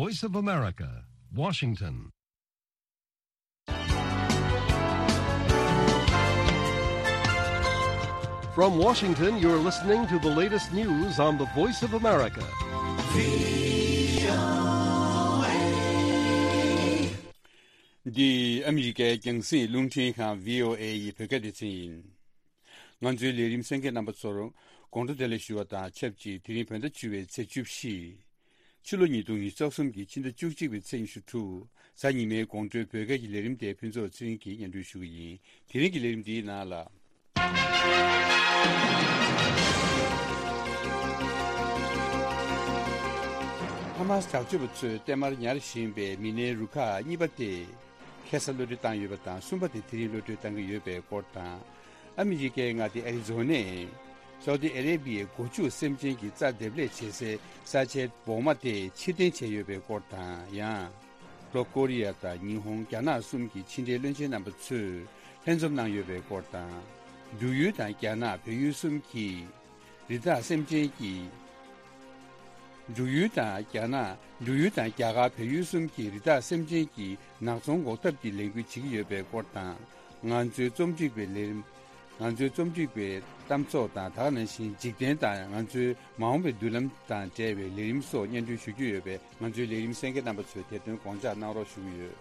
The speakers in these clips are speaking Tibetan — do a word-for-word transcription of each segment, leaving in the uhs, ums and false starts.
Voice of America, Washington. From Washington, you're listening to the latest news on the Voice of America. འདི་ཨ་མི་རི་ཀའི་རྒྱང་སྲིང་རླུང་འཕྲིན་ཁང་བྷི་ཨོ་ཨེ་ཡི་བོད་སྐད་སྡེ་ཚན་ཡིན། ང་ཚོའི་ལས་རིམ་གསན་མཁན་རྣམ་པ་ཚོར་དགོང་དྲོ་བདེ་ལེགས་ཞུ་བ་དང་ཆབས་ཅིག་དེ་རིང་བོད་ཟླ་བཅུ་པའི་ཚེས་བཅུ་བཞི། ཕྱི་ལོ་ཉིས་སྟོང་ཉི་ཤུ་རྩ་གསུམ་གྱི་ཕྱི་ཟླ་བཅུ་གཅིག་པའི་ཚེས་ཉི་ཤུ་དྲུག་གཟའ་ཉི་མའི་དགོང་དྲོའི་བོད་སྐད་ཀྱི་ལས་རིམ་དེ་ཕུན་ཚོགས་ཚེ་རིང་གིས་སྙན་སྒྲོན་ཞུ་གི་ཡིན། དེ་རིང་གི་ལས་རིམ་འདིའི་ནང་ལ། ཧ་མ་སི་དྲག་སྤྱོད་པ་ཚོས་བརྟན་མར་ཉར་བཞིན་པའི་མི་སྣའི་རུ་ཁག་གཉིས་པ་དེ། ཁ་སང་གློད་གྲོལ་བཏང་ཡོད་པ་དང་གསུམ་པ་དེ་དེ་རིང་གློད་གྲོལ་བཏང་གི་ཡོད་པའི་སྐོར་དང་། ཨ་མི་རི་ཀའི་མངའ་སྡེ་ཨ་རི་ཛོ་ནས་སའུ་ཏི་ཨ་རེ་བྷི་ཡའི་སྒོ་ཕྱུགས་སེམས་ཅན་གྱི་རྩྭ་འདེབས་ལས་བྱེད་སའི་ས་ཆའི་འོག་མ་དེ་ཕྱིར་འཐེན་བྱས་ཡོད་པའི་སྐོར་དང་། ཡང་། ལྷོ་ཀོ་རི་ཡ་དང་ཉི་ཧོང་། རྒྱ་ནག་གསུམ་གྱི་ཕྱི་འབྲེལ་བློན་ཆེན་རྣམ་པ་ཚོས་ལྷན་འཛོམས་གནང་ཡོད་པའི་སྐོར་དང་། འབྲུག་ཡུལ་དང་རྒྱ་ནག་བལ་ཡུལ་གསུམ་གྱི། རི་དྭགས་སེམས་ཅན་གྱི། འབྲུག་ཡུལ་དང་རྒྱ་ནག་འབྲུག་ཡུལ་དང་རྒྱ་གར་བལ་ཡུལ་གསུམ་གྱི་རི་དྭགས་སེམས་ཅན་གྱི་ནག་ཚོང་འགོག་ཐབས་ཀྱི་ལས་འགུལ་བྱེད་ཀྱི་ཡོད་པའི་སྐོར་དང་། ང་ཚོའི་རྩོམ་སྒྲིག་པའི་ལས་རིམ། ང་ཚོའི་རྩོམ་སྒྲིག་པའི་གཏམ་ཚོགས་དང་། ད་ག་ནང་བཞིན་འཇིག་རྟེན་དང་ང་ཚོའི་མ་འོངས་པའི་མདུན་ལམ་དང་འབྲེལ་བའི་ལས་རིམ་སོགས་སྙན་སྒྲོན་ཞུ་རྒྱུ་ཡོད་པས། ང་ཚོའི་ལས་རིམ་གསན་མཁན་རྣམ་པ་ཚོས་དེ་དོན་དགོངས་འཇགས་གནང་རོགས་ཞུ་གི་ཡོད།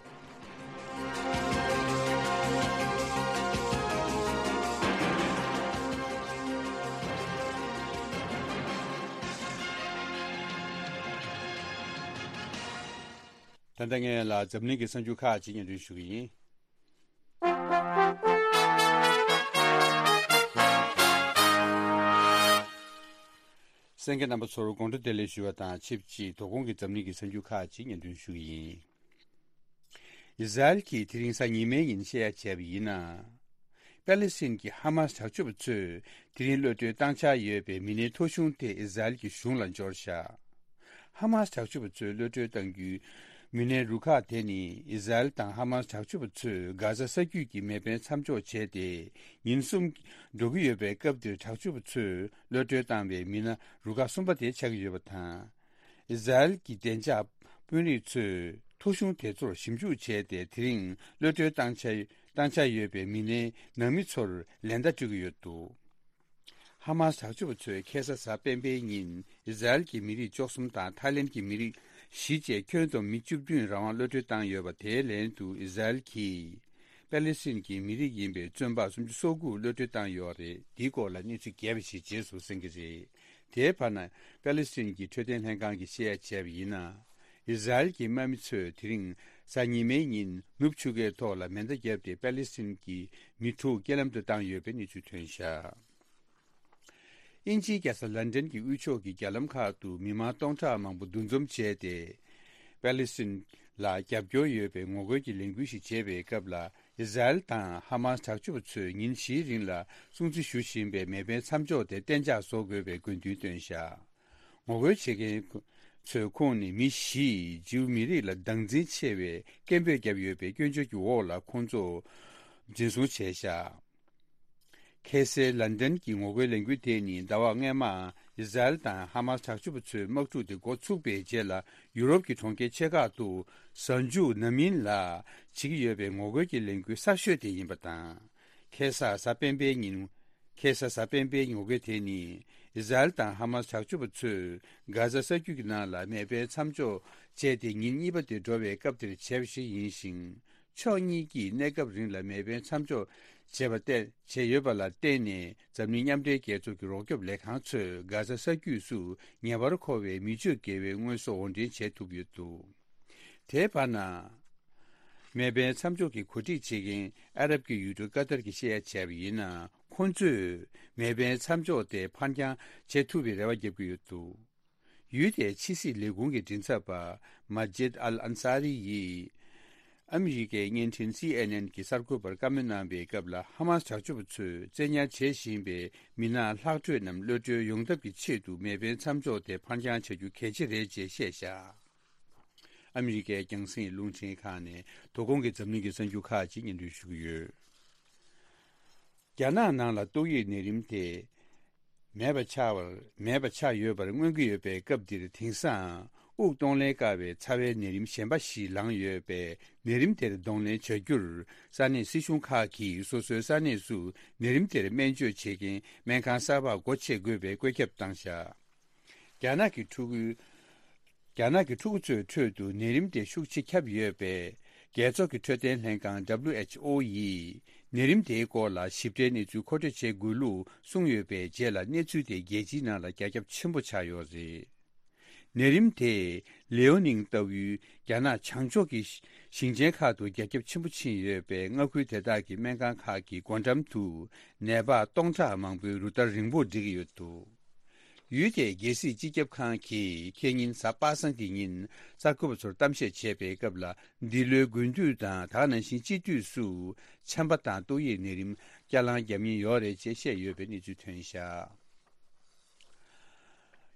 ད་ལྟ་ངས་ལ་འཛམ་གླིང་གི་གསར་འགྱུར་ཁག་ཅིག་སྙན་སྒྲོན་ཞུ་གི་ཡིན། གསན་མཁན་རྣམ་པ་ཚོར་དགོང་དྲོ་བདེ་ལེགས་ཞུ་བ་དང་ཆབས་ཅིག་དོ་དགོང་གི་འཛམ་གླིང་གི་གསར་འགྱུར་ཁག་ཅིག་སྙན་སྒྲོན་ཞུ་གི་ཡིན། ཨི་ཟ་རེལ་གྱིས་དེ་རིང་གཟའ་ཉི་མའི་ཉིན་བཤད་ཡ་བྱས་པ་ཡིན་ན། པེ་ལི་སི་ཐན་གྱི་ཧ་མ་སི་དྲག་སྤྱོད་པ་ཚོས་དེ་རིང་གློད་གྲོལ་བཏང་འཆར་ཡོད་པའི་མི་སྣའི་ཐོ་གཞུང་དེ་ཨི་ཟ་རེལ་གྱི་གཞུང་ལ་འབྱོར་བཞག་ཧ་མ་སི་དྲག་སྤྱོད་པ་ཚོས་གློད་གྲོལ་བཏང་རྒྱུའི་མི་སྣའི་རུ་ཁག་དེ་ནི། ཨི་ཟ་རེལ་དང་ཧ་མ་སི་དྲག་སྤྱོད་པ་ཚོས་གྷ་ཛ་ས་རྒྱུད་ཀྱི་མེ་འཕེན་མཚམས་འཇོག་བྱས་ཏེ་ཉིན་གསུམ་འགྲོ་གི་ཡོད་པའི་སྐབས་དེར། དྲག་སྤྱོད་པ་ཚོས་གློད་གྲོལ་བཏང་བའི་མི་སྣ་རུ་ཁག་གསུམ་པ་དེ་ཆགས་ཀྱི་ཡོད་པ་དང་། ཨི་ཟ་རེལ་གྱི་བདེ་འཇགས་དཔོན་རིགས་ཚོས་ཐོ་གཞུང་དེ་ཚོར་ཞིབ་འཇུག་བྱས་ཏེ། དེ་རིང་གློད་གྲོལ་བཏང་འཆར་བཏང་འཆར་ཡོད་པའི་མི་སྣའི་ནང་མི་ཚོར་ལན་བརྡ་སྤྲོད་ཀྱི་ཡོད་འདུག་ཧ་མ་སི་དྲག་སྤྱོད་པ་ཚོས་ཁ་སང་གཟའ་སྤེན་པའི་ཉིན་ཨི་ཟ་རེལ་གྱི་མི་རིགས་བཅུ་གསུམ་དང་ཐའི་ལེན་གྱི་མི་རིགས་བཞི་བཅས་ཁྱོན་བསྡོམས་མི་བཅུ་བདུན་རང་དབང་གློད་གྲོལ་བཏང་ཡོད་པ། དེའི་ལན་དུ་ཨི་ཟ་རེལ་གྱིས་པེ་ལི་སི་ཐན་གྱི་མི་རིགས་ཡིན་པའི་བཙོན་པ་སུམ་ཅུ་སོ་དགུ་གློད་གྲོལ་བཏང་ཡོད་རེད། འདིའི་སྐོར་ལ་གནས་ཚུལ་རྒྱས་པ་ཞིག་རྗེས་སུ་གསན་གྱི་རེད། དེའི་བར་ན། པེ་ལི་སི་ཐན་གྱི་འཕྲོད་བསྟེན་ལྷན་ཁང་གིས་བཤད་ཡ་བྱས་པ་ཡིན་ན། ཨི་ཟ་རེལ་གྱི་དམག་མི་ཚོས་དེ་རིང་གཟའ་ཉི་མའི་ཉིན་ནུབ་ཆུ་ཁའི་ཐོག་ལ་མེ་མདའ་བརྒྱབ་སྟེ་པེ་ལི་སི་ཐན་གྱི་མི་དྲུག་རྐྱེན་ལམ་དུ་བཏང་ཡོད་པའི་གནས་ཚུལ་ཐོན་བཞག་དབྱིན་ཇིའི་རྒྱལ་ས་ལན་ཀྲན་གྱི་དབུས་ཕྱོགས་ཀྱི་རྒྱ་ལམ་ཁག་ཏུ་མི་མང་སྟོང་ཕྲག་མང་པོ་འདུ་འཛོམས་བྱས་ཏེ། པེ་ལི་སི་ཐན་ལ་རྒྱབ་སྐྱོར་ཡོད་པའི་ངོ་རྒོལ་གྱི་ལས་འགུལ་ཞིག་བྱེད་པའི་སྐབས་ལ། ཨི་ཟ་རེལ་དང་ཧ་མ་སི་དྲག་སྤྱོད་པ་ཚོས་ཉིན་བཞིའི་རིང་ལ་སྲུང་བརྩི་ཞུ་བཞིན་པའི་མེ་འཕེན་མཚམས་འཇོག་དེ་གཏན་འཇགས་བཟོ་དགོས་པའི་དགོས་འདུན་བཏོན་བཞག་ངོ་རྒོལ་བྱེད་མཁན་ཚོའི་ཁོངས་ནས་མི་བཞིས་ཇིའུ་མི་རིགས་ལ་སྡང་འཛིན་ཆེ་བའི་སྐད་འབོད་བརྒྱབ་ཡོད་པའི་སྐྱོན་བརྗོད་ཀྱི་འོག་ལ་ཁོང་ཚོ་འཛིན་བཟུང་བྱས་བཞག་ཁ་སང་ལན་ཀྲན་གྱི་ངོ་རྒོལ་ལས་འགུལ་དེ་ནི་ཟླ་བ་སྔོན་མ་ཨི་ཟ་རེལ་དང་ཧ་མ་སི་དྲག་སྤྱོད་པ་ཚོའི་དམག་འཁྲུག་དེ་འགོ་ཚུགས་པའི་རྗེས་ལ་ཡུ་རོབ་ཀྱི་གྲོང་ཁྱེར་ཆེ་ཁག་ཏུ་གཟའ་མཇུག་ནམ་ཡིན་ལ་བྱེད་ཀྱི་ཡོད་པའི་ངོ་རྒོལ་གྱི་ལས་འགུལ་གསར་ཤོས་དེ་ཡིན་པ་དང་། ཁ་སང་གཟའ་སྤེན་པའི་ཉིན། ཁ་སང་གཟའ་སྤེན་པའི་ངོ་རྒོལ་དེ་ནི་ཨི་ཟ་རེལ་དང་ཧ་མ་སི་དྲག་སྤྱོད་པ་ཚོས་གྷ་ཛ་ས་རྒྱུད་ཀྱི་ནང་ལ་མེ་འཕེན་མཚམས་འཇོག་བྱས་ཏེ་ཉིན་གཉིས་པ་དེ་འགྲོ་བའི་སྐབས་དེར་བྱས་པ་ཞིག་ཡིན་ཞིང་། ཕྱོགས་གཉིས་ཀྱིས་གནས་སྐབས་རིང་ལ་མེ་འཕེན་མཚམས་འཇོག་བྱས་པ་བརྟེན་བྱས་ཡོད་པ་ལ་བརྟེན་ནས། འཛམ་གླིང་མཉམ་འབྲེལ་རྒྱལ་ཚོགས་ཀྱི་རོགས་སྐྱོབ་ལས་ཁང་ཚོས་གྷ་ཛ་ས་རྒྱུད་སུ་ཉེ་བར་མཁོ་བའི་མི་སྤྱོད་བརྒལ་བའི་དངོས་ཟོག་དབོར་འདྲེན་བྱེད་ཐུབ་ཡོད་འདུག་དེའི་བར་ན། མེ་འཕེན་མཚམས་འཇོག་གི་གོ་སྒྲིག་བྱེད་མཁན་ཨ་རབ་ཀྱི་ཡུལ་གྲུ་ཀ་ཏར་གྱིས་བཤད་ཡ་བྱས་པ་ཡིན་ན། ཁོང་ཚོས་མེ་འཕེན་མཚམས་འཇོག་དེ་ཕར་འགྱངས་བྱེད་ཐུབ་པའི་རེ་བ་བརྒྱབ་ཀྱི་ཡོད་འདུག་ཡུལ་དེའི་ཕྱི་སྲིད་ལས་ཁུངས་ཀྱི་མགྲིན་ཚབ་པ་མ་ཇིད་ཨལ་ཨན་ས་རི་ཡིས་ཨ་མི་རི་ཀའི་བརྙན་འཕྲིན་སི་ཨེན་ཨེན་གྱི་གསར་འགོད་པར་བཀའ་མོལ་གནང་བའི་སྐབས་ལ། ཧ་མ་སི་དྲག་སྤྱོད་པ་ཚོས་བཙན་ཉར་བྱེད་བཞིན་པའི་མི་སྣ་ལྷག་འཕྲོས་རྣམས་གློད་གྲོལ་ཡོང་ཐབས་ཀྱི་ཆེད་དུ་མེ་འཕེན་མཚམས་འཇོག་དེ་ཕར་འགྱངས་བྱ་རྒྱུ་གལ་ཆེ་རེད་ཅེས་བཤད་བཞག་ཨ་མི་རི་ཀའི་རྒྱང་སྲིང་རླུང་འཕྲིན་ཁང་ནས་དོ་དགོང་གི་འཛམ་གླིང་གི་གསར་འགྱུར་ཁག་ཅིག་སྙན་སྒྲོན་ཞུ་གི་ཡོད། རྒྱ་ནག་ནང་ལ་ཏོག་དབྱིབས་ནད་རིམས་དེ་མེད་པ་ཆགས་པར་མེད་པ་ཆགས་ཡོད་པར་མངོན་གྱི་ཡོད་པའི་སྐབས་འདིར། དེང་སང་ དབུགས་གཏོང་ལེན་དཀའ་བའི་ཚ་བའི་ནད་རིམས་གཞན་པ་ཞིག་ལངས་ཡོད་པས། ནད་རིམས་དེར་གདོང་ལེན་བྱ་རྒྱུར་ས་གནས་སྲིད་གཞུང་ཁག་གིས་སོ་སོའི་ས་གནས་སུ་ནད་རིམས་དེར་སྨན་བཅོས་བྱེད་མཁན་སྨན་ཁང་གསར་པ་སྒོ་ཕྱེ་དགོས་པའི་བཀོད་ཁྱབ་བཏང་བཞག་རྒྱ་ནག་གི་ཕྲུ་གུ། རྒྱ་ནག་གི་ཕྲུ་གུ་ཚོའི་ཁྲོད་དུ་ནད་རིམས་དེ་ཤུགས་ཆེ་ཁྱབ་ཡོད་པས། རྒྱལ་ཚོགས་ཀྱི་འཕྲོད་བསྟེན་ལྷན་ཁང་W H O ཡིས་ནད་རིམས་དེའི་སྐོར་ལ་ཞིབ་ཕྲའི་གནས་ཚུལ་མཁོ་སྤྲོད་བྱེད་དགོས་ལུགས་གསུངས་ཡོད་པའི་རྗེས་ལ། གནས་ཚུལ་དེ་རྒྱལ་སྤྱིའི་ནང་ལ་རྒྱ་ཁྱབ་ཆེན་པོ་ཆགས་ཡོད་རེད། ནད་རིམས་དེས་ལེའོ་ནིང་ལྟ་བུའི་རྒྱ་ནག་བྱང་ཕྱོགས་ཀྱི་ཞིང་ཆེན་ཁག་ཏུ་རྒྱ་ཁྱབ་ཆེན་པོ་ཕྱིན་ཡོད་པས། མངའ་ཁུལ་དེ་དག་གི་སྨན་ཁང་ཁག་གི་སྒོ་འགྲམ་དུ་ནད་པ་སྟོང་ཕྲག་མང་པོའི་རུ་སྟར་རིང་པོར་སྒྲིག་ཡོད་འདུག་ཡུལ་དེའི་རྒྱལ་སྲིད་སྤྱི་ཁྱབ་ཁང་གིས་ཁེ་ཉིན་གཟའ་པ་སངས་ཀྱི་ཉིན་གསར་འགོད་པ་ཚོར་གཏམ་བཤད་བྱས་པའི་སྐབས་ལ། འདི་ལོའི་དགུན་དུས་དང་ད་ག་ནང་བཞིན་དཔྱིད་དུས་སུ་ཆམ་པ་དང་ཏོག་དབྱིབས་ནད་རིམས་བསྐྱར་ལངས་བརྒྱབ་ཉེན་ཡོད་རེད་ཅེས་བཤད་ཡོད་པའི་གནས་ཚུལ་ཐོན་བཞག་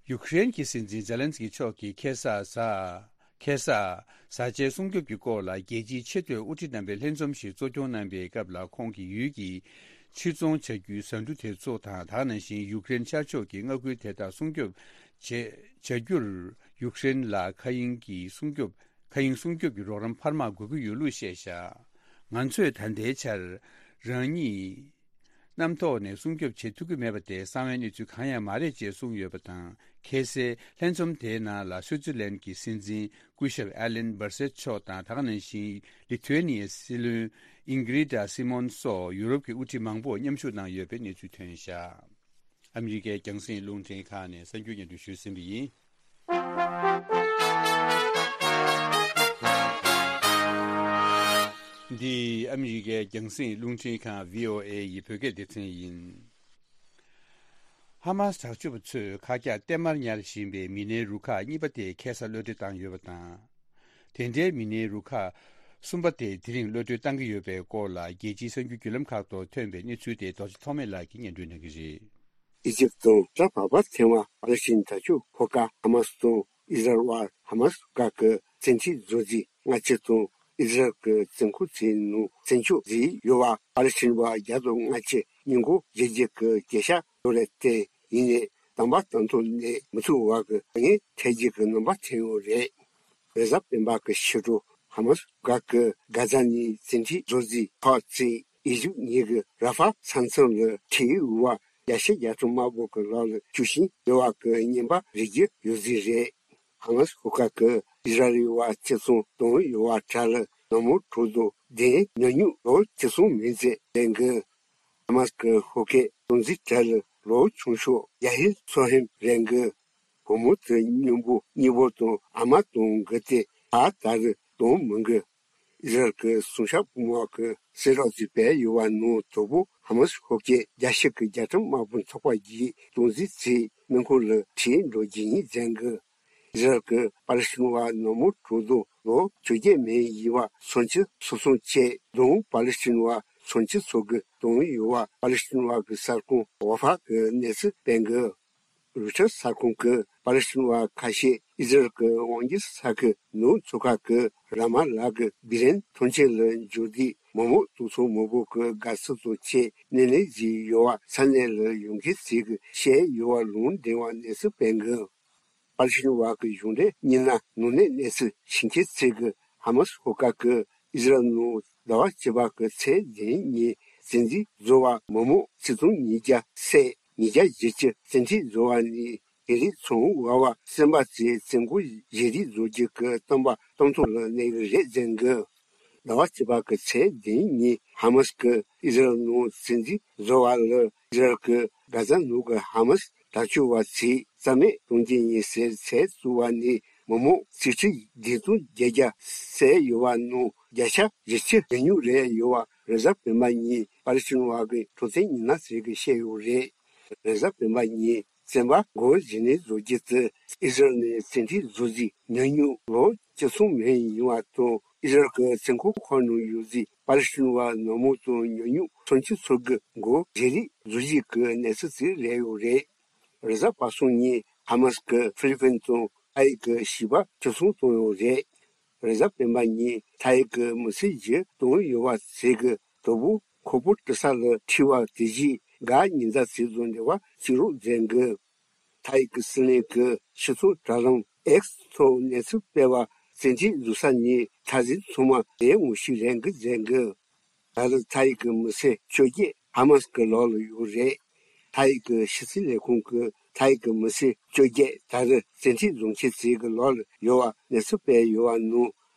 ཡུཀ་རེན་གྱི་སྲིད་འཛིན་ཛེ་ལན་སི་ཀི་མཆོག་གིས་ཁ་སང་གཟའ། ཁ་སང་། བཟའ་བཅའི་སྲུང་སྐྱོབ་ཀྱི་སྐོར་ལ་རྒྱལ་སྤྱིའི་ཆེས་མཐོའི་དབུ་ཁྲིད་རྣམ་པའི་ལྷན་འཛོམས་ཤིག་གཙོ་སྐྱོང་གནང་པའི་སྐབས་ལ། ཁོང་གིས་ཡུལ་གྱི་ཕྱིར་ཚོང་བྱ་རྒྱུའི་ཟ་འབྲུ་དེ་ཚོ་དང་། ད་ག་ནང་བཞིན་ཡུཀ་རེན་ཤར་ཕྱོགས་ཀྱི་མངའ་ཁུལ་དེ་དག་སྲུང་སྐྱོབ་བྱེད་བྱ་རྒྱུར་ཡུཀ་རེན་ལ་མཁའ་དབྱིངས་ཀྱི་སྲུང་སྐྱོབ། མཁའ་དབྱིངས་སྲུང་སྐྱོབ་ཀྱི་རོགས་རམ་འཕར་མ་དགོས་ཀྱི་ཡོད་ལུགས་བཤད་བཞག་ང་ཚོས་ད་ལྟའི་ཆར་རང་ཉིད། གནམ་ཐོག་ནས་སྲུང་སྐྱོབ་བྱེད་ཐུབ་ཀྱི་མེད་པ་དེ་གསང་བའི་གནས་ཚུལ་གང་ཡང་མ་རེད་ཅེས་གསུངས་ཡོད་པ་དང་། ཁ་སང་ལྷན་འཛོམས་དེའི་ནང་ལ་སུའུ་ཙི་ལན་གྱི་སྲིད་འཛིན་སྐུ་ཞབས་ཨ་ལན་སྦར་སེད་མཆོག་དང་། ད་ག་ནང་བཞིན་ལི་ཐུ་ཨེ་ནི་ཡའི་སྲིད་བློན་ཨིང་གྷི་རི་ཏཱ་སི་མོན་སོགས་ཡུ་རོབ་ཀྱི་དབུ་ཁྲིད་མང་པོ་མཉམ་ཞུགས་གནང་ཡོད་པའི་གནས་ཚུལ་ཐོན་བཞག་ཨ་མི་རི་ཀའི་རྒྱང་སྲིང་རླུང་འཕྲིན་ཁང་ནས་གསར་འགྱུར་སྙན་སྒྲོན་ཞུས་ཟིན་པ་ཡིན། འདི་ཨ་མི་རི་ཀའི་རྒྱང་སྲིང་རླུང་འཕྲིན་ཁང་V O A ཡི་བོད་སྐད་སྡེ་ཚན་ཡིན། ཧ་མཱ་སི་དྲག་སྤྱོད་པ་ཚོས་ཁག་རྒྱག་གཏའ་མར་ཉར་བཞིན་པའི་མི་སྣའི་རུ་ཁག་གཉིས་པ་དེ་ཁ་སང་གློད་གྲོལ་བཏང་ཡོད་པ་དང་། དེ་འདྲའི་མི་སྣའི་རུ་ཁག་གསུམ་པ་དེ་དེ་རིང་གློད་གྲོལ་བཏང་གི་ཡོད་པའི་སྐོར་ལ། རྒྱལ་སྤྱིའི་གསར་འགྱུར་བརྒྱུད་ལམ་ཁག་ཐོག་ཐོན་པའི་གནས་ཚུལ་དེ་རྡོ་རྗེ་ཐོགས་མེད་ལགས་ཀྱིས་སྙན་སྒྲོན་གནང་གི་རེད། ཨི་ཇིབ་དང་ལྕགས་བར་པ་ཐེ་ཝན་པ་ལི་སི་ཐན་དར་ལྕོག་ཧོ་ཀ་ཧ་མ་སི་དང་ཨི་ཟ་རེལ་བར་ཧ་མ་སི་བར་གྱི་བཙན་ཁྲིད་བཟོ་རྩིས་སྔ་ཕྱི་དང་། ཨི་ཟ་རེལ་གྱི་བཙོན་ཁང་ཚོའི་ནང་བཙན་བྱོལ་བཟོས་ཡོད་པ་ཨ་རི་ཕྱི་དྲིལ་བ་བརྒྱ་དང་ལྔ་བཅུ་ཉིན་གུང་རྗེས་ཀྱི་གྱེས་ཕྱག་ལོ་རེ་བརྟན་ཡིན་ནས། དམ་པ་དམ་ཐོག་ནས་མི་ཚུགས་བར་གྱི་ངན་འཕྲད་རྒྱུ་གི་རྣམ་པ་ཐོན་ཡོད་རེད། རེས་གཟའ་སྤེན་པ་གི་ཕྱི་དྲོ་ཧ་མ་སི་བར་གྱི་གྷ་ཛ་ནས་བཙན་ཁྲིད་བཟོ་རྩིས་ཐོག་བརྩིས། ཨི་ཇིབ་ཉིད་ཀྱི་ར་ཧྥ་ས་མཚམས་ལ་ཁྲིད་ཡོད་པ་རྒྱལ་སྤྱི་རྒྱལ་ཁྲིམས་དམར་པོ་གི་ལག་ལ་བཅུག་བཞིན་ཡོད་པ་གི་བརྙན་པར་རིག་རྒྱུ་ཡོད་རྩིས་རེད། ཧ་མ་སི་ཤོག་ཁག་གིས་ཨི་ཟ་རེལ་བ་བཙན་བཟུང་བཏང་ཡོད་པ་དག་ལ་ནག་མོ་ཁྲོད་དུ་བདེན་ཉོ་ཉུང་ལོ་བཅུ་གསུམ་མིན་ཚེ་ལེན་གི། ཧ་མ་སི་གི་ཧོ་ཀེ་སྟངས་འཛིན་གྲས་ལ་ལོ་ཆུང་ཤོས་ཡ་ཧིར་སོ་ཧེམ་རེད་གི། བུ་མོ་དེ་སྙིང་པོ་གཉིས་པོ་དང་ཨ་མ་དང་གི་སྟེ་ད་ད་རེས་དང་མི་འགི། ཨི་ཟ་རེལ་གྱི་སྲུང་སྐྱོབ་དམག་གི་གསལ་བསྒྲགས་ཅིག་སྤེལ་ཡོད་པ་ནང་དོ་པོ་ཧ་མ་སི་ཤོག་ཁག་རྒྱལ་སྤྱི་གི་རྒྱལ་ཁྲིམས་དམར་པོ་ཚོགས་པ་གིས་སྟངས་འཛིན་བྱས་སྨན་ཁང་ལ་ཁྲིད་འགྲོ་རྒྱུ་ཡིན་ཟེར་གི། ཨི་ཟ་རེལ་གྱིས་པ་ལི་སི་ཐན་པ་ནག་མོ་ཁྲོད་དུ་ལོ་བཅོ་བརྒྱད་མན་ཡིན་པ་སུམ་ཅུ་སོ་གསུམ་བཅས་དང་པ་ལི་སི་ཐན་པ་སུམ་ཅུ་སོ་དགུ་བཏང་ཡོད་པ་པ་ལི་སི་ཐན་པ་གི་གསར་ཁང་ཝ་ཧྥ་གི་གནས་ཚུལ་སྤེལ་གི། རུ་ཊར་གསར་ཁང་གིས་པ་ལི་སི་ཐན་པ་ཁ་ཤས་ཨི་ཟ་རེལ་གྱི་དབང་སྒྱུར་ས་ཁུལ་ནང་ཚོ་ཁག་གི་ར་མ་ལ་གི་བི་རན་ཐོན་སྐྱེད་ལ་འབྱོར་དུས་མི་མང་དུག་ཚོང་མི་འབོར་གྱི་དགའ་བསུ་དང་བཅས་སྣེ་ལེན་བྱས་ཡོད་པ་ས་གནས་ལ་ཡོང་མཁན་ཚོས་ཀྱིས་བཤད་ཡོད་པ་ལུང་འདྲེན་པ་གནས་ཚུལ་སྤེལ་གི། པ་ལི་སི་ཐན་པ་གི་གཞུང་འབྲེལ་མི་སྣ་ནང་གནས་གནས་ཚུལ་ཞིབ་མཁན་ཚོས་ཀྱིས་ཧ་མ་སི་ཤོག་ཁག་གིས་ཨི་ཟ་རེལ་ནང་ཟླ་བ་བཅུ་པ་གི་ཚེས་བདུན་ཉིན་བཙན་འཛུལ་བཟོ་བ་མི་མང་ཆིག་སྟོང་ཉིས་བརྒྱ་བསད། ཉིས་བརྒྱ་བཞི་བཅུ་བཙན་ཁྲིད་བཟོ་བ་ནི་དེ་རིང་ཚོང་བ་བ་སེམས་པ་ཚོས་བཙོན་ཁང་བཞེས་རིས་བཟོ་རྒྱུ་གི་གཏམ་པ་གཏམ་ཐོག་ལ་གནས་ཀྱི་རེད་ཟེར་གི། ཟླ་བ་བཅུ་པ་གི་ཚེས་བདུན་ཉིན་ཧ་མ་སི་གིས་ཨི་ཟ་རེལ་ནང་བཙན་འཛུལ་བཟོ་བ་ལ་ཨི་ཟ་རེལ་གྱིས་གྷ་ཛ་ནང་གི་ཧ་མ་སི་དྲག་སྤྱོད་པ་ཚོས་རྩ་མེད་གཏོང་རྒྱུ་ཡིན་ཟེར་ཚིག་བཙུགས་པ་ནས་མི་མང་ཆིག་ཁྲི་བདུན་སྟོང་བརྒྱད་བརྒྱ་བསད་ཡོད་པ་ནང་བརྒྱ་ཆ་བཞི་བཅུ་ཉུང་ཉུང་རེད་ཡོད་པ་རེས་གཟའ་སྤེན་པ་ཉིན་པ་ལི་སི་ཐན་པ་གི་འཕྲོད་བསྟེན་མི་སྣ་ཚོས་ཀྱིས་བཤད་ཡོད་རེད། རེས་གཟའ་སྤེན་པ་ཉིན་བཙན་པ་སྒོ་འབྱེད་ནས་བཟོ་རྒྱུ་དེ་ཨི་ཟ་རེལ་ནས་བཙན་ཁྲིད་བཟོ་རྩིས་ཉོ་ཉུང་ལོ་བཅུ་གསུམ་མན་ཡིན་པ་དང་། ཨི་ཟ་རེལ་གྱི་བཙོན་ཁང་ཁག་ནང་ཡོད་རྩིས་པ་ལི་སི་ཐན་པ་ནག་མོ་དང་ཉོ་ཉུང་སུམ་ཅུ་སོ་དགུ་སྒོ་འབྱེད་རིས་བཟོ་རྒྱུ་གི་གནས་ཚུལ་ཞིག་སླེབས་ཡོད་རེད། རེས་གཟའ་པ་སངས་ཉིན་ཧ་མ་སི་གིས་ཧྥི་ལི་ཕིན་དང་ཐ་ཡིག་གི་བྱིས་པ་བཅུ་གསུམ་བཏང་ཡོད་རེད། རེས་གཟའ་སྤེན་པ་ཉིན་ཐ་ཡིག་གི་མི་སེར་བཞི་བཏང་ཡོད་པ་ཟེར་གི། དོ་པོ་ཁོ་པོ་ཏི་ས་ལ་ཁྲིད་པ་དེ་བཞིན་གྷ་ཉི་ཟླ་ཚེས་བཟོ་འབྲེལ་བ་བྱེད་རོགས་མཛད་གི། ཐ་ཡིག་གི་སྲིད་བློན་གྱི་ཕྱི་སྲུང་དྲ་ལམ་ ཨེགས་ཐོག་གནས་ཚུལ་སྤེལ་བར་བཙན་ཁྲིད་བཟོ་ས་ནི་ད་གཟོད་ཚང་མ་ལས་ངོ་ཤེས་རན་གི་མཛད་འགོ། ད་རེས་ཐའི་གི་མི་སེར་བཅོ་བརྒྱད་ཧ་མ་སི་གི་ལག་ལ་ཡོད་རེད། ཐའི་གི་ཕྱི་སྲིད་ལས་ཁུངས་ཀྱིས་ཐའི་གི་མི་སེར་བཅོ་བརྒྱད་ད་རེས་བཙན་ཁྲིད་བཟུང་མཁན་ཚོའི་གི་ལག་ལ་ཡོད་པ་གནས་ཚུལ་སྤེལ་ཡོད་པ་ནང་།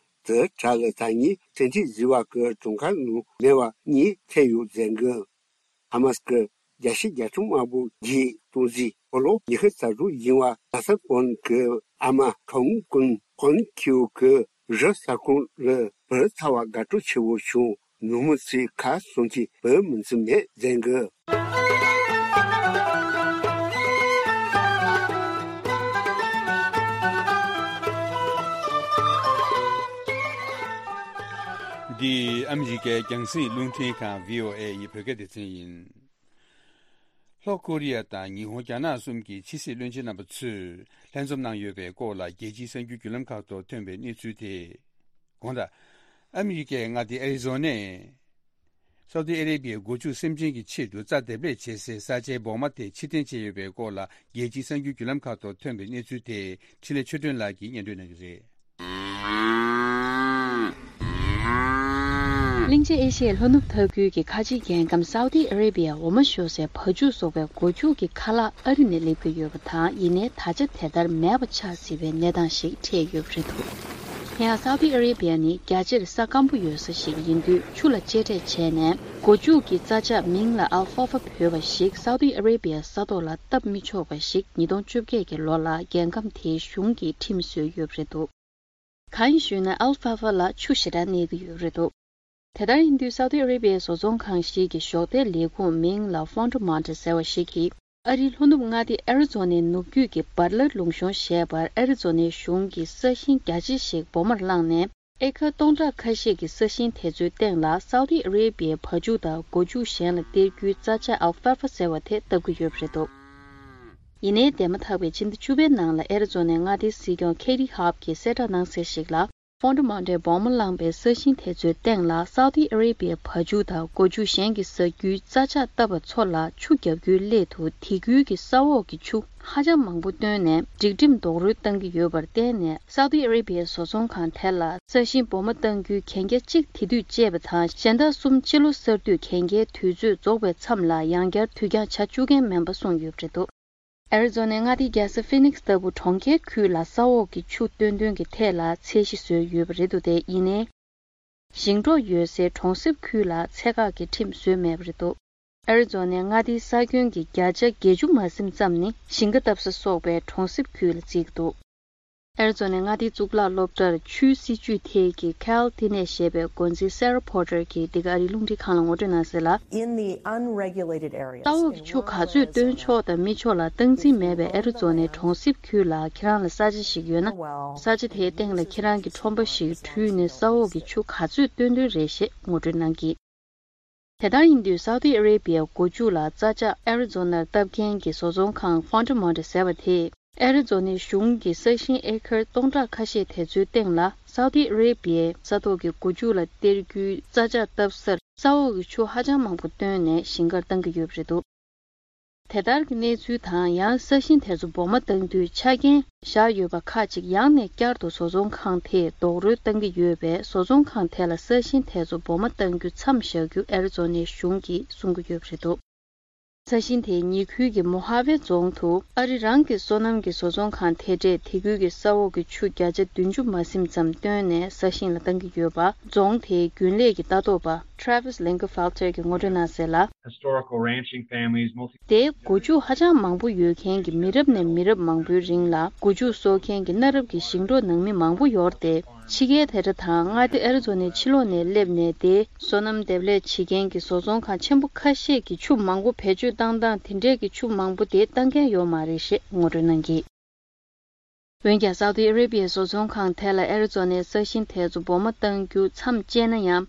དེ་གྲས་ལ་ད་ནི་བཙན་ཁྲིད་བཟོས་པ་གི་གྲངས་ཀ་ནང་མེད་པ་གཉིས་ཐེ་ཡོད་མཛད་འགོ། ཧ་མ་སི་གི་རྒྱལ་སྤྱི་རྒྱལ་ཁྲིམས་དམར་པོ་གིས་སྟོང་ཟད་ཕོ་ལོ་ཉི་ཤུ་རྩ་དྲུག་ཡིན་པ་ད་ས་པོན་གྱི་ཨ་མ་ཁོང་ཀུན་ཁོང་ཁྱེའུ་གི་རི་ས་ཁོངས་ལ་བུད་ཚར་བ་དགའ་སྤྲོ་ཆེ་བོ་བྱུང་། ནུབ་མོ་ཚོས་ཁ་སང་གི་བུད་མི་འཛིན་མེད་མཛད་འགོ། འདི་ཨ་མི་རི་ཀའི་རྒྱང་སྲིང་རླུང་འཕྲིན་ཁང་བྷི་ཨོ་ཨེ་ཡི་བོད་སྐད་སྡེ་ཚན་ཡིན། ལྷོ་ཀོ་རི་ཡ་དང་ཉི་ཧོང་། རྒྱ་ནག་གསུམ་གྱི་ཕྱི་སྲིད་བློན་ཆེན་རྣམ་པ་ཚོས་ལྷན་འཛོམས་གནང་ཡོད་པའི་སྐོར་ལ་རྒྱལ་སྤྱིའི་གསར་འགྱུར་བརྒྱུད་ལམ་ཁག་ཐོག་ཐོན་པའི་གནས་ཚུལ་དེ། དགོང་དག་ཨ་མི་རི་ཀའི་མངའ་སྡེ་ཨེ་རི་ཛོ་ནས། སའུ་ཏི་ཨ་རེ་བྷི་ཡའི་སྒོ་ཕྱུགས་སེམས་ཅན་གྱི་ཆེད་དུ་རྩྭ་འདེབས་ལས་བྱེད་སའི་ས་ཆའི་སྦུག་མ་དེ་ཕྱིར་འཐེན་བྱས་ཡོད་པའི་སྐོར་ལ་རྒྱལ་སྤྱིའི་གསར་འགྱུར་བརྒྱུད་ལམ་ཁག་ཐོག་ཐོན་པའི་གནས་ཚུལ་དེ་འཕྲིན་ལས་ཆོས་སྒྲོན་ལགས་ཀྱིས་སྙན་སྒྲོན་གནང་གི་རེད། གླིང་ཆེན་ཨེ་ཤི་ཡའི་ལྷོ་ནུབ་མཐའ་ཁུལ་གྱི་ཁ་ཆེའི་རྒྱལ་ཁམས་སའུ་ཏི་ཨ་རེ་བྷི་ཡ་འོ་མ་བཞོ་སའི་བ་ཕྱུགས་བཟོ་བའི་སྒོ་ཕྱུགས་ཀྱི་ཁ་ལག་ཨ་རི་ནས་སླེབས་ཀྱི་ཡོད་པ་དང་། ཡིན་ནའི་ད་ཆ་དེ་ལྟར་མེད་པ་ཆགས་སྲིད་པའི་གནས་སྟངས་ཤིག་འཕྲད་ཡོད་པ་རེད་འདུག་དེ་ཡང་སའུ་ཏི་ཨ་རེ་བྷི་ཡ་ནི་རྒྱ་ཆེར་ས་སྐམ་པོ་ཡོད་ས་ཞིག་ཡིན་དུས། ཆུ་ལ་གཅེས་སྤྲས་བྱས་ནས་སྒོ་ཕྱུགས་ཀྱི་རྩྭ་ཆགས་མིང་ལ་ཨལ་ཧྥ་ཧྥ་འབོད་པ་ཞིག་སའུ་ཏི་ཨ་རེ་བྷི་ཡའི་ས་ཐོག་ལ་བཏབ་མི་ཆོག་པ་ཞིག་ཉིས་སྟོང་བཅོ་བརྒྱད་ཀྱི་ལོ་ལ་རྒྱལ་ཁམས་དེའི་གཞུང་གིས་ཁྲིམས་བཟོས་ཡོད་པ་རེད་འདུག་གང་ཡིན་ཞུས་ན། ཨལ་ཧྥ་ཧྥ་ལ་ཆུ་ཞེ་དྲག་གནས་ཀྱི་ཡོད་པ་རེད་འདུག་དེ་ལྟར་ཡིན་དུས། སའུ་ཏི་ཨ་རེ་བྷི་ཡའི་བཟོ་ཚོང་ཁང་ཞིག་གི་གཞོགས་འདེགས་ལས་ཁུངས་མིང་ལ་ཧྥོན་ཏྲ་མོན་ཏྲ་ཟེར་བ་ཞིག་གིས། ཨ་རིའི་ལྷོ་ནུབ་མངའ་སྡེ་ཨེ་རི་ཛོ་ནའི་ནུབ་རྒྱུད་ཀྱི་བར་ལ་ལུང་གཤོང་ཞེས་པར་ཨེ་རི་ཛོ་ནའི་གཞུང་གིས་ས་ཞིང་རྒྱ་ཆེ་ཞིག་སྦུག་མར་བླངས་ནས། ཨེ་ཀར་སྟོང་ཕྲག་ཁ་ཤས་ཀྱི་ས་ཞིང་དེ་ཚོའི་སྟེང་ལ་སའུ་ཏི་ཨ་རེ་བྷི་ཡའི་བ་ཕྱུགས་དང་སྒོ་ཕྱུགས་གཞན་ལ་སྟེར་རྒྱུའི་རྩྭ་ཆགས་ཨལ་ཧྥ་ཧྥ་ཟེར་བ་དེ་བཏབ་ཀྱི་ཡོད་པ་རེད་འདུག་ཡིན་ནའི། འདས་མ་ཐག་པའི་ཕྱི་ཟླ་བཅུ་པའི་ནང་ལ་ཨེ་རི་ཛོ་ནའི་མངའ་སྡེའི་སྲིད་སྐྱོང་ཁེ་ཏི་ཧོབ་ཀྱིས་གསལ་བསྒྲགས་གནང་གསལ་ཞིག་ལ། ཧྥོན་ཏྲ་མོན་ཏྲའི་སྦུག་མ་བླངས་པའི་ས་ཞིང་དེ་ཚོའི་སྟེང་ལ་སའུ་ཏི་ཨ་རེ་བྷི་ཡའི་བ་ཕྱུགས་དང་སྒོ་ཕྱུགས་གཞན་གྱིས་ཟ་རྒྱུའི་རྩྭ་ཆགས་བཏབ་པ་ཚོ་ལ་ཆུ་བརྒྱབ་རྒྱུའི་སླད་དུ། དེ་ཁུལ་གྱི་ས་འོག་གི་ཆུ་ཧ་ཅང་མང་པོ་བཏོན་ནས་སྒྲིག་ཁྲིམས་རྡོག་རོལ་བཏང་གི་ཡོད་པར་བརྟེན་ནས། སའུ་ཏི་ཨ་རེ་བྷི་ཡའི་བཟོ་ཚོང་ཁང་དེ་ལ་ས་ཞིང་སྦུག་མ་བཏང་རྒྱུའི་གན་རྒྱ་གཅིག་དེ་དུས་བཅད་པ་དང་། གཞན་དག་གསུམ་སྤྱི་ལོ་གསར་དུས་གན་རྒྱའི་དུས་ཚོད་རྫོགས་པའི་མཚམས་ལ་ཡང་བསྐྱར་དུས་འགྱངས་བྱ་བཅུག་མཁན་མིན་པ་གསུངས་ཡོད་པ་རེད་འདུག་ཨེ་རི་ཛོ་ནའི་མངའ་སྡེ་རྒྱལ་ས་ཧྥི་ནིག་སི་ལྟ་བུ་གྲོང་ཁྱེར་ཁུལ་ལ་ས་འོག་གི་ཆུ་བཏོན་འདུན་གྱི་ཐད་ལ་ཚད་གཞི་བཟོས་ཡོད་པ་རེད་འདུག་དེ་ཡིན་ནའི། ཞིང་འབྲོག་ཡོད་སའི་གྲོང་གསེབ་ཁུལ་ལ་ཚད་བཀག་གི་ཁྲིམས་བཟོས་མེད་པ་རེད་འདུག་ཨེ་རི་ཛོ་ནའི་མངའ་སྡེའི་ས་ཁྱོན་གྱི་བརྒྱ་ཆ་བརྒྱད་ཅུ་མ་ཟིན་ཙམ་ནི་ཞིང་ཁ་བཏབ་ས་སོགས་པའི་གྲོང་གསེབ་ཁུལ་ལ་བརྩི་གི་འདུག་ཨེ་རི་ཛོ་ནའི་མངའ་སྡེའི་གཙུག་ལག་སློབ་གྲྭར་ཆུའི་སྲིད་ཇུས་ཐད་ཀྱི་Cal Tinnett་ཞེས་པའི་འགོ་འཛིན་Sarah Porter་གྱིས་འདི་ག་ཨ་རིའི་རླུང་འཕྲིན་ཁང་ལ་ངོ་སྤྲོད་གནང་གསལ་ལ། In the unregulated areas, ས་འོག་གི་ཆུ་ག་ཚོད་བཏོན་ཆོག་དང་མི་ཆོག་ལ་སྟངས་འཛིན་མེད་པའི་ཨེ་རི་ཛོ་ནའི་གྲོང་གསེབ་ཁུལ་ལ། ཁྱེད་རང་ལ་ས་ཆ་ཞིག་ཡོད་ན། ས་ཆ་དེའི་སྟེང་ལ་ཁྱེད་རང་གི་ཁྲོམ་པ་ཞིག་བྲུས་ནས་ས་འོག་གི་ཆུ་ག་ཚོད་བཏོན་འདུན་རེད་ཞེས་ངོ་སྤྲོད་གནང་གིས། དེ་ལྟར་ཡིན་དུས། སའུ་ཏི་ཨ་རེ་བྷི་ཡའི་སྒོ་ཕྱུགས་ལ་རྩྭ་ཆགས་ཨེ་རི་ཛོ་ནར་བཏབ་མཁན་གྱི་བཟོ་ཚོང་ཁང་Fontermonte་ཟེར་བ་དེས། ཨེ་རི་ཛོ་ནའི་གཞུང་གི་ས་ཞིང་ཨེ་ཀར་སྟོང་ཕྲག་ཁ་ཤས་དེ་ཚོའི་སྟེང་ལ། སའུ་ཏི་ཨ་རེ་བྷི་ཡའི་ས་ཐོག་གི་སྒོ་ཕྱུགས་ལ་སྟེར་རྒྱུའི་རྩྭ་ཆགས་བཏབ་སར། ས་འོག་གི་ཆུ་ཧ་ཅང་མང་པོ་བཏོན་ནས་ཞིང་ཁར་བཏང་གི་ཡོད་པ་རེད་འདུག་དེ་ལྟར་གྱི་གནས་ཚུལ་དང་། ཡང་ས་ཞིང་དེ་ཚོ་སྦུག་མ་བཏང་དུས་ཆ་རྐྱེན་བཞག་ཡོད་པ་ཁག་ཅིག་ཡང་ནས་བསྐྱར་དུ་བཟོ་ཚོང་ཁང་དེས་རྡོག་རོལ་བཏང་གི་ཡོད་པས། བཟོ་ཚོང་ཁང་དེ་ལ་ས་ཞིང་དེ་ཚོ་སྦུག་མ་བཏང་རྒྱུ་མཚམས་བཞག་རྒྱུ་ཨེ་རི་ཛོ་ནའི་གཞུང་གིས་གསུང་གི་ཡོད་པ་རེད་འདུག་ས་ཞིང་དེ་ཉེ་ཁུལ་གྱི་མོ་ཧ་ཝེ་རྫོང་དུ་ཨ་རི་རང་གི་སོ་ནམ་གྱི་བཟོ་ཚོང་ཁང་དེ་འདྲས་དེ་ཁུལ་གྱི་ས་འོག་གི་ཆུ་བརྒྱ་ཆ་བདུན་ཅུ་མ་ཟིན་ཙམ་བཏོན་ནས་ས་ཞིང་ལ་བཏང་གི་ཡོད་པ། རྫོང་དེའི་རྒྱུན་ལས་ཀྱི་ལྟ་རྟོག་པ་Travis Lingerfelter་གྱིས་ངོ་སྤྲོད་གནང་གསལ་ལ། Historical ranching families, multi- དེའི་སྒོ་ཕྱུགས་ཧ་ཅང་མང་པོ་ཡོད་མཁན་གྱི་མི་རབས་ནས་མི་རབས་མང་པོའི་རིང་ལ་སྒོ་ཕྱུགས་གསོ་མཁན་གྱི་གནའ་རབས་ཀྱི་ཞིང་འབྲོག་ནང་མི་མང་པོ་ཡོད་རེད་དེ། ཕྱི་རྒྱལ་དེ་འདྲ་དང་མངའ་སྡེ་ཨེ་རི་ཛོ་ནའི་ཕྱི་ལོགས་ནས་སླེབས་ནས། དེའི་སོ་ནམ་འདེབས་ལས་བྱེད་མཁན་གྱི་བཟོ་ཚོང་ཁང་ཆེན་པོ་ཁ་ཤས་ཀྱིས་ཆུ་མང་པོ་བེད་སྤྱོད་བཏང་སྟངས་དེ་འདྲས་ཀྱི་ཆུ་མང་པོ་དེ་བཏང་མཁན་ཡོད་མ་རེད་ཞེས་ངོ་སྤྲོད་གནང་གིས། འོན་ཀྱང་། སའུ་ཏི་ཨ་རེ་བྷི་ཡའི་བཟོ་ཚོང་ཁང་དེ་ལ་ཨེ་རི་ཛོ་ནའི་ས་ཞིང་དེ་ཚོ་སྦུག་མ་བཏང་རྒྱུ་མཚམས་བཅད་ན་ཡང་།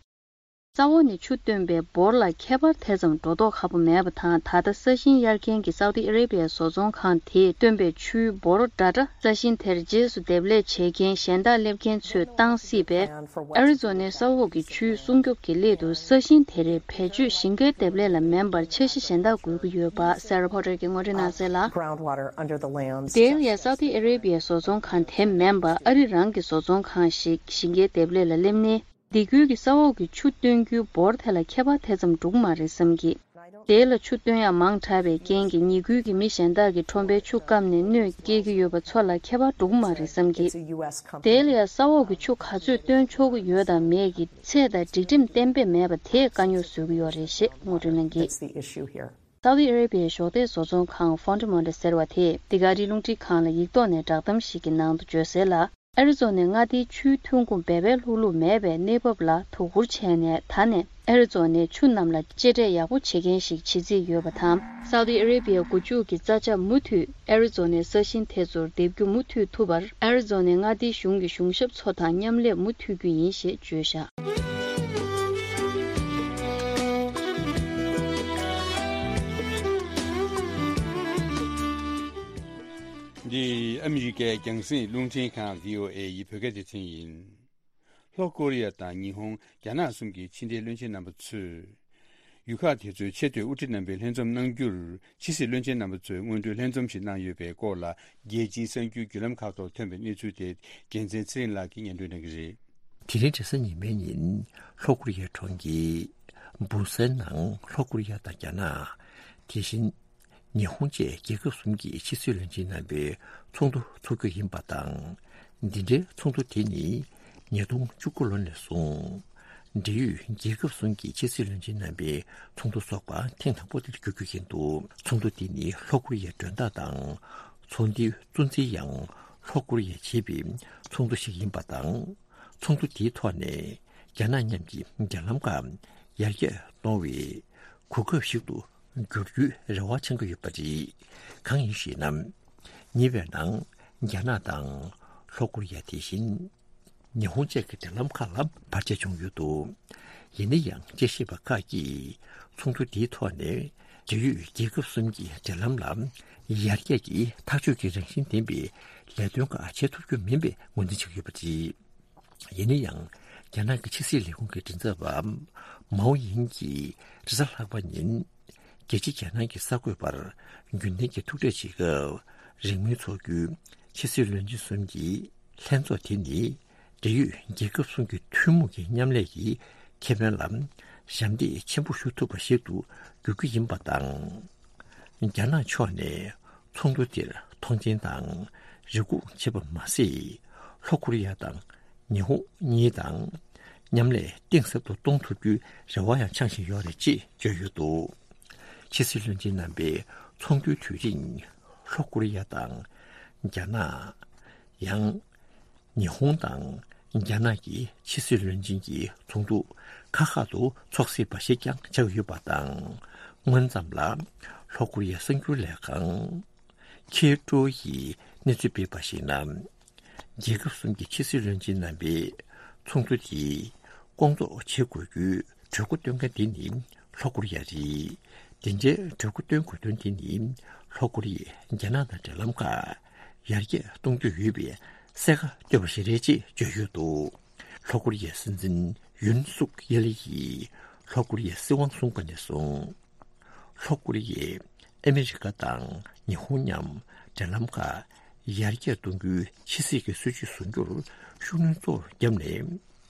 ས་འོག་ནས་ཆུ་བཏོན་པའི་འབོར་ལ་ཁྱད་པར་དེ་ཙམ་འགྲོ་མདོག་ཁ་པོ་མེད་པ་དང་། ད་ལྟ་ས་ཞིང་གཡར་མཁན་གྱི་སའུ་ཏི་ཨ་རེ་བྷི་ཡའི་བཟོ་ཚོང་ཁང་དེས་བཏོན་པའི་ཆུའི་འབོར་འདྲ་འདྲ་ས་ཞིང་དེར་རྗེས་སུ་འདེབས་ལས་བྱེད་མཁན་གཞན་དག་སླེབས་མཁན་ཚོས་བཏང་སྲིད་པས། ཨ་རི་ཛོ་ནའི་ས་འོག་གི་ཆུའི་སྲུང་སྐྱོབ་ཀྱི་སླད་དུ་ས་ཞིང་དེ་རེར་བེད་སྤྱོད་ཞིང་ཁའི་འདེབས་ལས་ལ་མིན་པར་འཆར་གཞི་གཞན་དག་དགོས་ཀྱི་ཡོད་པ་སེ་ར་ཕོ་ཊར་གྱིས་ངོ་སྤྲོད་གནང་གསལ་ལ། Groundwater under the land. དེ་ཡང་སའུ་ཏི་ཨ་རེ་བྷི་ཡའི་བཟོ་ཚོང་ཁང་དེ་མིན་པ་ཨ་རི་རང་གི་བཟོ་ཚོང་ཁང་ཞིག་ཞིང་ཁའི་འདེབས་ལས་ལ་སླེབས་ནས། སྡེ་ཁུལ་གྱི་ས་འོག་གི་ཆུ་བཏོན་རྒྱུའི་འབོར་དེ་ལ་ཁྱད་པར་དེ་ཙམ་འགྲོ་གི་མ་རེད་བསམ་གི། དེ་ལ་ཆུ་བཏོན་ཡག་མང་དྲགས་པའི་རྐྱེན་གྱིས་ཉེ་ཁུལ་གྱི་མི་གཞན་དག་གིས་ཁྲོན་པའི་ཆུ་བསྐམས་ནས་གནོད་སྐྱེལ་གྱི་ཡོད་པ་ཚོ་ལ་ཁྱད་པར་འགྲོ་གི་མ་རེད་བསམ་གི། དེ་ལ་ཡང་ས་འོག་གི་ཆུ་ག་ཚོད་བཏོན་ཆོག་གི་ཡོད་དང་མེད་ཀྱི་ཚད་དང་སྒྲིག་ཁྲིམས་གཏན་འབེབས་མེད་པ་དེས་དཀའ་རྙོག་བཟོ་གི་ཡོད་རེད་ཞེས་ངོ་སྤྲོད་གནང་གི། That's the issue here. སའུ་ཏི་ཨ་རེ་བྷི་ཡའི་གཞོགས་འདེགས་བཟོ་ཚོང་ཁང་ཧྥོན་ཌི་མོན་ཌི་ཟེར་བ་དེས་འདི་ག་རི་རླུང་འཕྲིན་ཁང་ལ་ཡིག་ཐོག་ནས་བསྒྲགས་གཏམ་ཞིག་གི་ནང་དུ་བརྗོད་གསལ་ལ། ཨ་རི་ཛོ་ནའི་མངའ་སྡེའི་ཆུའི་ཐོན་ཁུངས་འབད་པས་ལྷུག་ལྷུག་མེད་པའི་གནས་བབ་ལ་དོ་ཁུར་བྱས་ནས། ད་ནས་ཨ་རི་ཛོ་ནའི་ཆུ་རྣམས་ལ་གཅེས་སྤྲས་ཡག་པོ་བྱེད་མཁན་ཞིག་བྱེད་རྩིས་ཡོད་པ་དང་། སའུ་ཏི་ཨ་རེ་བྷི་ཡའི་སྒོ་ཕྱུགས་ཀྱི་རྩྭ་ཆ་མུ་མཐུད་ཨ་རི་ཛོ་ནའི་ས་ཞིང་དེ་ཚོར་འདེབས་རྒྱུ་མུ་མཐུད་ཐུབ་པར་ཨ་རི་ཛོ་ནའི་མངའ་སྡེའི་གཞུང་གི་གཞུང་ཞབས་ཚོ་དང་མཉམ་ལས་མུ་མཐུད་རྒྱུ་ཡིན་ཞེས་བརྗོད་བཞག། འདི་ཨ་མི་རི་ཀའི་རྒྱང་སྲིང་རླུང་འཕྲིན་ཁང་བྷི་ཨོ་ཨེ་ཡི་བོད་སྐད་སྡེ་ཚན་ཡིན། ལྷོ་ཀོ་རི་ཡ་དང་ཉི་ཧོང་། རྒྱ་ནག་གསུམ་གྱི་ཕྱི་འབྲེལ་བློན་ཆེན་རྣམ་པ་ཚོས། ཡུལ་ཁག་དེ་ཚོའི་ཆེས་མཐོའི་དབུ་ཁྲིད་རྣམ་པས་ལྷན་འཛོམས་གནང་རྒྱུར། ཕྱི་སྲིད་བློན་ཆེན་རྣམ་པ་ཚོས་སྔོན་འགྲོའི་ལྷན་འཛོམས་ཤིག་གནང་ཡོད་པའི་སྐོར་ལ། རྒྱལ་སྤྱིའི་གསར་འགྱུར་བརྒྱུད་ལམ་ཁག་ཐོག་ཐོན་པའི་གནས་ཚུལ་དེ། རྒྱལ་མཚན་ཚེ་རིང་ལགས་ཀྱིས་སྙན་སྒྲོན་གནང་གི་རེད། དེ་རིང་རེས་གཟའ་ཉི་མའི་ཉིན། ལྷོ་ཀོ་རི་ཡའི་གྲོང་ཁྱེར་བུ་སན་ནང་ལྷོ་ཀོ་རི་ཡ་དང་རྒྱ་ནག་དེ་བཞིན། ཉི་ཧོང་བཅས་རྒྱལ་ཁབ་གསུམ་གྱི་ཕྱི་སྲིད་བློན་ཆེན་རྣམ་པའི་ཚོགས་འདུ་འཚོགས་རྒྱུ་ཡིན་པ་དང་། འདི་འདྲའི་ཚོགས་འདུ་དེ་ནི་ཉིས་སྟོང་བཅུ་དགུ་ལོ་ནས་བཟུང་། འབྲེལ་ཡོད་རྒྱལ་ཁབ་གསུམ་གྱི་ཕྱི་སྲིད་བློན་ཆེན་རྣམ་པའི་ཚོགས་འདུ་འཚོགས་པ་ཐེངས་དང་པོ་དེར་གྱུར་རྒྱུ་ཡིན་འདུག། ཚོགས་འདུ་དེ་ནི་ལྷོ་ཀོ་རི་ཡའི་མགྲོན་བདག་དང་ཚོགས་འདུའི་གཙོ་འཛིན་ཡང་ལྷོ་ཀོ་རི་ཡ་བྱེད་པའི་ཚོགས་འདུ་ཞིག་ཡིན་པ་དང་། ཚོགས་འདུ་དེའི་ཐོག་ནས་རྒྱ་ནག་མཉམ་གྱི་འབྲེལ་ལམ་ཁག་ཡར་རྒྱས་གཏོང་བའི་གོ་སྐབས་ཤིག་ཏུ་འགྱུར་རྒྱུའི་རེ་བ་འཆང་གི་ཡོད་པ་རེད། གང་ཡིན་ཞེ་ན། ཉེ་བའི་ནང་རྒྱ་ནག་དང་ལྷོ་ཀོ་རི་ཡ། དེ་བཞིན་ཉི་ཧོང་བཅས་ཀྱི་འབྲེལ་ལམ་ཁག་ལ་བར་ཆད་བྱུང་ཡོད་འདུག། ཡིན་ན་ཡང་དཔྱད་ཞིབ་པ་ཁག་གིས་ཚོགས་འདུ་འདིའི་ཐོག་ནས་འབྲེལ་ཡོད་རྒྱལ་ཁབ་གསུམ་གྱི་འབྲེལ་ལམ་ལ་ཡར་རྒྱས་ཀྱི་ཐག་གཅོད་ཀྱི་རང་བཞིན་ལྡན་པའི་ལས་དོན་ཁག་བྱེད་ཐུབ་རྒྱུ་མིན་པའི་ངོས་འཛིན་བྱེད་ཀྱི་ཡོད་པ་རེད། ཡིན་ན་ཡང་། རྒྱ་ནག་གི་ཕྱི་སྲིད་ལས་ཁུངས་ཀྱི་མགྲིན་ཚབ་པ་མའོ་ཡིན་གྱིས་རེས་གཟའ་ལྷག་པ་ཉིན། རྒྱལ་སྤྱི་རྒྱ་ནག་གི་གསར་འགོད་པར་རྒྱུན་ལྡན་གྱི་ཐུག་འཕྲད་བྱེད་སྐབས། རིང་མིན་ཚོགས་རྒྱུའི་ཕྱི་སྲིད་བློན་ཆེན་གསུམ་གྱི་ལྷན་ཚོགས་དེ་ནི། འབྲེལ་ཡོད་རྒྱལ་ཁབ་གསུམ་གྱི་ཐུན་མོང་གི་མཉམ་ལས་ཀྱི་ཁེ་ཕན་ལ་ཞབས་འདེགས་ཆེན་པོ་ཞུ་ཐུབ་པ་ཞིག་ཏུ་འགྱུར་རྒྱུ་ཡིན་པ་དང་། རྒྱ་ནག་ཕྱོགས་ནས་ཚོགས་འདུ་དེར་མཐོང་མཆན་དང་རེ་སྒུག་བྱས་པ་མ་ཟད། ལྷོ་ཀོ་རི་ཡ་དང་ཉི་ཧོང་གཉིས་དང་མཉམ་ལས་གཏིང་ཟབ་ཏུ་གཏོང་ཐུབ་རྒྱུའི་རེ་བ་ཡང་འཆང་བཞིན་ཡོད་རེད་ཅེས་བརྗོད་ཡོད་འདུག། ཕྱི་སྲིད་བློན་ཆེན་རྣམ་པའི་ཚོགས་འདུའི་དུས་རིང་ལྷོ་ཀོ་རི་ཡ་དང་རྒྱ་ནག་ཡང་། ཉི་ཧོང་དང་རྒྱ་ནག་གི་ཕྱི་སྲིད་བློན་ཆེན་གྱི་ཚོགས་འདུ་ཁག་ཁག་ཏུ་འཚོགས་སྲིད་པ་ཞིག་ཀྱང་ཆགས་ཡོད་པ་དང་། སྔོན་ཙམ་ལ་ལྷོ་ཀོ་རི་ཡའི་གསར་འགྱུར་ལས་ཁང་ཁེ་ཀྲོ་ཡིས་གནས་ཚུལ་སྤེལ་བར་གཞིགས་ན། རྒྱལ་ཁབ་གསུམ་གྱི་ཕྱི་སྲིད་བློན་ཆེན་རྣམ་པའི་ཚོགས་འདུ་དེ་སྐོང་ཚོགས་བྱེད་དགོས་རྒྱུའི་གྲོས་འགོ་བཏོན་མཁན་དེ་ནི་ལྷོ་ཀོ་རི་ཡ་རེད། དེ་འདྲའི་གྲོས་འགོ་བཏོན་དགོས་དོན་དེ་ནི་ལྷོ་ཀོ་རི་ཡས་རྒྱ་ནག་དང་འབྲེལ་ལམ་ཁག་ཡར་རྒྱས་གཏོང་འདོད་ཡོད་པའི་གསལ་ཁ་བཏོད་པ་ཞིག་རེད་ཅེས་བརྗོད་ཡོད་འདུག། ལྷོ་ཀོ་རི་ཡའི་སྲིད་འཛིན་ཡུན་སུག་ཡེ་ལི་ཡིས་ལྷོ་ཀོ་རི་ཡའི་སྲིད་དབང་བཟུང་པ་ནས་བཟུང་། ལྷོ་ཀོ་རི་ཡས་ཨ་མི་རི་ཀ་དང་ཉི་ཧོང་མཉམ་འབྲེལ་ལམ་ཁག་ཡར་རྒྱས་གཏོང་རྒྱུའི་ཕྱི་སྲིད་ཀྱི་སྲིད་ཇུས་བཟུང་རྒྱུར་ཤུགས་སྣོན་གཙོ་བོར་བརྒྱབ་ནས།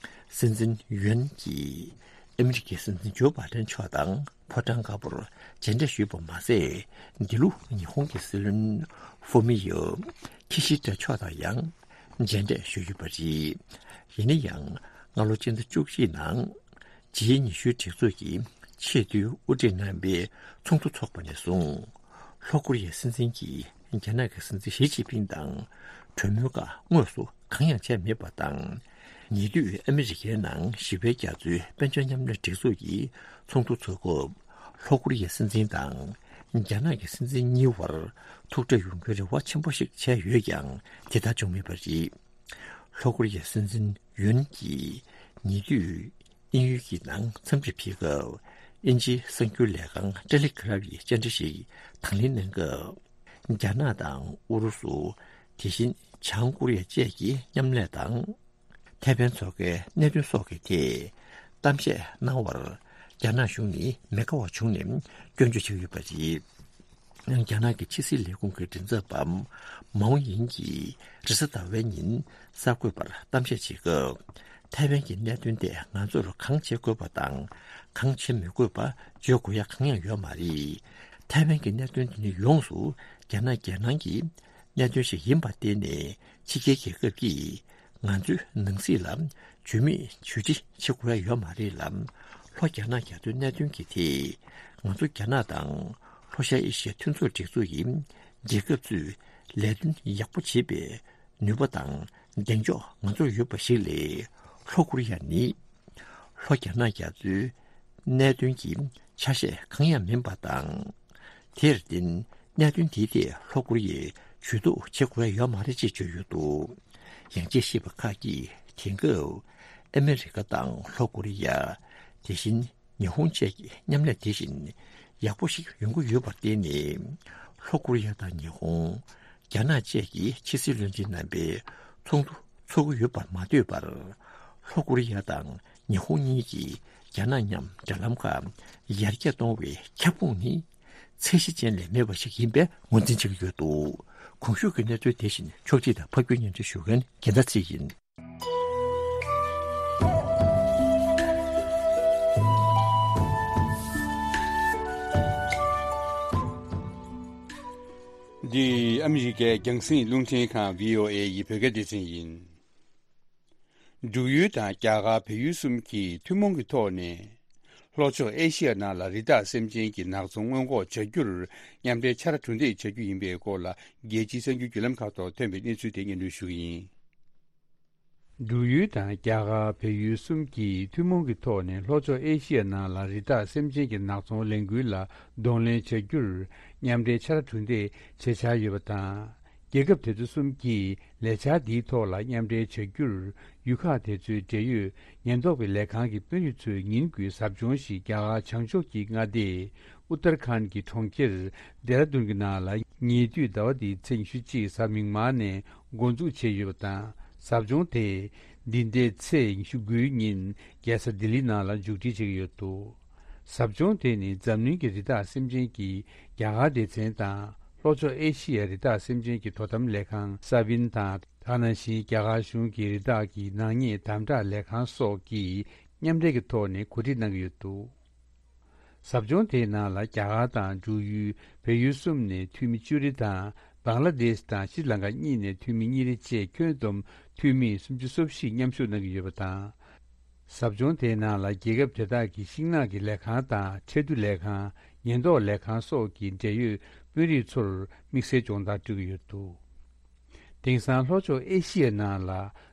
སྲིད་འཛིན་ཡུན་གྱིས་ཨ་མི་རི་ཀའི་སྲིད་འཛིན་ཇོ་བྷའི་ཌེན་མཆོག་དང་ཕོ་བྲང་དཀར་པོར་མཇལ་འཕྲད་ཞུས་པ་མ་ཟད། འདི་ལོ་ཉི་ཧོང་གི་སྲིད་བློན་ཧྥུ་མི་ཡོ་ཁི་ཤི་ད་མཆོག་དང་ཡང་མཇལ་འཕྲད་ཞུས་ཡོད་པ་རེད། ཡིན་ན་ཡང་སྔ་ལོ་སྤྱི་ཟླ་བཅུ་གཅིག་ནང་ཇི་ཉི་ཤུའི་སྒྲིག་འཛུགས་ཀྱི་ཆེས་མཐོའི་དབུ་ཁྲིད་རྣམ་པའི་ཚོགས་འདུ་འཚོགས་པ་ནས་བཟུང་། ལྷོ་ཀོ་རི་ཡའི་སྲིད་འཛིན་གྱིས་རྒྱ་ནག་གི་སྲིད་འཛིན་ཞི་ཅིན་ཕིང་དང་གྲོས་མོལ་ཁག་དངོས་སུ་གང་ཡང་བྱས་མེད་པ་དང་། ཉེ་དུས་ཨ་མི་རི་ཀའི་ནང་ཞི་བའི་རྒྱ་མཚོའི་དཔལ་འབྱོར་མཉམ་ལས་སྒྲིག་འཛུགས་ཀྱི་ཚོགས་འདུ་འཚོགས་སྐབས། ལྷོ་ཀོ་རི་ཡའི་སྲིད་འཛིན་དང་རྒྱ་ནག་གི་སྲིད་འཛིན་གཉིས་བར་ཐུག་འཕྲད་ཡོང་རྒྱུའི་རེ་བ་ཆེན་པོ་ཞིག་བྱས་ཡོད་ཀྱང་། དེ་ལྟར་བྱུང་མེད་པ་རེད། ལྷོ་ཀོ་རི་ཡའི་སྲིད་འཛིན་ཡུན་གྱིས་ཉེ་དུས་ དབྱིན་ཡུལ་གྱི་ནང་འཚམས་འདྲི་ཕེབས་སྐབས། དབྱིན་ཇིའི་གསར་འགྱུར་ལས་ཁང་ཏེ་ལི་གྷི་རབ་ཡིས་བཅར་འདྲི་ཞིག་དང་ལེན་གནང་སྐབས། རྒྱ་ནག་དང་ཨུ་རུ་སུ། དེ་བཞིན་བྱང་ཀོ་རི་ཡ་བཅས་ཀྱི་མཉམ་ལས་དང་། ཐའེ་ཝན་མཚོ་ཁའི་གནད་དོན་སོགས་ཀྱི་ཐད་གཏམ་བཤད་གནང་བར། རྒྱ་ནག་གཞུང་ནི་མི་དགའ་བ་བྱུང་ནས་སྐྱོན་བརྗོད་བྱས་ཡོད་པ་རེད། རྒྱ་ནག་གི་ཕྱི་སྲིད་ལས་ཁུངས་ཀྱི་མགྲིན་ཚབ་པ་མའོ་ཡིན་གྱིས་རེས་གཟའ་ཟླ་བའི་ཉིན་གསར་འགོད་པར་གཏམ་བཤད་བྱེད་སྐབས། ཐའེ་ཝན་གྱི་གནད་དོན་ཐད་ང་ཚོར་གང་བྱེད་དགོས་པ་དང་གང་བྱེད་མི་དགོས་པ་བརྗོད་དགོས་ཡ་གང་ཡང་ཡོད་མ་རེད། ཐའེ་ཝན་གྱི་གནད་དོན་དེ་ནི་ཡོངས་སུ་རྒྱ་ནག་རྒྱལ་ནང་གི་གནད་དོན་ཞིག་ཡིན་པར་བརྟེན་ནས་ཕྱི་རྒྱལ་རྒྱལ་ཁབ་ཀྱིས་ང་ཚོའི་ནང་སྲིད་ལ་ཇུས་མེད་ཇུས་འདྲི་བྱེད་དགོས་ཡ་ཡོད་མ་རེད་ལ། ལྷོ་རྒྱ་ནག་རྒྱ་མཚོའི་གནད་དོན་གྱི་ཐད་ང་ཚོ་རྒྱ་ནག་དང་ལྷོ་ཤར་ཨེ་ཤི་ཡ་མཐུན་ཚོགས་སྒྲིག་འཛུགས་ཀྱི་རྒྱལ་ཁབ་ཚོས་ལས་དོན་ཡག་པོ་བྱེད་པའི་ནུས་པ་དང་གདེང་འཇོག་ང་ཚོར་ཡོད་པ་ཞིག་ལས། ལྷོ་ཀོ་རི་ཡ་ནི་ལྷོ་རྒྱ་ནག་རྒྱ་མཚོའི་གནད་དོན་གྱི་ཆ་ཤས་གང་ཡང་མིན་པ་དང་། དེར་བརྟེན་གནད་དོན་དེའི་ཐད་ལྷོ་ཀོ་རི་ཡས་ཇུས་གཏོགས་བྱེད་དགོས་ཡ་ཡོད་མ་རེད་ཅེས་བརྗོད་ཡོད་འདུག་ཡང་དཔྱད་ཞིབ་པ་ཁག་གིས་དེང་སྐབས་ཨ་མེ་རི་ཀ་དང་ལྷོ་ཀོ་རི་ཡ། དེ་བཞིན་ཉི་ཧོང་བཅས་ཀྱི་མཉམ་ལས་དེ་བཞིན་ཡག་པོ་ཞིག་ཡོང་གི་ཡོད་པར་བརྟེན་ནས། ལྷོ་ཀོ་རི་ཡ་དང་ཉི་ཧོང་། རྒྱ་ནག་བཅས་ཀྱི་ཕྱི་སྲིད་བློན་ཆེན་རྣམ་པའི་ཚོགས་འདུ་འཚོགས་ཀྱི་ཡོད་པར་མ་ལྟོས་པར། ལྷོ་ཀོ་རི་ཡ་དང་ཉི་ཧོང་གཉིས་ཀྱིས་རྒྱ་ནག་མཉམ་འབྲེལ་ལམ་ཁག་ཡར་རྒྱས་གཏོང་བའི་ཁྱབ་ཁོངས་ནི་ཚད་གཞི་ཅན་ལས་མེད་པ་ཞིག་ཡིན་པའི་ངོས་འཛིན་བྱེད་ཀྱི་ཡོད་འདུག་གོང་ཞུས་ཀྱི་གནས་ཚུལ་དེ་བཞིན་ཕྱོགས་སྒྲིག་དང་ཕབ་སྒྱུར་སྙན་སྒྲོན་ཞུ་མཁན་རྒྱལ་མཚན་ཚེ་རིང་ཡིན། འདི་ཨ་མི་རི་ཀའི་རྒྱང་སྲིང་རླུང་འཕྲིན་ཁང་བྷི་ཨོ་ཨེ་ཡི་བོད་སྐད་སྡེ་ཚན་ཡིན། འབྲུག་ཡུལ་དང་རྒྱ་གར་བལ་ཡུལ་གསུམ་གྱིས་ཐུན་མོང་གི་ཐོག་ནས། ལྷོ་ཕྱོགས་ཨེ་ཤི་ཡ་ནང་ལ་རི་དྭགས་སེམས་ཅན་གྱི་ནག་ཚོང་སྔོན་འགོག་བྱ་རྒྱུར་མཉམ་འབྲེལ་ཕྱག་ར་གྲུ་འདེགས་བྱ་རྒྱུ་ཡིན་པའི་སྐོར་ལ། རྒྱལ་སྤྱིའི་གསར་འགྱུར་བརྒྱུད་ལམ་ཁག་ཐོག་ཐོན་པའི་གནས་ཚུལ་དེ་སྙན་སྒྲོན་ཞུ་གི་ཡིན། འབྲུག་ཡུལ་དང་རྒྱ་གར་བལ་ཡུལ་གསུམ་གྱིས་ཐུན་མོང་གི་ཐོག་ནས་ལྷོ་ཕྱོགས་ཨེ་ཤི་ཡ་ནང་ལ་རི་དྭགས་སེམས་ཅན་གྱི་ནག་ཚོང་ལས་འགུལ་ལ་གདོང་ལེན་བྱ་རྒྱུར་མཉམ་འབྲེལ་ཕྱག་ར་གྲུ་འདེགས་བྱེད་འཆར་ཡོད་པ་དང་། རྒྱལ་ཁབ་དེ་ཚོ་གསུམ་གྱིས་ལས་འཆར་འདིའི་ཐོག་ལ་མཉམ་འབྲེལ་བྱ་རྒྱུར་ཡུལ་ཁག་དེ་ཚོའི་འབྲེལ་ཡོད་ཉེན་རྟོག་པའི་ལས་ཁང་གི་དཔོན་རིགས་ཚོས་ཉིན་དགུའི་ཟབ་སྦྱོང་ཞིག་རྒྱ་གར་བྱང་ཕྱོགས་ཀྱི་མངའ་སྡེ་ཨུ་ཏར་ཁཱན་གྱི་གྲོང་ཁྱེར་ལྡེ་ར་ལྡུན་གྱི་ནང་ལ་ཉེ་དུས་ཟླ་བ་འདིའི་ཚེས་ཉི་ཤུ་གཅིག་གཟའ་མིག་དམར་ནས་འགོ་འཛུགས་བྱས་ཡོད་པ་དང་། ཟབ་སྦྱོང་དེ་འདི་ཟླའི་ཚེས་ཉི་ཤུ་དགུའི་ཉིན་རྒྱལ་ས་ལྡི་ལི་ནང་ལ་མཇུག་སྒྲིལ་བྱེད་ཀྱི་ཡོད་འདུག་ཟབ་སྦྱོང་དེ་ནི་འཛམ་གླིང་གི་རི་དྭགས་སེམས་ཅན་གྱི་རྒྱ་གར་སྡེ་ཚན་དང་། ལྷོ་ཕྱོགས་ཨེ་ཤི་ཡའི་རི་དྭགས་སེམས་ཅན་གྱི་དོ་དམ་ལས་ཁང་ས་བིན་དང་། དེ་ནང་བཞིན་རྒྱ་གར་གཞུང་གི་རི་དྭགས་ཀྱི་ནག་ཉེས་དམ་དྲག་ལས་ཁང་སོགས་ཀྱིས་མཉམ་འབྲེལ་གྱི་ཐོག་ནས་གོ་སྒྲིག་གནང་གི་ཡོད་འདུག་ཟབ་སྦྱོང་དེའི་ནང་ལ་རྒྱ་གར་དང་འབྲུག་ཡུལ། བལ་ཡུལ་གསུམ་ནས་འཐུས་མི་བཅུ་རེ་དང་། བང་ལ་དེཤ་དང་ཤྲི་ལང་ཀ་གཉིས་ནས་འཐུས་མི་གཉིས་རེ་བཅས་ཁྱོན་བསྡོམས་འཐུས་མི་སུམ་ཅུ་སོ་བཞི་མཉམ་ཞུགས་གནང་གི་ཡོད་པ་དང་། ཟབ་སྦྱོང་དེའི་ནང་ལ་རྒྱལ་ཁབ་དེ་དག་གི་ཤིང་ནགས་ཀྱི་ལས་ཁང་དང་ཁྲལ་བསྡུ་ལས་ཁང་། ཉེན་རྟོག་ལས་ཁང་སོགས་ཀྱི་འབྲེལ་ཡོད་དཔོན་རིགས་ཚོར་དམིགས་བསལ་སྦྱོང་བརྡར་སྤྲོད་ཀྱི་ཡོད་འདུག་དེང་སང་ལྷོ་ཕྱོགས་ཨེ་ཤི་ཡའི་ནང་ལ་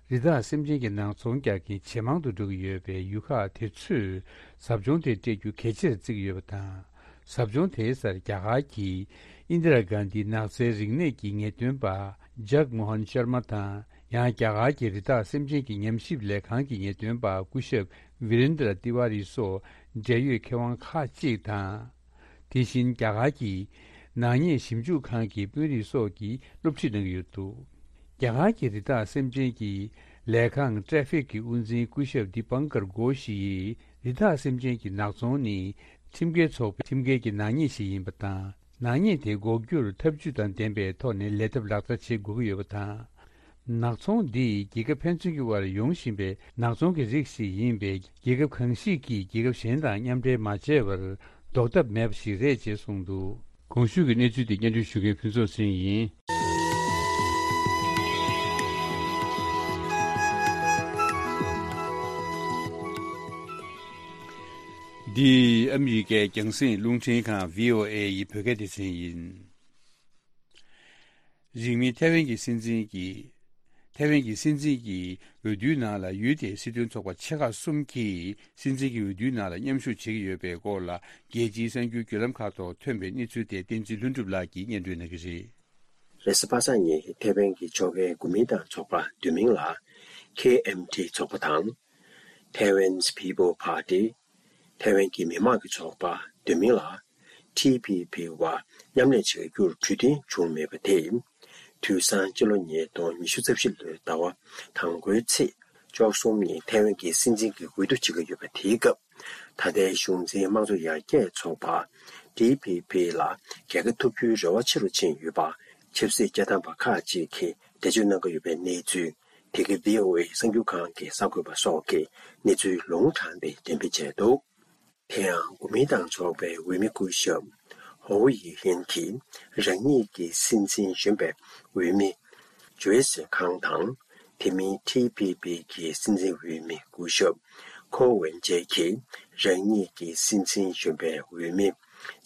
རི་དྭགས་སེམས་ཅན་གྱི་ནག་ཚོང་རྒྱག་མཁན་ཇེ་མང་དུ་འགྲོ་གི་ཡོད་པས། ཡུལ་ཁག་དེ་ཚོས་ཟབ་སྦྱོང་དེ་སྤྲད་རྒྱུ་གལ་ཆེར་བརྩི་གི་ཡོད་པ་དང་། ཟབ་སྦྱོང་དེའི་སར་རྒྱ་གར་གྱི་ཨིན་དི་ར་གྷན་དྷི་ནགས་ཚལ་རིག་གནས་ཀྱི་ངེས་སྟོན་པ་ཇག་མོ་ཧན་ཤར་མ་དང་། ཡང་རྒྱ་གར་གྱི་རི་དྭགས་སེམས་ཅན་གྱི་ཉམས་ཞིབ་ལས་ཁང་གི་ངེས་སྟོན་པ་སྐུ་ཞབས་ཝི་རེན་དྲ་ཏི་ཝ་རི་སོགས་འབྲེལ་ཡོད་མཁས་དབང་ཁག་ཅིག་དང་། དེ་བཞིན་རྒྱ་གར་གྱི་ནག་ཉེས་ཞིབ་འཇུག་ཁང་གི་དཔོན་རིགས་སོགས་ཀྱིས་སློབ་ཁྲིད་གནང་གི་ཡོད་འདུག་རྒྱ་གར་གྱི་རི་དྭགས་སེམས་ཅན་གྱི་ལས་ཁང་ཀྲེ་ཕིག་གི་དབུ་འཛིན་སྐུ་ཞབས་དི་པང་ཀར་གྷོ་ཤི་ཡིས། རི་དྭགས་སེམས་ཅན་གྱི་ནག་ཚོང་ནི་ཁྲིམས་འགལ་ཚོགས་པའི་ཁྲིམས་འགལ་གྱི་ནག་ཉེས་ཤིག་ཡིན་པ་དང་། ནག་ཉེས་དེ་འགོག་རྒྱུར་ཐབས་ཇུས་དང་ལྡན་པའི་ཐོག་ནས་ལས་ཐབས་ལག་བསྟར་བྱེད་དགོས་ཀྱི་ཡོད་པ་དང་། ནག་ཚོང་འདི་རྒྱལ་ཁབ་ཕན་ཚུན་གྱི་དབར་ཡོང་བཞིན་པའི་ནག་ཚོང་གི་རིགས་ཤིག་ཡིན་པས། རྒྱལ་ཁབ་གང་ཞིག་གིས་རྒྱལ་ཁབ་གཞན་དང་མཉམ་འབྲེལ་མ་བྱས་པར་ཟློག་ཐབས་མེད་པ་ཞིག་རེད་ཅེས་གསུངས་འདུག་གོང་ཞུས་ཀྱི་གནས་ཚུལ་དེ་སྙན་སྒྲོན་ཞུ་མཁན་ཕུན་ཚོགས་ཚེ་རིང་ཡིན། འདི་ཨ་མི་རི་ཀའི་རྒྱང་སྲིང་རླུང་འཕྲིན་ཁང་བྷི་ཨོ་ཨེ་ཡི་བོད་སྐད་སྡེ་ཚན་ཡིན། རིང་མིན་ཐའེ་ཝན་གྱི་སྲིད་འཛིན་གྱིས། ཐའེ་ཝན་གྱི་སྲིད་འཛིན་གྱི་འོས་བསྡུའི་ནང་ལ་ཡུལ་དེའི་སྲིད་དོན་ཚོགས་པ་ཆེ་ཁག་གསུམ་གྱིས་སྲིད་འཛིན་གྱི་འོས་བསྡུའི་ནང་ལ་མཉམ་ཞུགས་བྱེད་ཀྱི་ཡོད་པའི་སྐོར་ལ། རྒྱལ་སྤྱིའི་གསར་འགྱུར་བརྒྱུད་ལམ་ཁག་ཐོག་ཐོན་པའི་གནས་ཚུལ་དེ་བསྟན་འཛིན་ལྷུན་གྲུབ་ལགས་ཀྱིས་སྙན་སྒྲོན་གནང་གི་རེད། རེས་གཟའ་པ་སངས་ཉིན་ཐའེ་ཝན་གྱི་ཕྱོགས་འགལ་གོ་མིན་ཏང་ཚོགས་པ་བསྡུས་མིང་ལ་ཁེ་ཨེམ་ཐི་ཚོགས་པ་དང་། Taiwan's People Party། ཐའེ་ཝན་གྱི་མི་དམངས་ཀྱི་ཚོགས་པ་འདོད་མིན་ལ། ཊི་ཕི་ཕི་བར་མཉམ་ལས་བྱ་རྒྱུར་གྲོས་མཐུན་བྱུང་མེད་པ་དེས། དུས་སང་སྤྱི་ལོ་ཉིས་སྟོང་ཉི་ཤུ་རྩ་བཞི་ལོའི་ཟླ་བ་དང་པོའི་ཚེས་བཅུ་གསུམ་ཉིན་ཐའེ་ཝན་གྱི་སྲིད་འཛིན་གྱི་འོས་བསྡུ་བྱེད་ཀྱི་ཡོད་པ་དེའི་སྐབས། ད་ལྟའི་གཞུང་འཛིན་དམངས་གཙོ་ཡར་རྒྱས་ཚོགས་པ་ཊི་ཕི་ཕི་ལ་རྒྱལ་ཁ་ཐོབ་རྒྱུའི་རེ་བ་ཆེ་རུ་ཕྱིན་ཡོད་པ། ཆབ་སྲིད་བཅའ་ཐམ་པ་ཁག་ཅིག་གིས་འགྲེལ་བརྗོད་གནང་གི་ཡོད་པའི་གནས་ཚུལ། དེ་གའི་བྷི་ཨོ་ཨེ་གསར་འགྱུར་ཁང་གི་གསར་འགོད་པ་སོགས་ཀྱིས་གནས་ཚུལ་ལུང་དྲངས་ཏེ་འགྲེམས་སྤེལ་བྱས་འདུག་དེ་ཡང་གོ་མིན་ཏང་ཚོགས་པའི་འོས་མི་སྐུ་ཞབས་ཧོ་ཡི་ཧིན་གྱིས་རང་ཉིད་ཀྱི་སྲིད་འཛིན་གཞོན་པའི་འོས་མི་ཇོའི་སི་ཁང་དང་། དེ་མིན་ཊི་ཕི་ཕི་གི་སྲིད་འཛིན་འོས་མི་སྐུ་ཞབས་ཁོ་ཝེན་ཇེ་གྱིས་རང་ཉིད་ཀྱི་སྲིད་འཛིན་གཞོན་པའི་འོས་མི་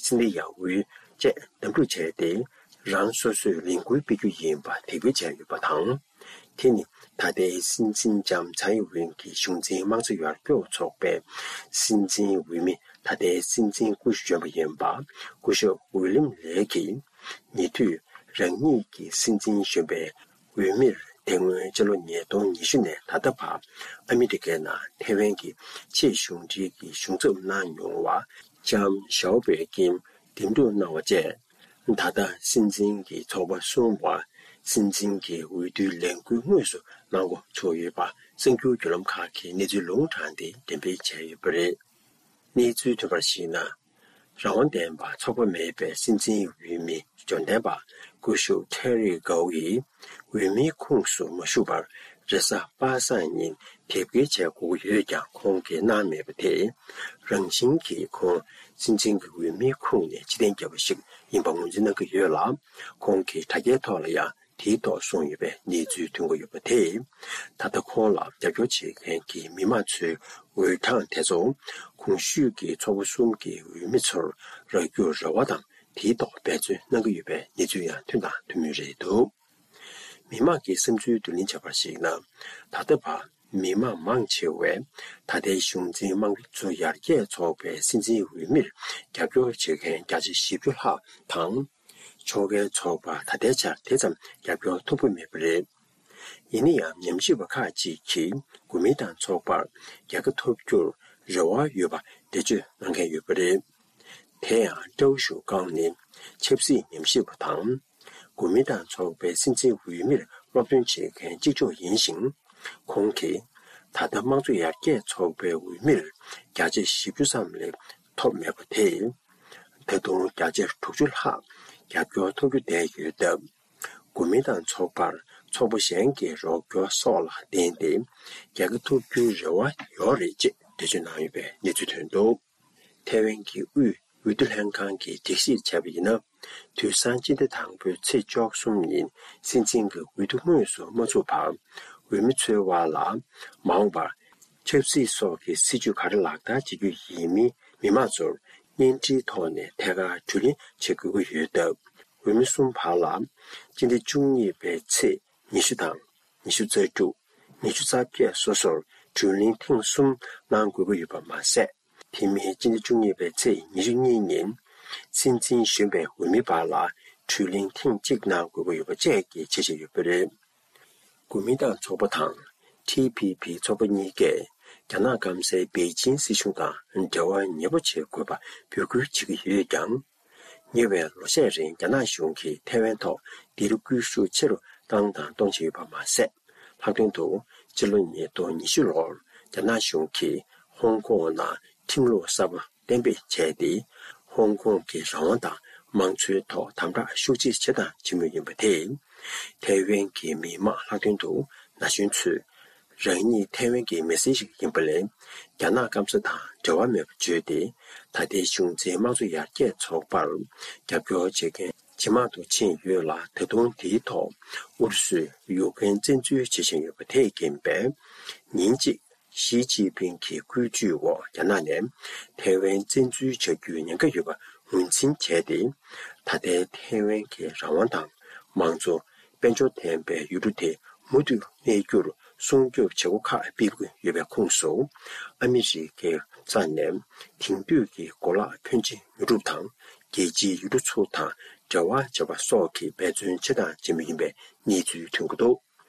སིན་ལི་ཡ་ཝུའུ་བཅས་འདེམས་སྒྲུག་བྱས་ཏེ། རང་སོ་སོས་ལས་འགུལ་སྤེལ་རྒྱུ་ཡིན་པ་དེ་འགོད་བྱས་ཡོད་པ་དང་། དེ་ནི་ད་ལྟའི་སྲིད་འཛིན་ལྕམ་ཚའེ་ཝེན་གྱི་གཞུང་འཛིན་དམངས་གཙོ་ཡར་སྐྱོད་ཚོགས་པའི་སྲིད་འཛིན་འོས་མི་ད་ལྟའི་སྲིད་འཛིན་སྐུ་གཞོན་པ་ཡིན་པ་སྐུ་ཞབས་ཝི་ལིམ་ལེ་གིས། ཉེ་དུས་རང་ཉིད་ཀྱི་སྲིད་འཛིན་གཞོན་པའི་འོས་མིར་དེ་སྔོན་སྤྱི་ལོ་ཉིས་སྟོང་ཉི་ཤུ་ནས་ད་ལྟ་བར་ཨ་མི་རི་ཀའི་ནང་ཐའེ་ཝན་གྱི་ཆེས་གཞུང་འབྲེལ་གྱི་གཞུང་ཚབ་གནང་མྱོང་བ་ལྕམ་ཞའོ་པོའི་ཀིམ་འདེམས་སྒྲུག་གནང་བ་བཅས། ད་ལྟ་སྲིད་འཛིན་གྱི་ཚོགས་པ་གསུམ་བར་སྲིད་འཛིན་གྱི་འོས་བསྡུའི་ལས་འགུལ་དངོས་སུ་གནང་འགོ་ཚུགས་ཡོད་པ་གསར་འགྱུར་བརྒྱུད་ལམ་ཁག་གིས་གནས་ཚུལ་ལུང་དྲངས་ཏེ་འགྲེམས་སྤེལ་བྱས་ཡོད་པ་རེད། གནས་ཚུལ་ཐོན་པར་གཞིགས་ན། རང་དབང་ལྡན་པ་ཚོགས་པ་མེད་པའི་སྲིད་འཛིན་འོས་མི་འབྱོར་ལྡན་པ་སྐུ་ཞབས་ཁྲེ་རི་གའོ་ཡིས་འོས་མིའི་ཁོངས་སུ་མ་ཞུགས་པར་རེས་གཟའ་པ་སངས་ཉིན་དེབ་སྐྱེལ་བྱེད་དགོས་ཀྱི་ཡོད་ཀྱང་ཁོང་གིས་གནང་མེད་པ་དེས། རང་བཞིན་གྱིས་ཁོང་སྲིད་འཛིན་གྱི་འོས་མིའི་ཁོངས་ནས་ཕྱིར་འཐེན་བརྒྱབ་པ་ཞིག་ཡིན་པ་ངོས་འཛིན་གནང་གི་ཡོད་ལ། ཁོང་གིས་དྲ་རྒྱའི་ཐོག་ལ་ཡང་དེའི་ཐོག་གསུངས་ཡོད་པའི་གནས་ཚུལ་ཐོན་གྱི་ཡོད་པ་དེས། ད་ལྟ་ཁོང་ལ་རྒྱབ་སྐྱོར་བྱེད་མཁན་གྱི་མི་མང་ཚོའི་འོས་གྲངས་དེ་ཚོ་གོང་ཞུས་ཀྱི་ཚོགས་པ་གསུམ་གྱི་འོས་མི་ཚོར་རག་རྒྱུར་རེ་བ་དང་དེའི་ཐོག་འབད་བརྩོན་གནང་གི་ཡོད་པའི་གནས་ཚུལ་ཡང་ཐོན་དང་ཐོན་མུས་རེད་འདུག་མི་མང་གི་བསམ་ཚུལ་བསྡུ་ལེན་བྱས་པར་གཞིགས་ན། ད་ལྟ་བར་མི་མང་མང་ཆེ་བས་ད་ལྟའི་གཞུང་འཛིན་དམངས་གཙོ་ཡར་རྒྱས་ཚོགས་པའི་སྲིད་འཛིན་འོས་མིར་རྒྱབ་སྐྱོར་བྱེད་མཁན་བརྒྱ་ཆ་བཞི་བཅུ་ལྷག་དང་། ཕྱོགས་འགལ་ཚོགས་པར་ད་ལྟའི་ཆར་དེ་ཙམ་རྒྱབ་སྐྱོར་ཐོབ་ཀྱི་མེད་པ་རེད། ཡིན་ན་ཡང་ཉམས་ཞིབ་པ་ཁག་ཅིག་གིས་གོ་མིན་ཏང་ཚོགས་པར་རྒྱལ་ཁ་ཐོབ་རྒྱུར་རེ་བ་ཡོད་པ་འགྲེལ་བརྗོད་གནང་མཁན་ཡོད་པ་རེད། དེ་ཡང་ཀྲའོ་ཞུ་ཀང་ནི་ཆབ་སྲིད་ཉམས་ཞིབ་པ་དང་། གོ་མིན་ཏང་ཚོགས་པའི་སྲིད་འཛིན་འོས་མིར་སློབ་སྟོན་བྱེད་མཁན་གཅིག་ལྕོགས་ཡིན་ཞིང་། ཁོང་གིས་ད་ལྟ་དམངས་གཙོ་ཡར་རྒྱས་ཚོགས་པའི་འོས་མིར་བརྒྱ་ཆ་བཞི་བཅུ་ཙམ་ལས་ཐོབ་མེད་པ་དེས། ད་དུང་བརྒྱ་ཆ་དྲུག་ཅུ་ལྷག་རྒྱབ་སྐྱོར་ཐོབ་རྒྱུ་བསྡད་ཡོད་སྟབས། གོ་མིན་ཏང་ཚོགས་པར་ཚོགས་པ་གཞན་གྱི་རོགས་སྐྱོར་སོགས་ལ་བརྟེན་ཏེ། རྒྱལ་ཁ་ཐོབ་རྒྱུའི་རེ་བ་ཡོད་རེད་ཅེས་འགྲེལ་བརྗོད་གནང་ཡོད་པའི་གནས་ཚུལ་ཐོན་འདུག་ཐའེ་ཝན་གྱི་དབུས་འོས་བསྡུ་ལྷན་ཁང་གིས་སྒྲིག་གཞིར་བྱས་པ་ཡིན་ན། དུས་སང་སྤྱི་ཟླ་དང་པོའི་ཚེས་བཅུ་གསུམ་ཉིན་སྲིད་འཛིན་གྱི་འོས་བསྡུ་དངོས་སུ་མ་ཚུགས་བར། འོས་མི་འཚོལ་བ་ལ་མ་འོངས་པར་ཆབ་སྲིད་སོགས་ཀྱི་སྲིད་བྱུས་ག་རེ་ལག་བསྟར་བྱེད་རྒྱུ་ཡིན་མིན་མི་མང་ཚོར་བརྙན་འཕྲིན་ཐོག་ནས་ཐད་ཀར་བགྲོ་གླེང་བྱེད་དགོས་ཀྱི་ཡོད་སྟབས། འོས་མི་གསུམ་བར་ལ་སྤྱི་ཟླ་བཅུ་གཉིས་པའི་ཚེས་ཉི་ཤུ་དང་། ཉི་ཤུ་རྩ་དྲུག་ཉི་ཤུ་རྩ་བརྒྱད་སོ་སོར་བགྲོ་གླེང་ཐེངས་གསུམ་གནང་དགོས་ཀྱི་ཡོད་པ་མ་ཟད། དེ་མིན་སྤྱི་ཟླ་བཅུ་གཉིས་པའི་ཚེས་ཉི་ཤུ་གཉིས་ཉིན། སྲིད་འཛིན་གཞོན་པའི་འོས་མི་བར་ལ་བགྲོ་གླེང་ཐེངས་གཅིག་གནང་དགོས་ཀྱི་ཡོད་པ་བཅས་ཀྱི་འཆར་གཞི་ཡོད་པ་རེད། གོ་མིན་ཏང་ཚོགས་པ་དང་། ཊི་ཕི་ཕི་ཚོགས་པ་གཉིས་ཀས་རྒྱ་ནག་སྐམ་སའི་པེ་ཅིན་སྲིད་གཞུང་དང་འབྲེལ་བ་ཉེ་པོ་བྱེད་དགོས་པ་འབོད་སྐུལ་བྱེད་ཀྱི་ཡོད་ཀྱང་། ཉེ་བའི་ལོ་ཤས་རིང་རྒྱ་ནག་གཞུང་གིས་ཐའེ་ཝན་ཐོག་སྡིགས་ར་སྐུལ་ཤུགས་ཆེ་རུ་བཏང་དང་གཏོང་བཞིན་ཡོད་པ་མ་ཟད། ལྷག་དོན་དུ་ཕྱི་ལོ་ཉིས་སྟོང་ཉི་ཤུ་ལོར་རྒྱ་ནག་གཞུང་གིས་ཧོང་ཀོང་ནང་ཁྲིམས་ལུགས་གསར་པ་གཏན་འབེབས་བྱས་ཏེ། ཧོང་ཀོང་གི་རང་དབང་དང་མང་གཙོའི་ཐོག་དམ་དྲག་ཤུགས་ཆེ་བྱེད་དང་བྱེད་མུས་ཡིན་པ་དེས། ཐའེ་ཝན་གྱི་མི་དམངས་ལྷག་དོན་དུ་ན་གཞོན་ཚོས། རང་ཉིད་ཐའེ་ཝན་གྱི་མི་སེར་ཞིག་ཡིན་པ་ལས། རྒྱ་ནག་སྐམ་ས་དང་འབྲེལ་བ་མེད་པར་བརྗོད་དེ། ད་ལྟའི་གཞུང་འཛིན་དམངས་གཙོ་ཡར་རྒྱས་ཚོགས་པར་རྒྱབ་སྐྱོར་བྱེད་མཁན་ཇེ་མང་དུ་ཕྱིན་ཡོད་ལ། ད་དུང་དེའི་ཐོག་ཨུ་རུ་སུས་ཡུཀ་རེན་བཙན་འཛུལ་བྱེད་བཞིན་ཡོད་པ་དེས་རྐྱེན་པས། ཉིན་གཅིག་ཞི་ཅིན་ཕིང་གི་སྐུལ་ཇུས་འོག་རྒྱ་ནག་ནས་ཐའེ་ཝན་བཙན་འཛུལ་བྱ་རྒྱུའི་ཉེན་ཁ་ཡོད་པ་ངོས་འཛིན་བྱས་ཏེ། ད་ལྟའི་ཐའེ་ཝན་གྱི་རང་དབང་དང་མང་གཙོ། དཔལ་འབྱོར་ལྡན་པའི་ཡུལ་གྲུ་དེ་མུ་མཐུད་གནས་རྒྱུར་སྲུང་སྐྱོབ་བྱེད་སྒོ་ཁག་སྤེལ་དགོས་ཡོད་པའི་ཁོངས་སུ། ཨ་མི་རི་ཀའི་རྩ་ནས་དེང་དུས་ཀྱི་གོ་ལག་ཕོན་ཆེ་ཉོ་སྒྲུབ་དང་། རྒྱལ་སྤྱིའི་ཡུལ་གྲུ་ཚོ་དང་འབྲེལ་བ་བྱེད་པ་སོགས་ཀྱི་འབད་བརྩོན་བྱེད་དང་བྱེད་མུས་ཡིན་པའི་གནས་ཚུལ་ཐོན་གྱི་འདུག་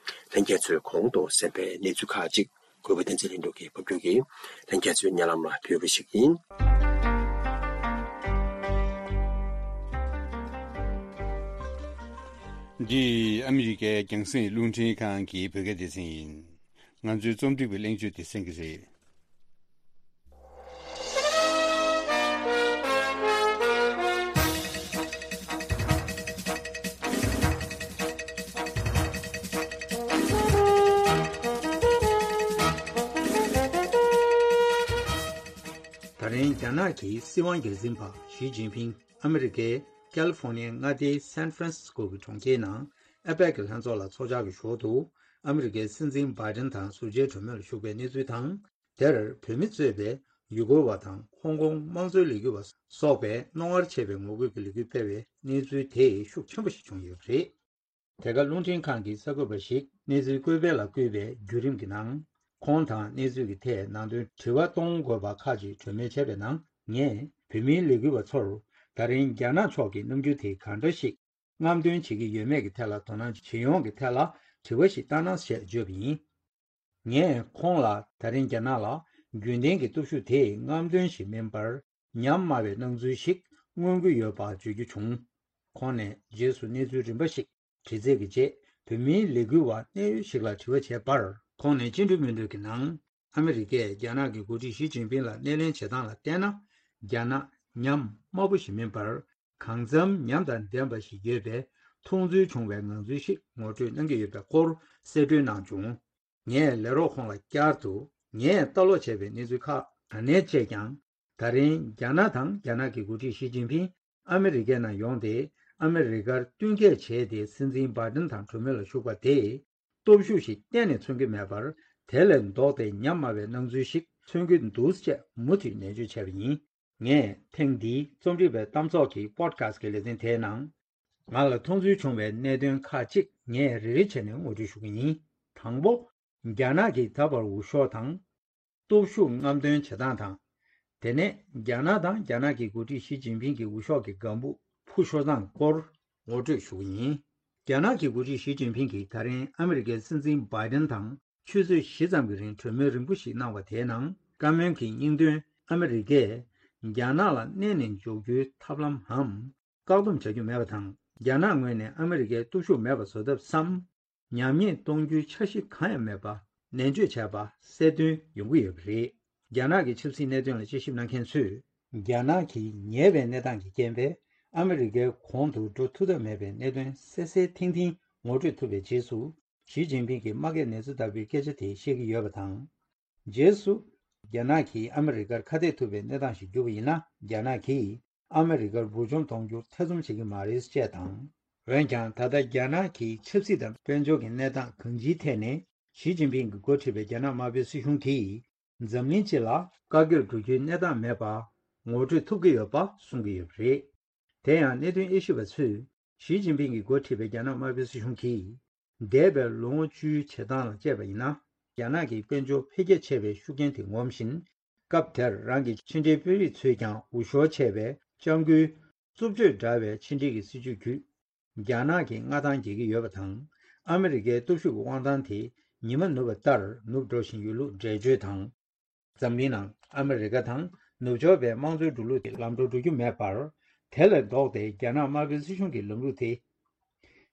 ལྷན་རྒྱས་ཚོས་གོང་དུ་གསན་པའི་གནས་ཚུལ་ཁག་ཅིག་ གུས་པ་བསྟན་འཛིན་ལྷུན་གྲུབ་ཀྱིས་ཕབ་སྒྱུར་གྱིས་ལྷན་རྒྱས་ཚོའི་སྙན་ལམ་ལ་ཕུལ་བ་ཞིག་ཡིན། འདི་ཨ་མི་རི་ཀའི་རྒྱང་སྲིང་རླུང་འཕྲིན་ཁང་གི་བོད་སྐད་སྡེ་ཚན་ཡིན། ང་ཚོའི་རྩོམ་སྒྲིག་པའི་གླེང་བརྗོད་དེ་གསན་གྱི་རེད། ད་རིང་རྒྱ་ནག་གི་སྲིད་དབང་སྒེར་འཛིན་པ་ཞི་ཅིན་ཕིང་ཨ་མི་རི་ཀའི་ཀལ་ཧྥོ་ནི་ཡའི་མངའ་སྡེའི་སན་ཧྥ་རན་སི་སྐོ་གི་གྲོང་ཁྱེར་ནང་ཨེ་པེག་གི་ལྷན་ཚོགས་ལ་ཚོགས་བཅར་གྱི་ཞོར་དུ་ཨ་མི་རི་ཀའི་སྲིད་འཛིན་བྷའི་ཌེན་དང་ཟུར་མཇལ་གྲོས་མོལ་ལ་ཞུགས་པའི་གནས་ཚུལ་དང་། དེར་བོད་མི་གཙོས་པའི་ཡུ་གུར་བ་དང་ཧོང་ཀོང་དམངས་གཙོའི་ལས་འགུལ་བ་སོགས་པས་རྣོ་ངར་ཆེ་བའི་ངོ་རྒོལ་གྱི་ལས་འགུལ་སྤེལ་བའི་གནས་ཚུལ་དེ་ཤུགས་ཆེན་པོ་ཞིག་བྱུང་ཡོད་པ་རེད། དེ་ག་རླུང་འཕྲིན་ཁང་གི་གསར་འགོད་པ་ཞིག་གནས་ཚུལ་བཀོད་སྤེལ་ལ་བསྐུལ་བའི་བརྒྱུད་རིམ་གྱི་ནང་། ཁོང་དང་གནས་ཚུལ་གྱི་ཐད་ནང་དོན་དྲི་བ་གཏོང་དགོས་པ་ཁག་ཅིག་གྲོས་མོལ་བྱས་པའི་ནང་། ངས་བོད་མིའི་ལས་འགུལ་བ་ཚོར་ད་རིང་རྒྱ་ནག་ཕྱོགས་ཀྱི་རྣམ་འགྱུར་དེ་གང་འདྲ་ཞིག་རྔམ་སྟོན་བྱེད་ཀྱི་ཡོད་མེད་ཀྱི་ཐད་ལ་དོ་སྣང་བྱེད་ཡོང་གི་ཐད་ལ་དྲི་བ་ཞིག་བཏང་ན་ཞེས་བརྗོད་པ་ཡིན། ངས་ཁོང་ལ་ད་རིང་རྒྱ་ནག་ལ་རྒྱུན་ལྡན་གྱི་སྟོབས་ཤུགས་དེ་རྔམ་སྟོན་ཞིག་མིན་པར་ཉམས་དམའ་བའི་སྣང་ཚུལ་ཞིག་མངོན་གྱི་ཡོད་པ་བརྗོད་རྒྱུ་བྱུང་། ཁོང་ནས་རྗེས་སུ་གནས་ཚུལ་རིམ་པ་ཞིག་དྲི་རྩད་ཀྱི་རྗེས་བོད་མིའི་ལས་འགུལ་བ་གནད་ཡོད་ཞིག་ལ་དྲི་བ་བྱས་པར། ཁོང་ནས་བཅིངས་འགྲོལ་མི་འདོད་ཀྱི་ནང་། ཨ་མི་རི་ཀས་རྒྱ་ནག་གི་འགོ་ཁྲིད་ཞི་ཅིན་ཕིང་ལ་སྣེ་ལེན་བྱེད་སྟངས་ལ་བལྟས་ན། རྒྱ་ནག་ཉམས་དམའ་པོ་ཞིག་མིན་པར། གང་འཚམ་ཉམས་དང་ལྡན་པ་ཞིག་ཡོད་པས། མཐོང་ཚུལ་བྱུང་བའི་ངང་ཚུལ་ཞིག་ངོ་སྤྲོད་གནང་གི་ཡོད་པའི་སྐོར་གསལ་སྒྲོན་གནང་བྱུང་། ངས་ལས་རོགས་ཁོང་ལ་བསྐྱར་དུ། ངས་ལྟ་ཀློག་བྱས་པའི་གནས་ཚུལ་ཁག་ག་ནས་བཅད་ཀྱང་། ད་རིང་རྒྱ་ནག་དང་རྒྱ་ནག་གི་འགོ་ཁྲིད་ཞི་ཅིན་ཕིང་ཨ་མི་རི་ཀའི་ནང་ཡོང་སྟེ། ཨ་མི་རི་ཀར་བསྟུན་མཁས་བྱས་ཏེ། སྲིད་འཛིན་བྷའི་ཌེན་དང་གྲོས་མོལ་ལ་ཞུགས་པ་དེས་སྟོབས་ཤུགས་ཤིག་གཏན་ནས་མཚོན་གྱི་མེད་པར། དེ་ལས་ལྡོག་སྟེ་ཉམས་དམའ་བའི་སྣང་ཚུལ་ཞིག་མཚོན་གྱི་འདུག་ཅེས་མུ་མཐུད་ནན་བརྗོད་བྱས་པ་ཡིན། ངས་ཐེངས་འདིའི་རྩོམ་སྒྲིག་པའི་གཏམ་ཚོགས་ཀྱི་པོ་ཌི་ཁ་སི་ཀྱི་ལེ་ཚན་དེའི་ནང་། ང་ལ་མཐོང་ཚུལ་བྱུང་བའི་གནད་དོན་ཁག་ཅིག་ངས་རེ་རེ་བྱས་ནས་ངོ་སྤྲོད་ཞུ་གི་ཡིན། དང་པོ། རྒྱ་ནག་གིས་ད་བར་འུར་ཤོག་དང་། སྟོབས་ཤུགས་རྔམ་སྟོན་བྱེད་སྟངས་དང་། དེ་ནས་རྒྱ་ནག་དང་རྒྱ་ནག་གི་འགོ་ཁྲིད་ཞི་ཅིན་ཕིང་གི་འུར་ཤོག་གི་ལྒང་བུ་འཕུར་ཤོར་སྟངས་སྐོར་ངོ་སྤྲོད་ཞུ་གི་ཡིན། རྒྱ་ནག་གི་འགོ་ཁྲིད་ཞི་ཅིན་ཕིང་གིས་ད་རིང་ཨ་མི་རི་ཀའི་སྲིད་འཛིན་བྷའི་ཌེན་དང་ཆུ་ཚོད་བཞི་ཙམ་གྱི་རིང་གྲོས་མོལ་རིང་པོ་ཞིག་གནང་བ་དེའི་ནང་། བཀའ་མོལ་གྱི་སྙིང་དོན། ཨ་མི་རི་ཀས་རྒྱ་ནག་ལ་མནན་ནས་འཇོག་རྒྱུའི་ཐབས་ལམ་འམ། བཀག་སྡོམ་བྱ་རྒྱུ་མེད་པ་དང་། རྒྱ་ནག་ངོས་ནས་ཨ་མི་རི་ཀའི་སྟོབས་ཤུགས་མེད་པ་བཟོ་ཐབས་སམ། ཉམས་ཉེས་གཏོང་རྒྱུའི་འཆར་གཞི་གང་ཡང་མེད་པ་ནན་བརྗོད་བྱས་པ་གསལ་སྟོན་ཡོང་གི་ཡོད་པ་རེད། རྒྱ་ནག་གི་ཆབ་སྲིད་གནད་དོན་ལ་དཔྱད་ཞིབ་གནང་མཁན་ཚོས། རྒྱ་ནག་གིས་ཉེས་པའི་གནས་སྟངས་ཀྱི་རྐྱེན་པས་ཨ་མི་རི་ཀའི་གོང་དུ་འགྲོ་ཐུབ་ཐབས་མེད་པའི་གནད་དོན་གསལ་གསལ་ཐིང་ཐིང་ངོ་སྤྲོད་ཐུབ་པའི་རྗེས་སུ། ཞི་ཅིན་ཕིང་གིས་དམག་འཁྲུག་ནས་ཚུར་ལྡབ་པའི་སྐད་ཆ་དེ་བཤད་ཀྱི་ཡོད་པ་དང་། རྗེས་སུ། རྒྱ་ནག་གིས་ཨ་མི་རི་ཀར་ཁ་གཏད་ཐུབ་པའི་གནས་སྟངས་ཤིག་གྱུར་པ་ཡིན་ན། རྒྱ་ནག་གིས་ཨ་མི་རི་ཀར་འབུར་འཇོམས་གཏོང་རྒྱུར་ཐེ་ཚོམ་བྱེད་ཀྱི་མ་རེད་ཅེས་དང་། འོན་ཀྱང་། ད་ལྟ་རྒྱ་ནག་གི་ཆབ་སྲིད་དང་དཔལ་འབྱོར་གྱི་གནས་སྟངས་གང་ཅིའི་ཐད་ནས། ཞི་ཅིན་ཕིང་གིས་འགོ་ཁྲིད་པའི་རྒྱ་ནག་དམར་པོའི་སྲིད་གཞུང་གིས། འཛམ་གླིང་སྤྱི་ལ་བཀའ་བཀྱོན་འགྲོ་རྒྱུའི་གནས་སྟངས་མེད་པ་ངོ་སྤྲོད་ཐུབ་ཀྱི་ཡོད་པ་གསུང་གི་ཡོད་པ་རེད། དེ་ཡང་། གནད་དོན་དབྱེ་ཞིབ་པ་ཚོས། ཞི་ཅིན་ཕིང་གིས་འགོ་ཁྲིད་པའི་རྒྱ་ནག་དམར་པོའི་སྲིད་གཞུང་གིས། འདས་པའི་ལོ་ངོ་བཅུའི་བྱེད་སྟངས་ལ་དཔྱད་པ་ཡིན་ན། རྒྱ་ནག་གི་དཔལ་འབྱོར་འཕེལ་རྒྱས་ཆེ་བའི་ཤུགས་རྐྱེན་དེ་ངོམ་བཞིན། སྐབས་དེར་རང་གི་ཕྱི་འབྲེལ་དཔོན་རིགས་ཚོས་ཀྱང་འུར་ཤོར་ཆེ་བའི་སྐྱབས་མགོན་རྩུབ་སྤྱོད་འདྲ་བའི་ཕྱི་འབྲེལ་གྱི་སྲིད་བྱུས་བརྒྱུད། རྒྱ་ནག་གི་མངའ་ཐང་རྒྱས་ཀྱི་ཡོད་པ་དང་། ཨ་མི་རི་ཀའི་སྟོབས་ཤུགས་ཀྱི་དབང་ཐང་དེ་ཉི་མ་ནུབ་པ་ལྟར་ནུབ་འགྲོ་བཞིན་ཡོད་ལུགས་འགྲེལ་བརྗོད་དང་། འཛམ་གླིང་ནང་ཨ་མི་རི་ཀ་དང་ནུབ་ཕྱོགས་པའི་དམངས་གཙོའི་འགྲོ་ལུགས་དེ་ལམ་འགྲོ་འགྲོ་རྒྱུ་མེད་པར། དེ་ལས་ལྡོག་སྟེ་རྒྱ་ནག་དམར་པོའི་སྲིད་གཞུང་གི་ལམ་ལུགས་དེ།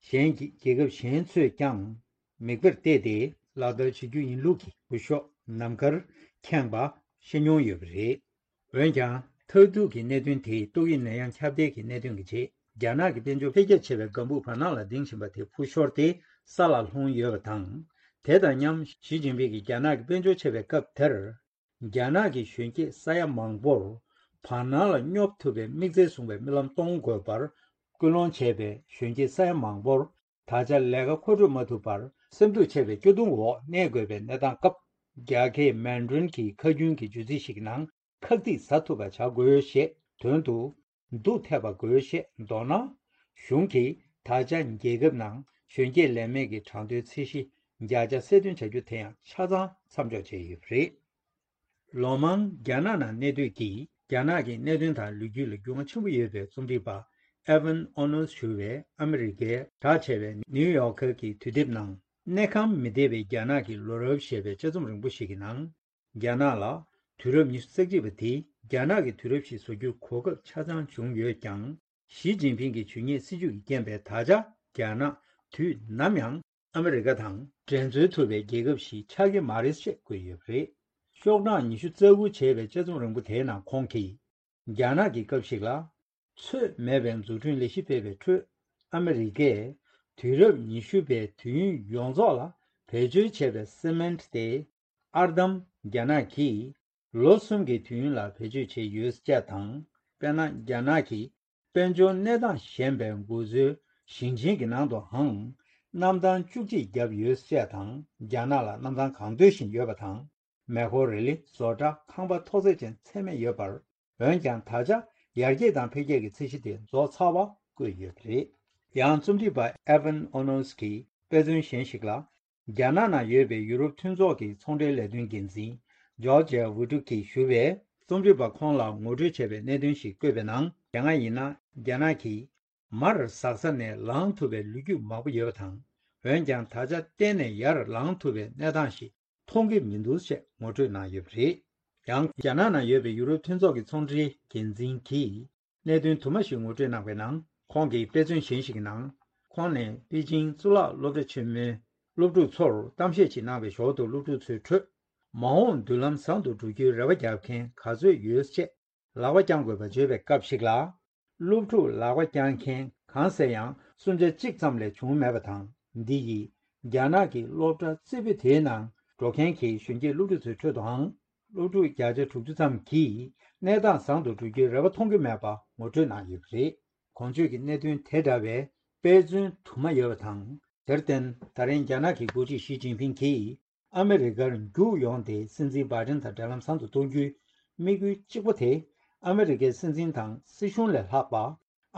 གཞན་གྱི་རྒྱལ་ཁབ་གཞན་ཚོས་ཀྱང་མིག་དཔེར་བལྟས་ཏེ་ལག་བསྟར་བྱེད་རྒྱུ་ཡིན་ལུགས་ཀྱི་འུར་ཤོག་ནམ་མཁར་ཁེངས་པ་ཤེས་མྱོང་ཡོད་པ་རེད། འོན་ཀྱང་། མཐར་ཐུག་གི་གནད་དོན་དེ་ཏོག་དབྱིབས་ནད་ཡམས་ཁྱབ་གདལ་གྱི་གནད་དོན་གྱི་རྗེས། རྒྱ་ནག་གི་དཔལ་འབྱོར་འཕེལ་རྒྱས་ཆེ་བའི་ལྒང་བུ་བར་སྣང་ལ་ལྡིང་བཞིན་པ་དེ་འཕུར་ཤོར་ཏེ་ས་ལ་ལྷུང་ཡོད་པ་དང་། དེ་དང་མཉམ། ཞི་ཅིན་ཕིང་གིས་རྒྱ་ནག་གི་དཔལ་འབྱོར་ཆེ་བའི་སྐབས་དེར། རྒྱ་ནག་གི་གཞོན་སྐྱེས་ས་ཡ་མང་པོར་བར་སྣང་ལ་སྙོབ་ཐུབ་པའི་དམིགས་བརྩེ་བཟུང་བའི་རྨི་ལམ་གཏོང་དགོས་པར་སྐུལ་སློང་བྱས་པའི་གཞོན་སྐྱེས་ས་ཡ་མང་པོར། ད་ཆ་ལས་ཀ་མཁོ་སྤྲོད་མ་ཐུབ་པར་སེམས་སྡུག་ཆེ་བའི་སྐྱོ་གདུང་འོག་གནས་དགོས་པའི་གནས་སྟངས་སྐབས། རྒྱ་སྐད་མན་ཌྲིན་གྱི་ཁ་རྒྱུན་གྱི་བརྗོད་ཚིག་ཞིག་ནང་། ཁག་ཐེག་ཟ་ཐུབ་པ་བྱ་དགོས་ཞེས་དོན་དུ། སྡུག་ཐེབས་པ་དགོས་ཞེས་མདོར་ན། གཞུང་གིས་ད་ཆ་རྒྱལ་ཁབ་ནང་གཞོན་སྐྱེས་ལས་མེད་ཀྱི་གྲངས་ཐོའི་ཚད་གཞི་བརྒྱ་ཆ་གསལ་སྟོན་བྱ་རྒྱུ་དེ་ཡང་ཆ་ཚང་མཚམས་འཇོག་བྱས་ཡོད་པ་རེད། ལོ་མང་རྒྱ་ནག་ནང་གནས་སྡོད་ཀྱིས་རྒྱ་ནག་གི་གནད་དོན་དང་ལོ་རྒྱུས་ལ་རྒྱུས་མངའ་ཆེན་པོ་ཡོད་པའི་རྩོམ་སྒྲིག་པ་ཨེ་ཝན་ཨོ་ནོས་ཞུ་བས་ཨ་མི་རི་ཀའི་གྲགས་ཆེ་བའི་ནིའུ་ཡོག་ཁར་གྱི་དུས་དེབ་ནང་ གནས་ཁང་མི་བདེ་བའི་རྒྱ་ནག་གི་ལོ་རབས་ཞེས་པའི་དཔྱད་རྩོམ་རིང་པོ་ཞིག་གི་ནང་། རྒྱ་ནག་ལ་དུས་རབས་ཉི་ཤུ་རྩ་གཅིག་པ་དེ་རྒྱ་ནག་གི་དུས་རབས་ཤིག་བཟོ་རྒྱུར་གོ་སྐབས་ཆ་ཚང་བྱུང་ཡོད་ཀྱང་། ཞི་ཅིན་ཕིང་གི་ཇུས་ཉེས་སྲིད་ཇུས་ཀྱི་རྐྱེན་པས་ད་ཆ་རྒྱ་ནག་དུས་ནམ་ཡང་ཨ་མི་རི་ཀ་དང་འགྲན་རྩོད་ཐུབ་པའི་རྒྱལ་ཁབ་ཞིག་ཆགས་ཀྱི་མ་རེད་ཅེས་བཀོད་ཡོད་པ་རེད། ཤོག་གྲངས་ཉི་ཤུ་རྩ་དགུ་བྱས་པའི་དཔྱད་རྩོམ་རིང་པོ་དེའི་ནང་ཁོང་གིས། རྒྱ་ནག་གི་སྐབས་ཤིག་ལ། ཚོད་མེད་པའི་འཛུགས་སྐྲུན་ལས་གཞི་སྤེལ་བའི་ཁྲོད། ཨ་མི་རི་ཀས་དུས་རབས་ཉི་ཤུ་པའི་དུས་ཡུན་ཡོངས་རྫོགས་ལ་བེད་སྤྱོད་བྱས་པའི་སི་མེན་ཊི་དེ། ཨར་འདམ་རྒྱ་ནག་གིས་ལོ་གསུམ་གྱི་དུས་ཡུན་ལ་བེད་སྤྱོད་བྱས་ཡོད་ཅེས་དང་། དཔེར་ན། རྒྱ་ནག་གི་དཔལ་འབྱོར་གནས་སྟངས་ཞན་པའི་འགོ་གཙོའི་ཞིང་ཆེན་གྱི་ནང་དུའང་། གནམ་ཐང་བཅུ་གཅིག་བརྒྱབ་ཡོད་ཅེས་དང་། རྒྱ་ནག་ལ་གནམ་ཐང་གང་འདོད་བཞིན་ཡོད་པ་དང་། མེ་འཁོར། རི་ལི། བཟོ་གྲྭ། ཁང་པ་ཐོག་བརྩེགས་ཅན་ཚད་མེད་ཡོད་པར། འོན་ཀྱང་། ད་ཆ་ཡར་རྒྱས་དང་འཕེལ་རྒྱས་ཀྱི་ཚད་གཞི་དེ་རྫོགས་ཚར་བ་བཀོད་ཡོད་པ་རེད། ཡང་རྩོམ་སྒྲིག་པ་ཨེ་ཝན་ཨོ་ནོས་ཀྱིས་དཔེ་མཚོན་གཞན་ཞིག་ལ། རྒྱ་ནག་ནང་ཡོད་པའི་ཡུ་རོབ་མཐུན་ཚོགས་ཀྱི་ཚོང་འབྲེལ་ལས་དོན་འགན་འཛིན་ཇོར་ཇ་ཝི་ཀྲུག་གིས་ཞུ་བས། རྩོམ་སྒྲིག་པ་ཁོང་ལ་ངོ་སྤྲོད་བྱས་པའི་གནད་དོན་ཞིག་བཀོད་པའི་ནང་། དེ་སྔ་ཡིན་ན་རྒྱ་ནག་གིས། མར་ཟག་ས་ནས་ལངས་ཐུབ་པའི་ལོ་རྒྱུས་མང་པོ་ཡོད་པ་དང་། འོན་ཀྱང་། ད་ཆ་གཏན་ནས་ཡར་ལངས་ཐུབ་པའི་གནས་སྟངས་ཤིག་མཐོང་གི་མི་འདུག་ཅེས་ངོ་སྤྲོད་གནང་ཡོད་པ་རེད། ཡང་། རྒྱ་ནག་ནང་ཡོད་པའི་ཡུ་རོབ་མཐུན་ཚོགས་ཀྱི་ཚོང་འབྲེལ་འགན་འཛིན་གྱིས་གནད་དོན་དུ་མ་ཞིག་ངོ་སྤྲོད་གནང་བའི་ནང་། ཁོང་གིས་དཔེ་མཚོན་གཞན་ཞིག་གི་ནང་། ཁོང་ནས་པེ་ཅིང་གཙུག་ལག་སློབ་གྲྭ་ཆེན་མོའི་སློབ་ཕྲུག་ཚོར་གཏམ་བཤད་ཅིག་གནང་བའི་ཞོར་དུ། སློབ་ཕྲུག་ཚོའི་ཁྲོད། མ་འོངས་མདུན་ལམ་བཟང་དུ་འགྲོ་རྒྱུའི་རེ་བ་བརྒྱབ་མཁན་ག་ཚོད་ཡོད་ཅེས་ལག་པ་བརྐྱང་དགོས་པ་བརྗོད་པའི་སྐབས་ཤིག་ལ། སློབ་ཕྲུག་ལག་པ་བརྐྱང་མཁན་གང་ཟེར་ཡང་སུམ་ཆ་གཅིག་ཙམ་ལས་བྱུང་མེད་པ་དང་། འདི་ཡིས་རྒྱ་ནག་གི་སློབ་གྲྭ་རྩེ་ཕུད་དེའི་ནང་འགྲོ་མཁན་གྱི་གཞོན་སྐྱེས་སློབ་ཕྲུག་ཚོའི་ཁྲོད་དུའང་། སློབ་ཕྲུག་བརྒྱ་ཆ་དྲུག་ཅུ་ཙམ་གྱིས་གནས་སྟངས་བཟང་དུ་འགྲོ་རྒྱུའི་རེ་བ་མཐོང་གི་མེད་པ་ངོ་སྤྲོད་གནང་ཡོད་པ་རེད། གོང་བརྗོད་ཀྱི་གནད་དོན་དེ་འདྲ་བའི་དཔེ་མཚོན་དུ་མ་ཡོད་པ་དང་། དེར་བརྟེན། ད་རིང་རྒྱ་ནག་གི་འགོ་ཁྲིད་ཞི་ཅིན་ཕིང་གིས། ཨ་མི་རི་ཀར་རྒྱུགས་ཡོང་སྟེ། སྲིད་འཛིན་བྷའི་ཌེན་དང་འབྲེལ་ལམ་བཟང་དུ་གཏོང་རྒྱུའི་དམིགས་ཡུལ་གཅིག་པོ་དེ། ཨ་མི་རི་ཀའི་སྲིད་འཛིན་དང་སྲིད་གཞུང་ལས་ལྷག་པ།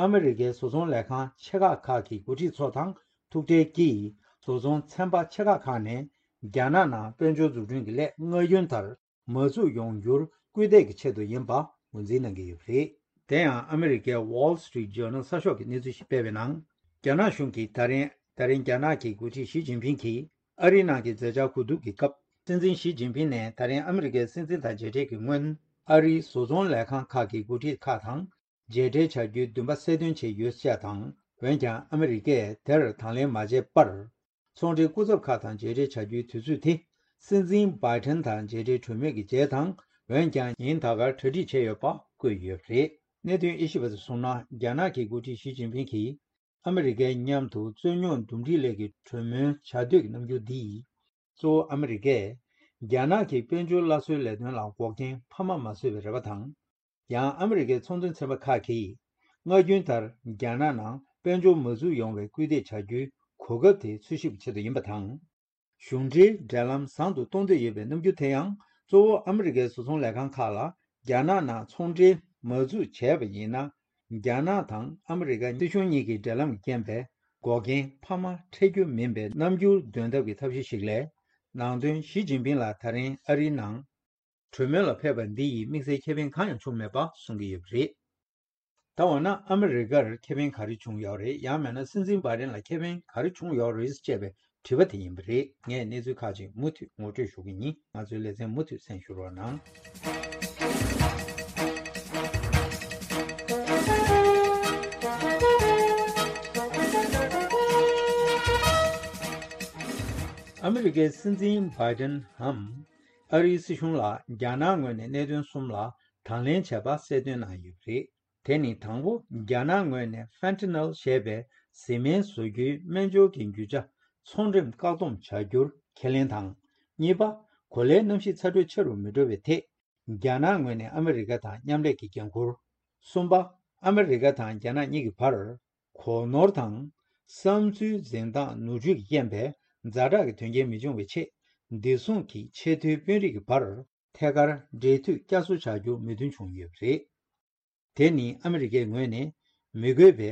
ཨ་མི་རི་ཀའི་བཟོ་ཚོང་ལས་ཁང་ཆེ་ཁག་ཁག་གི་འགོ་ཁྲིད་ཚོ་དང་ཐུག་འཕྲད་ཀྱིས། བཟོ་ཚོང་ཚན་པ་ཆེ་ཁག་ཁག་ནས་རྒྱ་ནག་ནང་དཔལ་འབྱོར་འཛུགས་སྐྲུན་གྱི་ལས་སྔ་རྒྱུན་ལྟར་མ་བཙུགས་ཡོང་རྒྱུར་སྐུལ་འདེད་ཀྱི་ཆེད་དུ་ཡིན་པ་ངོས་འཛིན་གནང་གི་ཡོད་པ་རེད། དེ་ཡང་ཨ་མི་རི་ཀའི་Wall Street Journal གསར་ཤོག་གིས་གནས་ཚུལ་ཞིག་སྤེལ་བའི་ནང་། རྒྱ་ནག་གཞུང་གིས་ད་རིང་། ད་རིང་རྒྱ་ནག་གི་འགོ་ཁྲིད་ཞི་ཅིན་ཕིང་གིས་ཨ་རིའི་ནང་གི་མཛད་འཆར་གོ་བསྡུར་གྱི་སྐབས། སྲིད་འཛིན་ཞི་ཅིན་ཕིང་ནས་ད་རིང་ཨ་མི་རི་ཀའི་སྲིད་འཛིན་དང་མཇལ་འཕྲད་ཀྱི་སྔོན། ཨ་རིའི་བཟོ་ཚོང་ལས་ཁང་ཁག་གི་འགོ་ཁྲིད་ཁག་དང་མཇལ་འཕྲད་བྱ་རྒྱུའི་འདུན་པ་གསལ་སྟོན་བྱས་ཡོད་ཅེས་དང་། འོན་ཀྱང་ཨ་མི་རི་ཀས་དེར་དང་ལེན་མ་བྱས་པར། ཚོང་འབྲེལ་སྐུ་ཚབ་ཁག་དང་མཇལ་འཕྲད་བྱ་རྒྱུའི་དུས་ཚོད་དེ། སྲིད་འཛིན་བྷའི་ཌེན་དང་མཇལ་འཕྲད་གྲོས་མོལ་གྱི་རྗེས་དང་། འོན་ཀྱང་ཉིན་ད་གར་གྲ་སྒྲིག་བྱས་ཡོད་པ་བཀོད་ཡོད་པ་རེད། གནད་དོན་དབྱེ་ཞིབ་པ་ཚོས་གསུངས་ན། རྒྱ་ནག་གི་འགོ་ཁྲིད་ཞི་ཅིན་ཕིང་གིས་ཨ་མི་རི་ཀའི་མཉམ་དུ་རྩོད་རྙོག་འདུམ་འགྲིག་སླད་ཀྱི་གྲོས་མོལ་བྱ་འདོད་ཀྱི་རྣམ་འགྱུར་འདིས། གཙོ་བོ་ཨ་མི་རི་ཀས་རྒྱ་ནག་གི་དཔལ་འབྱོར་སླར་གསོའི་ལས་དོན་ལ་འགོག་རྐྱེན་འཕར་མ་མ་བཟོས་པའི་རེ་བ་དང་། ཡང་ཨ་མི་རི་ཀའི་ཚོང་དོན་ཚན་པ་ཁག་གིས་སྔ་རྒྱུན་ལྟར་རྒྱ་ནག་ནང་དཔལ་འབྱོར་མ་འཛུགས་ཡོང་བའི་སྐུལ་འདེད་བྱ་རྒྱུའི་གོ་སྐབས་དེ་འཚོལ་ཞིབ་ཆེད་དུ་ཡིན་པ་དང་། གཞུང་འབྲེལ་འབྲེལ་ལམ་བཟང་དུ་གཏོང་འདོད་ཡོད་པའི་རྣམ་འགྱུར་དེ་ཡང་། གཙོ་བོ་ཨ་མི་རི་ཀའི་བཟོ་ཚོང་ལས་ཁང་ཁག་ལ་རྒྱ་ནག་ནང་ཚོང་འབྲེལ་མ་འཛུགས་བྱས་པ་ཡིན་ན། རྒྱ་ནག་དང་ཨ་མི་རི་ཀ་སྲིད་གཞུང་གཉིས་ཀྱི་འབྲེལ་ལམ་གྱི་རྐྱེན་པས་འགོག་རྐྱེན་འཕར་མ་འཕྲད་རྒྱུ་མིན་པའི་རྣམ་འགྱུར་འདོན་ཐབས་ཀྱི་ཐབས་ཤེས་ཤིག་ལས། ནང་དོན། ཞི་ཅིན་ཕིང་ལགས་ད་རིང་ཨ་རིའི་ནང་གྲོས་མོལ་ལ་ཕེབས་པ་འདི་ཡིས་དམིགས་བསལ་ཁེ་ཕན་གང་ཡང་བྱུང་མེད་པ་གསུང་གི་ཡོད་པ་རེད། ད་འོ་ན་ཨ་མི་རི་ཀར་ཁེ་ཕན་ག་རེ་བྱུང་ཡོད་རེད། ཡང་མིན་ན་སྲིད་འཛིན་བྷའི་ཌེན་ལ་ཁེ་ཕན་ག་རེ་བྱུང་ཡོད་རེད་ཅེས་པའི་དྲི་བ་དེ་ཡིན་པ་རེད། ངས་གནས་ཚུལ་ཁག་ཅིག་མུ་མཐུད་ངོ་སྤྲོད་ཞུ་གི་ཡིན། ང་ཚོའི་ལེ་ཚན་མུ་མཐུད་གསན་ཞུ་རོགས་གནང་། ཨ་མི་རི་ཀའི་སྲིད་འཛིན་བྷའི་ཌེན་འམ། ཨ་རིའི་སྲིད་གཞུང་ལ་རྒྱ་ནག་ངོས་ནས་གནད་དོན་གསུམ་ལ་དང་ལེན་བྱས་པ་གསལ་སྟོན་གནང་ཡོད་པ་རེད། དེ་ནི་དང་པོ། རྒྱ་ནག་ངོས་ནས་ཕེན་ཊ་ནལ་ཞེས་པའི་བཟི་སྨན་བཟོ་རྒྱུའི་སྨན་སྦྱོར་གྱི་རྒྱུ་ཆ་ཚོང་འགྲེམས་བཀག་སྡོམ་བྱ་རྒྱུར་ཁས་ལེན་དང་། གཉིས་པ། གོ་ལའི་གནམ་གཤིས་ཚ་དྲོད་ཆེ་རུ་མི་འགྲོ་བའི་ཐད། རྒྱ་ནག་ངོས་ནས་ཨ་མི་རི་ཀ་དང་མཉམ་ལས་ཀྱི་འགན་འཁུར། གསུམ་པ། ཨ་མི་རི་ཀ་དང་རྒྱ་ནག་གཉིས་ཀྱི་བར་གོ་ནོར་དང་བསམ་ཚུལ་འཛིན་སྟངས་ནོར་འཁྲུལ་གྱི་རྐྱེན་པས་ཛ་དྲག་གི་དོན་རྐྱེན་མི་འབྱུང་བའི་ཆེད། བདེ་སྲུང་གི་ཆེས་མཐོའི་དཔོན་རིགས་ཀྱི་བར་ཐད་ཀར་འབྲེལ་མཐུད་བསྐྱར་གསོ་བྱ་རྒྱུ་མོས་མཐུན་བྱུང་ཡོད་པ་རེད། དེ་ནི་ཨ་མི་རི་ཀའི་ངོས་ནས་མི་དགོས་པའི་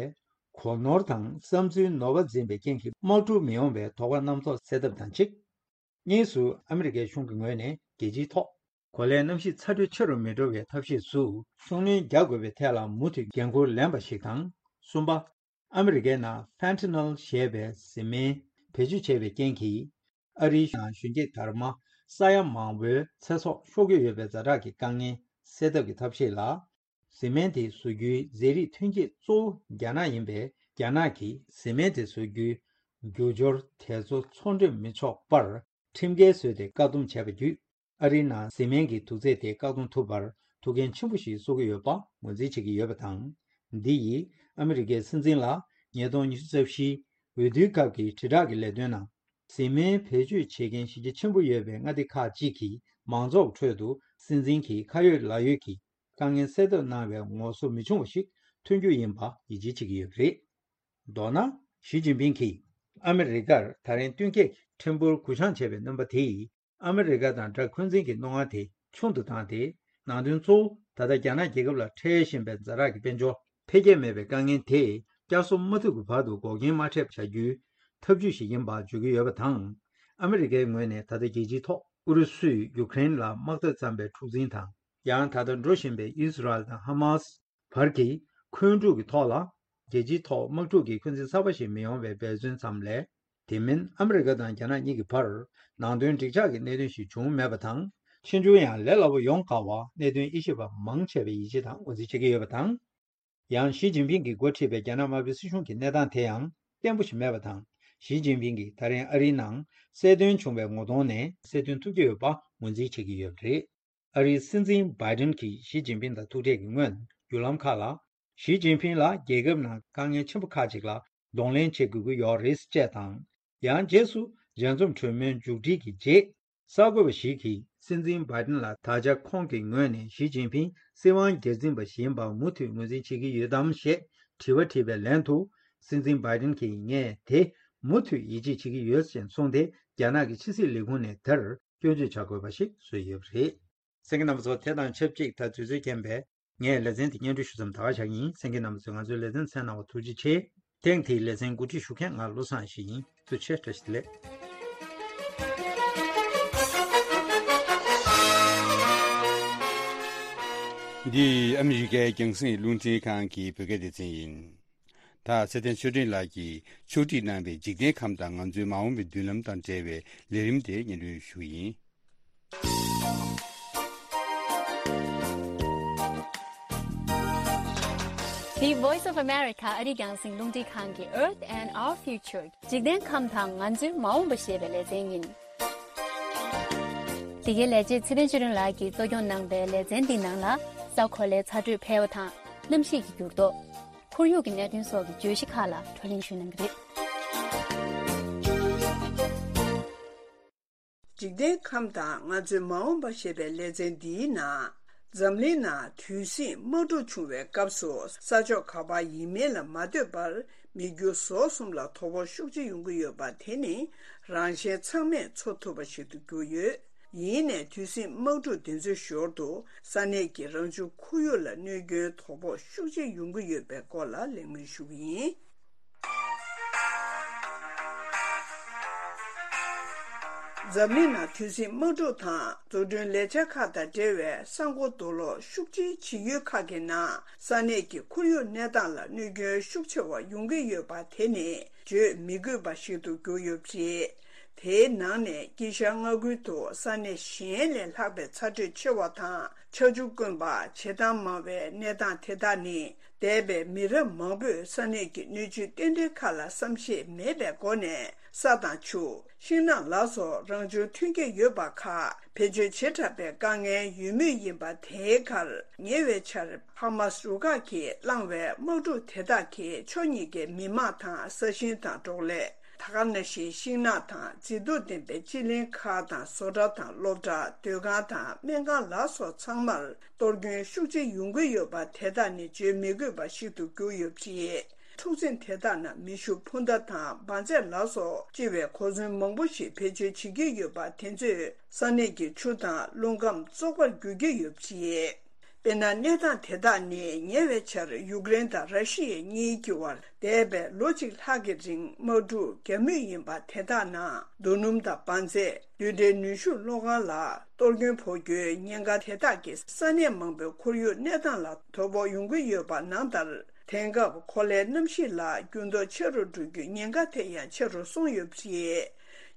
གོ་ནོར་དང་བསམ་ཚུལ་ནོར་བ་འཛིན་པའི་རྐྱེན་གྱིས་དམག་འཁྲུག་མི་ཡོང་བའི་དོགས་པ་རྣམ་རྟོག་སེལ་ཐབས་དང་གཅིག། གཉིས་སུ། ཨ་མི་རི་ཀའི་གཞུང་གི་ངོས་ནས་རྒྱལ་སྤྱིའི་ཐོག་གོ་ལའི་གནམ་གཤིས་ཚ་དྲོད་ཆེ་རུ་མི་འགྲོ་བའི་ཐབས་ཤེས་སུ་ཤུགས་སྣོན་རྒྱག་དགོས་པའི་ཐད་ལ་མུ་མཐུད་འགན་འཁུར་ལེན་པ་ཞིག་དང་། གསུམ་པ། ཨ་མི་རི་ཀའི་ནང་ཕེན་ཊ་ནལ་ཞེས་པའི་བཟི་སྨན་ བེད་སྤྱོད་བྱས་པའི་རྐྱེན་གྱིས། ཨ་རིའི་ནང་གཞོན་སྐྱེས་དར་མ་ས་ཡ་མང་པོའི་ཚེ་སྲོག་ཤོར་གྱི་ཡོད་པའི་ཛ་དྲག་གི་དཀའ་ངལ་སེལ་ཐབས་ཀྱི་ཐབས་ཤེས་ལ། བཟི་སྨན་དེ་བཟོ་རྒྱུའི་ཟས་རིགས་ཐོན་སྐྱེད་གཙོ་བོ་རྒྱ་ནག་ཡིན་པས། རྒྱ་ནག་གིས་བཟི་སྨན་དེ་བཟོ་རྒྱུའི་རྒྱུ་སྦྱོར་དེ་ཚོ་འཚོ་འདྲེན་མི་ཆོག་པར་ཁྲིམས་འགལ་བཟོས་ཏེ་བཀག་སྡོམ་བྱས་པ་བརྒྱུད། ཨ་རིའི་ནང་བཟི་སྨན་གྱི་དུག་རྫས་དེ་བཀག་སྡོམ་ཐུབ་པར་ཐུགས་འགན་ཆེན་པོ་ཞིག་གསོ་གི་ཡོད་པ་ངོས་འཛིན་བྱེད་ཀྱི་ཡོད་པ་དང་། འདི་ཡིས་ཨ་མི་རི་ཀའི་སྲིད་འཛིན་ལ་ཉིས་སྟོང་ཉི་ཤུ་རྩ་བཞིའི་འོས་བསྡུའི་སྐབས་ཀྱི་དྲིལ་བསྒྲགས་ཀྱི་ལས་དོན་ནང་། བཟི་སྨན་བེད་སྤྱོད་བྱེད་མཁན་གཞི་རྒྱ་ཆེན་པོ་ཡོད་པའི་མངའ་སྡེ་ཁག་ཅིག་གིས་མང་ཚོགས་ཁྲོད་དུ་སྲིད་འཛིན་གྱིས་ཁ་ཡོད་ལག་ཡོད་ཀྱི་དཀའ་ངལ་སེལ་ཐབས་གནང་བའི་ངོ་སོ་མི་ཆུང་བ་ཞིག་ཐོན་རྒྱུ་ཡིན་པ་ཡིད་ཆེས་བྱེད་ཀྱི་ཡོད་པ་རེད། མདོར་ན། ཞི་ཅིན་ཕིང་གིས་ཨ་མི་རི་ཀར་ད་རིང་སྟོན་ཁའི་ཁྲིམས་འབོར་གུ་བཤངས་བྱས་པའི་རྣམ་པ་དེས། ཨ་མི་རི་ཀ་དང་དགྲ་འཁོན་འཛིན་གྱི་སྣང་བ་དེ་ཆུང་དུ་བཏང་སྟེ། ནང་དོན་གཙོ་བོ་ད་ལྟ་རྒྱ་ནག་རྒྱལ་ཁབ་ལ་འཕྲད་བཞིན་པའི་ཛ་དྲག་གི་དཔལ་འབྱོར་འཕེལ་རྒྱས་མེད་པའི་དཀའ་ངལ་དེ་བསྐྱར་གསོ་མ་ཐུབ་ཀྱི་བར་དུ་འགོག་རྐྱེན་མ་འཕྲད་པ་བྱ་རྒྱུའི་ཐབས་ཇུས་ཤིག་ཡིན་པ་བརྗོད་ཀྱི་ཡོད་པ་དང་། ཨ་མི་རི་ཀའི་ངོས་ནས་ད་ལྟ་རྒྱལ་སྤྱིའི་ཐོག་ཨུ་རུ་སུས་ཡུ་ཀེ་རེན་ལ་དམག་འཐབ་བརྩམས་པའི་འཁྲུག་འཛིང་དང་། ཡང་ད་ལྟ་འགྲོ་བཞིན་པའི་ཨིས་རལ་དང་ཧ་མཱས་བར་གྱི་འཁོན་འཁྲུག་གི་ཐོག་ལ། རྒྱལ་སྤྱིའི་ཐོག་དམག་འཁྲུག་གི་འཁོན་འཛིན་གསར་པ་ཞིག་མི་ཡོང་བའི་འབད་བརྩོན་ཙམ་ལས། དེ་མིན་ཨ་མི་རི་ཀ་དང་རྒྱ་ནག་གཉིས་ཀྱི་བར་ནང་དོན་འགྲིག་འཇགས་ཀྱི་གནད་དོན་ཞིག་བྱུང་མེད་པ་དང་། ཕྱིས་འབྱུང་ཡང་ལས་སླ་པོ་ཡོང་དཀའ་བ་གནད་དོན་དབྱེ་ཞིབ་པ་མང་ཆེ་བས་ཡིད་ཆེས་དང་ངོས་འཛིན་བྱེད་ཀྱི་ཡོད་པ་དང་། ཡང་ཞི་ཅིན་ཕིང་གིས་འགོ་ཁྲིད་པའི་རྒྱ་ནག་དམར་པོའི་སྲིད་གཞུང་གི་གནས་སྟངས་དེ་ཡང་བརྟན་པོ་ཞིག་མེད་པ་དང་། ཞི་ཅིན་ཕིང་གིས་ད་རིང་ཨ་རིའི་ནང་གསལ་སྟོན་བྱུང་བའི་ངོ་གདོང་ནས་གསལ་སྟོན་ཐུབ་ཀྱི་ཡོད་པ་ངོས་འཛིན་བྱེད་ཀྱི་ཡོད་པ་རེད། ཨ་རིའི་སྲིད་འཛིན་བྷའི་ཏིན་གྱིས་ཞི་ཅིན་ཕིང་དང་ཐུག་འཕྲད་ཀྱི་སྔོན་བརྒྱུད་ལམ་ཁག་ལ། ཞི་ཅིན་ཕིང་ལ་རྒྱལ་ཁབ་ནང་དཀའ་ངལ་ཆེན་པོ་ཁག་ཅིག་ལ་གདོང་ལེན་བྱེད་དགོས་ཀྱི་ཡོད་རེད་ཅེས་དང་། ཡང་རྗེས་སུ་མཇལ་འཛོམས་གྲོས་མོལ་མཇུག་སྒྲིལ་གྱི་རྗེས། གསར་འགོད་པ་ཞིག་གིས་སྲིད་འཛིན་བྷའི་ཏིན་ལ་ད་ཆ་ཁོང་གི་ངོས་ནས་ཞི་ཅིན་ཕིང་སྲིད་དབང་སྒེར་འཛིན་པ་ཞིག་ཡིན་པ་མུ་མཐུད་ངོས་འཛིན་བྱེད་ཀྱི་ཡོད་དམ་ཞེས་དྲི་བ་དྲིས་པའི་ལན་དུ། སྲིད་འཛིན་བྷའི་ཏིན་གྱིས་ངས་དེ་མུ་མཐུད་ཡིད་ཆེས་བྱེད་ཀྱི་ཡོད་ཅེས་གསུངས་ཏེ། རྒྱ་ནག་གི་ཕྱི་སྲིད་ལས་ཁུངས་ནས་དེར་སྐྱོན་བརྗོད་བྱ་དགོས་པ་ཞིག་བཟོས་ཡོད་པ་རེད། གསན་མཁན་རྣམ་པ་ཚོ། དེ་དང་ཆབས་ཅིག་ད་དུས་ཚོད་རྐྱེན་པས་ངས་ལེ་ཚན་འདི་སྙན་སྒྲོན་ཞུ་མཚམས་ད་ག་བཞག་ཡིན། གསན་མཁན་རྣམ་པ་ཚོས་ང་ཚོའི་ལེ་ཚན་གསན་གནང་བར་ཐུགས་རྗེ་ཆེ། ཐེངས་འདིའི་ལེ་ཚན་གོ་སྒྲིག་ཞུ་མཁན་ང་བློ་བཟང་ཞིག་ཡིན། ཐུགས་རྗེ་ཆེ། བཀྲ་ཤིས་བདེ་ལེགས། འདི་ཨ་མི་རི་ཀའི་རྒྱང་སྲིང་རླུང་འཕྲིན་ཁང་གི་བོད་སྐད་སྡེ་ཚན་ཡིན། ད་ཚེ་བརྟན་ཆོས་སྒྲོན་ལགས་ཀྱིས་ཕྱོགས་སྒྲིག་གནང་བའི་འཇིག་རྟེན་ཁམས་དང་ང་ཚོའི་མ་འོངས་པའི་མདུན་ལམ་དང་འབྲེལ་བའི་ལས་རིམ་དེ་སྙན་སྒྲོན་ཞུ་གི་ཡིན། འདི་Voice of America ཨ་རིའི་རྒྱང་སྲིང་རླུང་འཕྲིན་ཁང་གི་Earth and Our Future འཇིག་རྟེན་ཁམས་དང་ང་ཚོའི་མ་འོངས་པ་ཞེས་པའི་ལེ་ཚན་ཡིན། འདི་གའི་ལས་བྱེད་ཚེ་བརྟན་ཆོས་སྒྲོན་ལགས་ཀྱིས་གཙོ་སྐྱོང་གནང་པའི་ལེ་ཚན་འདིའི་ནང་ལ། ས་གོ་ལའི་ཚ་དྲོད་འཕེལ་བ་དང་། གནམ་གཤིས་ཀྱི་འགྱུར་ལྡོག་ཁོར་ཡུག་གི་གནད་དོན་སོགས་ཀྱི་བརྗོད་གཞི་ཁག་ལ་བགྲོ་གླེང་ཞུས་གནང་གི་རེད། འཇིག་རྟེན་ཁམས་དང་ང་ཚོའི་མ་འོངས་པ་ཞེས་པའི་ལེ་ཚན་འདིའི་ནང་། འཛམ་གླིང་ནང་དུས་ཟིང་དམག་འཁྲུག་བྱུང་བའི་སྐབས་སུ་ས་ཕྱོགས་ག་པར་ཡིན་མིན་ལ་མ་ལྟོས་པར་མི་རྒྱུ་ཟོག་གསུམ་ལ་དོ་ཕོག་ཤུགས་ཆེ་ཡོང་གི་ཡོད་པ་དེ་ནི་རང་གཞན་ཚང་མས་ཚོར་ཐུབ་པ་ཞིག་ཏུ་གྱུར་ཡོད། ཡིན་ནའི་དུས་ཟིང་དམག་འཁྲུག་འདི་ཚོའི་ཞོར་དུ་ས་གནས་ཀྱི་རང་བྱུང་ཁོར་ཡུག་ལ་གནོད་སྐྱོན་དོ་ཕོག་ཤུགས་ཆེ་ཡོང་གི་ཡོད་པའི་སྐོར་ལ་གླེང་མོལ་ཞུ་གི་ཡིན། འཛམ་གླིང་ནང་དུས་ཟིང་དམག་འཁྲུག་དང་འཛུགས་སྐྲུན་ལས་འཆར་ཁག་དང་འབྲེལ་བའི་ས་འགོ་རྡོ་སློག་ཤུགས་ཆེའི་བྱེད་ཡུལ་ཁག་གི་ནང་ས་གནས་ཀྱི་ཁོར་ཡུག་གནས་སྟངས་ལ་གནོད་སྐྱོན་ཤུགས་ཆེ་བ་ཡོང་གི་ཡོད་པ་དེ་ནི་བརྗོད་མི་དགོས་པ་ཞིག་ཏུ་གྱུར་ཡོད་པ་རེད། དེའི་ནང་ནས་དཀྱིལ་ཤར་མངའ་ཁུལ་དུ་ས་གནས་གཞན་ལས་ལྷག་པའི་ཚ་དྲོད་ཆེ་བ་དང་ཆར་ཆུ་དཀོན་པ། བྱེ་ཐང་མང་བའི་གནས་སྟངས་དེ་དག་ནི། འདས་པའི་མི་རབས་མང་པོས་ས་གནས་ཀྱི་སྣོད་བཅུད་རྟེན་འབྲེལ་ཁག་ལ་བསམ་ཤེས་མེད་པའི་སྒོ་ནས་ས་དང་ཆུ། ཤིང་ནགས་ལ་སོགས་རང་བྱུང་ཐོན་སྐྱེད་ཡོད་པ་ཁག་བེད་སྤྱོད་བྱེ་བྲག་པའི་དཀའ་ངལ་ཡོད་མུས་ཡིན་པ། དེའི་ཁར་ཉེ་བའི་ཆར་ཧ་མཱས་རུ་ཁག་གིས་བསླངས་པའི་དམག་འཁྲུག་དེ་དག་གིས་ཕྱོགས་གཉིས་ཀའི་མི་དམངས་དང་ས་ཞིང་དང་འབྲོག་ལས། ད་ག་ནང་བཞིན་ཤིང་ནགས་དང་མཛེས་སྡུག་ལྡན་པའི་སྤྱི་གླིང་ཁག་དང་བཟོ་གྲྭ་དང་སློབ་གྲྭ། སྡོད་ཁང་དང་སྨན་ཁང་ལ་སོགས་ཚང་མར་གཏོར་སྐྱོན་ཤུགས་ཆེ་ཡོང་གི་ཡོད་པ་དེ་དག་ནི་བརྗོད་མི་དགོས་པ་ཞིག་ཏུ་གྱུར་ཡོད་པ་རེད། འཁྲུག་འཛིང་དེ་དག་ནང་མེ་ཤུགས་འཕུར་མདའ་དང་འབར་རྫས་ལ་སོགས་ལྕི་བའི་གོ་མཚོན་མང་པོ་ཞིག་བེད་སྤྱོད་བྱེད་ཀྱི་ཡོད་པ་དེ་ཚོས་ས་གནས་ཀྱི་ཆུ་དང་རླུང་ཁམས་བཙོག་པར་འགྱུར་གྱི་ཡོད་པ་རེད། དཔེར་ན། གནས་སྟངས་དེ་དག་ནི་ཉེ་བའི་ཆར་ཡུཀ་རེན་དང་ར་ཤི་ཡ་གཉིས་ཀྱི་དབར་འདས་པའི་ལོ་གཅིག་ལྷག་གི་རིང་དམག་འཁྲུག་བརྒྱབ་མུས་ཡིན་པ། དེ་དག་ནང་རྡོ་སྣུམ་དང་འབར་རྫས། རྡུལ་ཕྲན་ནུས་ཤུགས་གློག་ཁང་ལ་གཏོར་སྐྱོན་ཕོག་རྒྱུའི་ཉེན་ཁ་དེ་དག་གིས་ས་གནས་མང་པོའི་ཁོར་ཡུག་གནས་སྟངས་ལ་དོ་ཕོག་ཡོང་གི་ཡོད་པ་ནང་ལྟར། དེང་སྐབས་གོ་ལའི་གནམ་གཤིས་ལ་འགྱུར་ལྡོག་ཆེ་རུ་འགྲོ་རྒྱུའི་ཉེན་ཁ་དེ་ཡང་ཆེ་རུ་སོང་ཡོད་པ་རེད།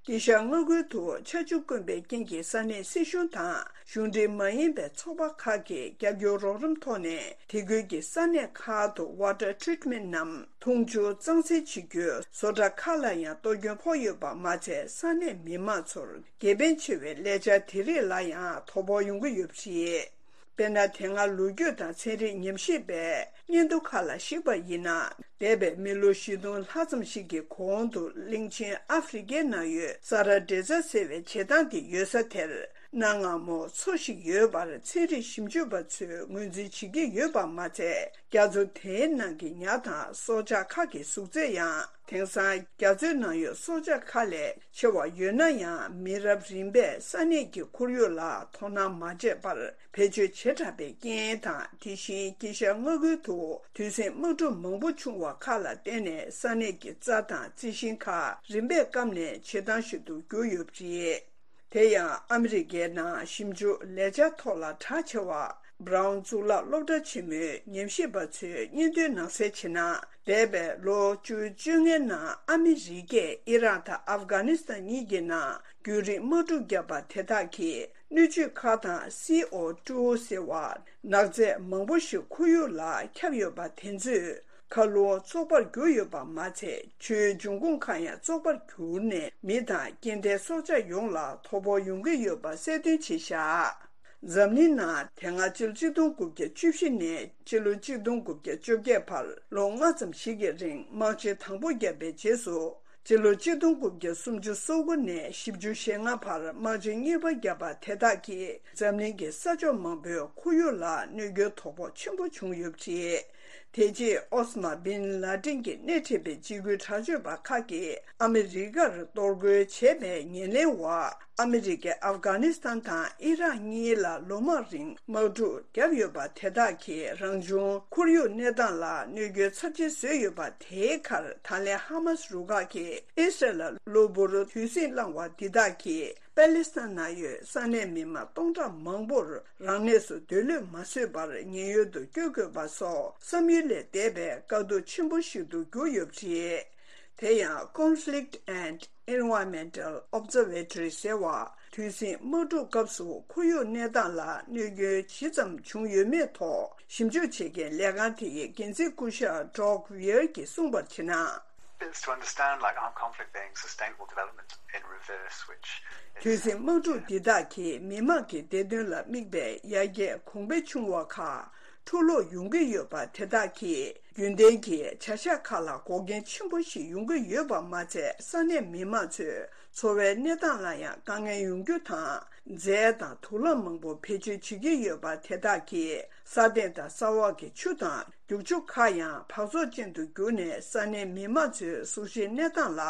དཀྱིལ་ཤར་མངའ་ཁུལ་དུ་ཆར་ཆུ་དཀོན་པའི་རྐྱེན་གྱིས་ས་གནས་སྲིད་གཞུང་དང་གཞུང་འབྲེལ་མ་ཡིན་པའི་ཚོགས་པ་ཁག་གིས་རྒྱབ་སྐྱོར་རོགས་རམ་ཐོག་ནས་དེ་ཁུལ་གྱི་ས་གནས་ཁག་ཏུ་water treatment ནམ་འཐུང་ཆུ་གཙང་སེལ་བྱེད་རྒྱུའི་བཟོ་གྲྭ་ཁག་ལ་ཡང་གཏོར་སྐྱོན་ཕོག་ཡོད་པ་མ་ཚད། ས་གནས་མི་མང་ཚོར་དགེ་ཕན་ཆེ་བའི་ལས་འཆར་དེ་རིགས་ལ་ཡང་དོ་ཕོག་ཡོང་གི་ཡོད་པ་རེད། དཔེར་ན། དེ་སྔ་ལོ་རྒྱུས་དང་ཚན་རིག་ཉམས་ཞིབ་པས་སྙན་ཐོ་ཁག་ལ་གཞིགས་པ་ཡིན་ན། འདས་པའི་མི་ལོ་བཞི་སྟོང་ལྷག་ཙམ་ཞིག་གི་གོང་དུ་གླིང་ཆེན་ཨ་ཧྥེ་རི་ཀའི་ནང་ཡོད་ས་ར་འབྲས་རྩ་ཟེར་བའི་བྱེ་ཐང་དེ་ཡོད་ས་དེར། གནའ་སྔ་མོ་མཚོ་ཞིག་ཡོད་པར་ཚན་རིག་ཞིབ་འཇུག་པ་ཚོས་ངོས་འཛིན་བྱེད་ཀྱི་ཡོད་པ་མ་ཚད། རྒྱ་མཚོ་དེའི་ནང་གི་ཉ་དང་སྲོག་ཆགས་ཁག་གི་གཟུགས་ཚད་ཡང་། དེང་སང་རྒྱ་མཚོའི་ནང་ཡོད་སྲོག་ཆགས་ཁག་ལས་ཆེ་བ་ཡོད་ན་ཡང་། མི་རབས་རིམ་པས་ས་གནས་ཀྱི་ཁོར་ཡུག་ལ་དོ་སྣང་མ་བྱས་པར་བེད་སྤྱོད་བྱེ་བྲག་པའི་རྐྱེན་དང་། དེ་བཞིན་དཀྱིལ་ཤར་མངའ་ཁུལ་དུ་དུས་ཟིང་དམག་འཁྲུག་མང་པོ་བྱུང་བ་ཁག་ལ་བརྟེན་ནས། ས་གནས་ཀྱི་རྩྭ་དང་རྩི་ཤིང་ཁག་རིམ་པས་སྐམ་ནས་བྱེ་ཐང་ཞིག་ཏུ་གྱུར་ཡོད་པ་རེད། དེ་ཡང་ཨ་མི་རི་ཀའི་ནང་ཞིབ་འཇུག་ལས་འཆར་ཐོག་ལ་གྲགས་ཆེ་བ། Brown་གཙུག་ལག་སློབ་གྲྭ་ཆེན་མོའི་ཉམས་ཞིབ་པ་ཚོས་སྙན་ཐོའི་ནང་གསལ་བྱས་ན། འདས་པའི་ལོ་བཅུ་བཅོ་ལྔའི་ནང་ཨ་མི་རི་ཀས་ཨི་རག་དང་ཨབ་གྷ་ནི་སི་ཐན་གཉིས་ཀྱི་ནང་རྒྱུན་རིང་དམག་འཁྲུག་བརྒྱབ་པ་དེ་དག་གིས། སྣོད་བཅུད་ཁག་དང་སི་ཨོ་ཊུ་ཟེར་བ་ནག་རྫས་མང་པོ་ཞིག་ཁོར་ཡུག་ལ་ཁྱབ་ཡོད་པ་དེ་ཚོས། མཁའ་རླུང་བཙོག་པར་གྱུར་ཡོད་པ་མ་ཚད། ཆུའི་འབྱུང་ཁུངས་ཁག་ཡང་བཙོག་པར་གྱུར་ནས། མི་དང་སྐྱེ་ལྡན་སྲོག་ཆགས་ཡོངས་ལ་དོ་ཕོག་ཡོང་གི་ཡོད་པ་གསལ་སྟོན་བྱས་བཞག་འཛམ་གླིང་ནང་དེ་སྔ་ཕྱི་ལོ་ཆིག་སྟོང་དགུ་བརྒྱ་བཅུ་བཞི་ནས་ཕྱི་ལོ་ཆིག་སྟོང་དགུ་བརྒྱ་བཅོ་བརྒྱད་བར་ལོ་ལྔ་ཙམ་ཞིག་གི་རིང་དམག་ཆེན་དང་པོ་བརྒྱབ་པའི་རྗེས་སུ། ཕྱི་ལོ་ཆིག་སྟོང་དགུ་བརྒྱ་སུམ་ཅུ་སོ་དགུ་ནས་བཞི་བཅུ་ཞེ་ལྔ་བར་དམག་ཆེན་གཉིས་པ་བརྒྱབ་པ་དེ་དག་གིས་འཛམ་གླིང་གི་ས་ཕྱོགས་མང་པོའི་ཁོར་ཡུག་ལ་གནོད་སྐྱོན་དོ་ཕོག་ཆེན་པོ་བྱུང་ཡོད་པ་རེད། དེ་རྗེས་ཨོ་སི་མ་བིན་ལ་ཏིན་གྱིས་སྣེ་ཁྲིད་པའི་འཇིགས་སྐུལ་དྲག་སྤྱོད་པ་ཁག་གིས་ཨ་མི་རི་ཀར་གཏོར་རྒོལ་བྱས་པའི་ཉེར་ལེན་འོག་ཨ་མི་རི་ཀས་ཨབ་གྷ་ནི་སི་ཐན་དང་ཨི་རག་གཉིས་ལ་ལོ་མང་རིང་དམག་འཁྲུག་བརྒྱབ་ཡོད་པ་དེ་དག་གིས་རང་བྱུང་ཁོར་ཡུག་གནས་སྟངས་ལ་གནོད་སྐྱོན་ཚབས་ཆེན་བཟོས་ཡོད་པ། དེའི་ཁར་ད་ལན་ཧ་མ་སི་རུ་ཁག་གིས་ཨི་སི་རལ་ལ་གློ་བུར་དུས་ཟིང་བསླངས་བ་འདི་དག་གིས་པ་ལི་སི་ཐན་ནང་ཡོད་ས་གནས་མི་མང་སྟོང་ཕྲག་མང་པོར་རང་གནས་སུ་སྡོད་ལོས་མ་བཟོད་པར་ཉེན་གཡོལ་དུ་བསྐྱོད་དགོས་པ་སོགས་བསམ་ཡུལ་ལས་འདས་པའི་དཀའ་སྡུག་ཆེན་པོ་ཞིག་ཏུ་གྱུར་ཡོད་པ་རེད། དེ་ཡང་Conflict and Environmental Observatory ཟེར་བ། དུས་ཟིང་དམག་འཁྲུག་སྐབས་སུ་ཁོར་ཡུག་གནས་སྟངས་ལ་གནོད་སྐྱོན་ཇི་ཙམ་བྱུང་ཡོད་མེད་ཐོག་ཞིབ་འཇུག་བྱེད་མཁན་ལས་ཁང་དེ་ཡི་འགན་འཛིན་སྐུ་ཞབས་Doug Weir གྱིས་གསུངས་པར་བྱས་ན། It's to understand, like, armed conflict being sustainable development in reverse, which is དུས་ཟིང་དམག་འཁྲུག་འདི་དག་གིས་མི་དམངས་ཀྱི་བདེ་དོན་ལ་དམིགས་པའི་ཡར་རྒྱས་གོང་འཕེལ་བྱུང་བ་ཁག་འཁྲུག་ལོག་ཡོང་གི་ཡོད་པ་དེ་དག་གིས། རྒྱུན་ལྡན་གྱི་བྱ་གཞག་ཁག་ལ་འགོག་རྐྱེན་ཆེན་པོ་ཞིག་ཡོང་གི་ཡོད་པ་མ་ཚད། ས་གནས་མི་མང་ཚོའི་འཚོ་བའི་གནས་སྟངས་ལ་ཡང་དཀའ་ངལ་ཡོང་རྒྱུ་དང་། རྫས་དང་དུག་རླངས་མང་པོ་བེད་སྤྱོད་བྱེད་ཀྱི་ཡོད་པ་དེ་དག་གིས། ས་སྟེང་དང་ས་འོག་གི་ཆུ་དང་རྒྱུག་ཆུ་ཁག་ཡང་འབག་བཙོག་ཅན་དུ་གྱུར་ནས། ས་གནས་མི་མང་ཚོའི་གཟུགས་གཞིའི་གནས་སྟངས་ལ་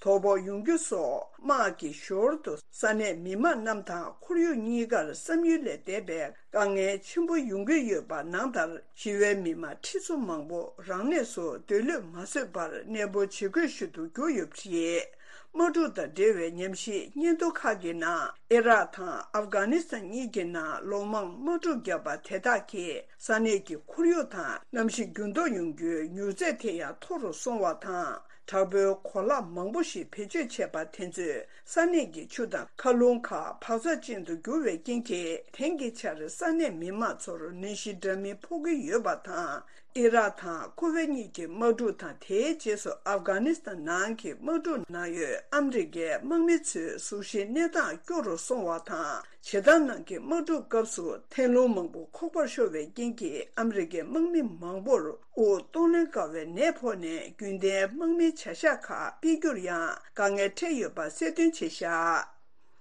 དོ་ཕོག་ཡོང་རྒྱུ་སོགས། དམག་གི་ཞོར་དུ་ས་གནས་མི་མང་རྣམས་དང་ཁོར་ཡུག་གཉིས་ཀར་བསམ་ཡུལ་ལས་འདས་པའི་དཀའ་ངལ་ཆེན་པོ་ཡོང་གི་ཡོད་པ་ནང་ལྟར། ཞི་བའི་མི་མང་ཁྲི་ཚོ་མང་པོ་རང་གནས་སུ་སྡོད་ལོས་མ་བཟོད་པར་གནས་སྤོ་བྱེད་དགོས་ཞུ་དུ་གྱུར་ཡོད་པ་རེད། དམག་འཁྲུག་དང་འབྲེལ་བའི་ཉམས་ཞིབ་སྙན་ཐོ་ཁག་གི་ནང་། ཨི་རག་དང་ཨབ་གྷ་ནི་སི་ཐན་གཉིས་ཀྱི་ནང་ལོ་མང་དམག་འཁྲུག་བརྒྱབ་པ་དེ་དག་གིས་ས་གནས་ཀྱི་ཁོར་ཡུག་དང་གནམ་གཤིས་འགྱུར་ལྡོག་ཡོང་རྒྱུའི་མྱུར་ཚད་དེ་ཡང་མཐོ་རུ་སོང་བ་དང་། དྲག་པོའི་གོ་ལག་མང་པོ་ཞིག་བེད་སྤྱོད་བྱས་པ་དེ་ཚོས་ས་གནས་ཀྱི་ཆུ་དང་མཁའ་རླུང་ཁག་འབག་བཙོག་ཅན་དུ་གྱུར་བའི་རྐྱེན་གྱིས། དེང་གི་ཆར་ས་གནས་མི་མང་ཚོར་ནད་གཞི་འདྲ་མིན་ཕོག་གི་ཡོད་པ་དང་། ཨི་རག་དང་ཁུ་ཝེ་གཉིས་ཀྱི་དམག་འཁྲུག་དང་། དེའི་རྗེས་སུ་ཨབ་གྷ་ནི་སི་ཐན་ནང་གི་དམག་འཁྲུག་ནང་ཡོད་ཨ་མི་རི་ཀའི་དམག་མི་ཚོའི་གཟུགས་གཞིའི་གནས་སྟངས་སྐྱོ་རུ་སོང་བ་དང་། བྱེ་ཐང་ནང་གི་དམག་འཁྲུག་སྐབས་སུ་ཐན་རླུང་མང་པོ་ཁོག་པར་ཤོར་བའི་རྐྱེན་གྱིས། ཨ་མི་རི་ཀའི་དམག་མི་མང་པོར་དབུགས་གཏོང་ལེན་དཀའ་བའི་ནད་ཕོག་ནས། རྒྱུན་ལྡན་དམག་མིའི་བྱ་གཞག་ཁག་སྤེལ་རྒྱུར་ཡང་དཀའ་ངལ་འཕྲད་ཡོད་པ་གསལ་སྟོན་བྱས་བཞག་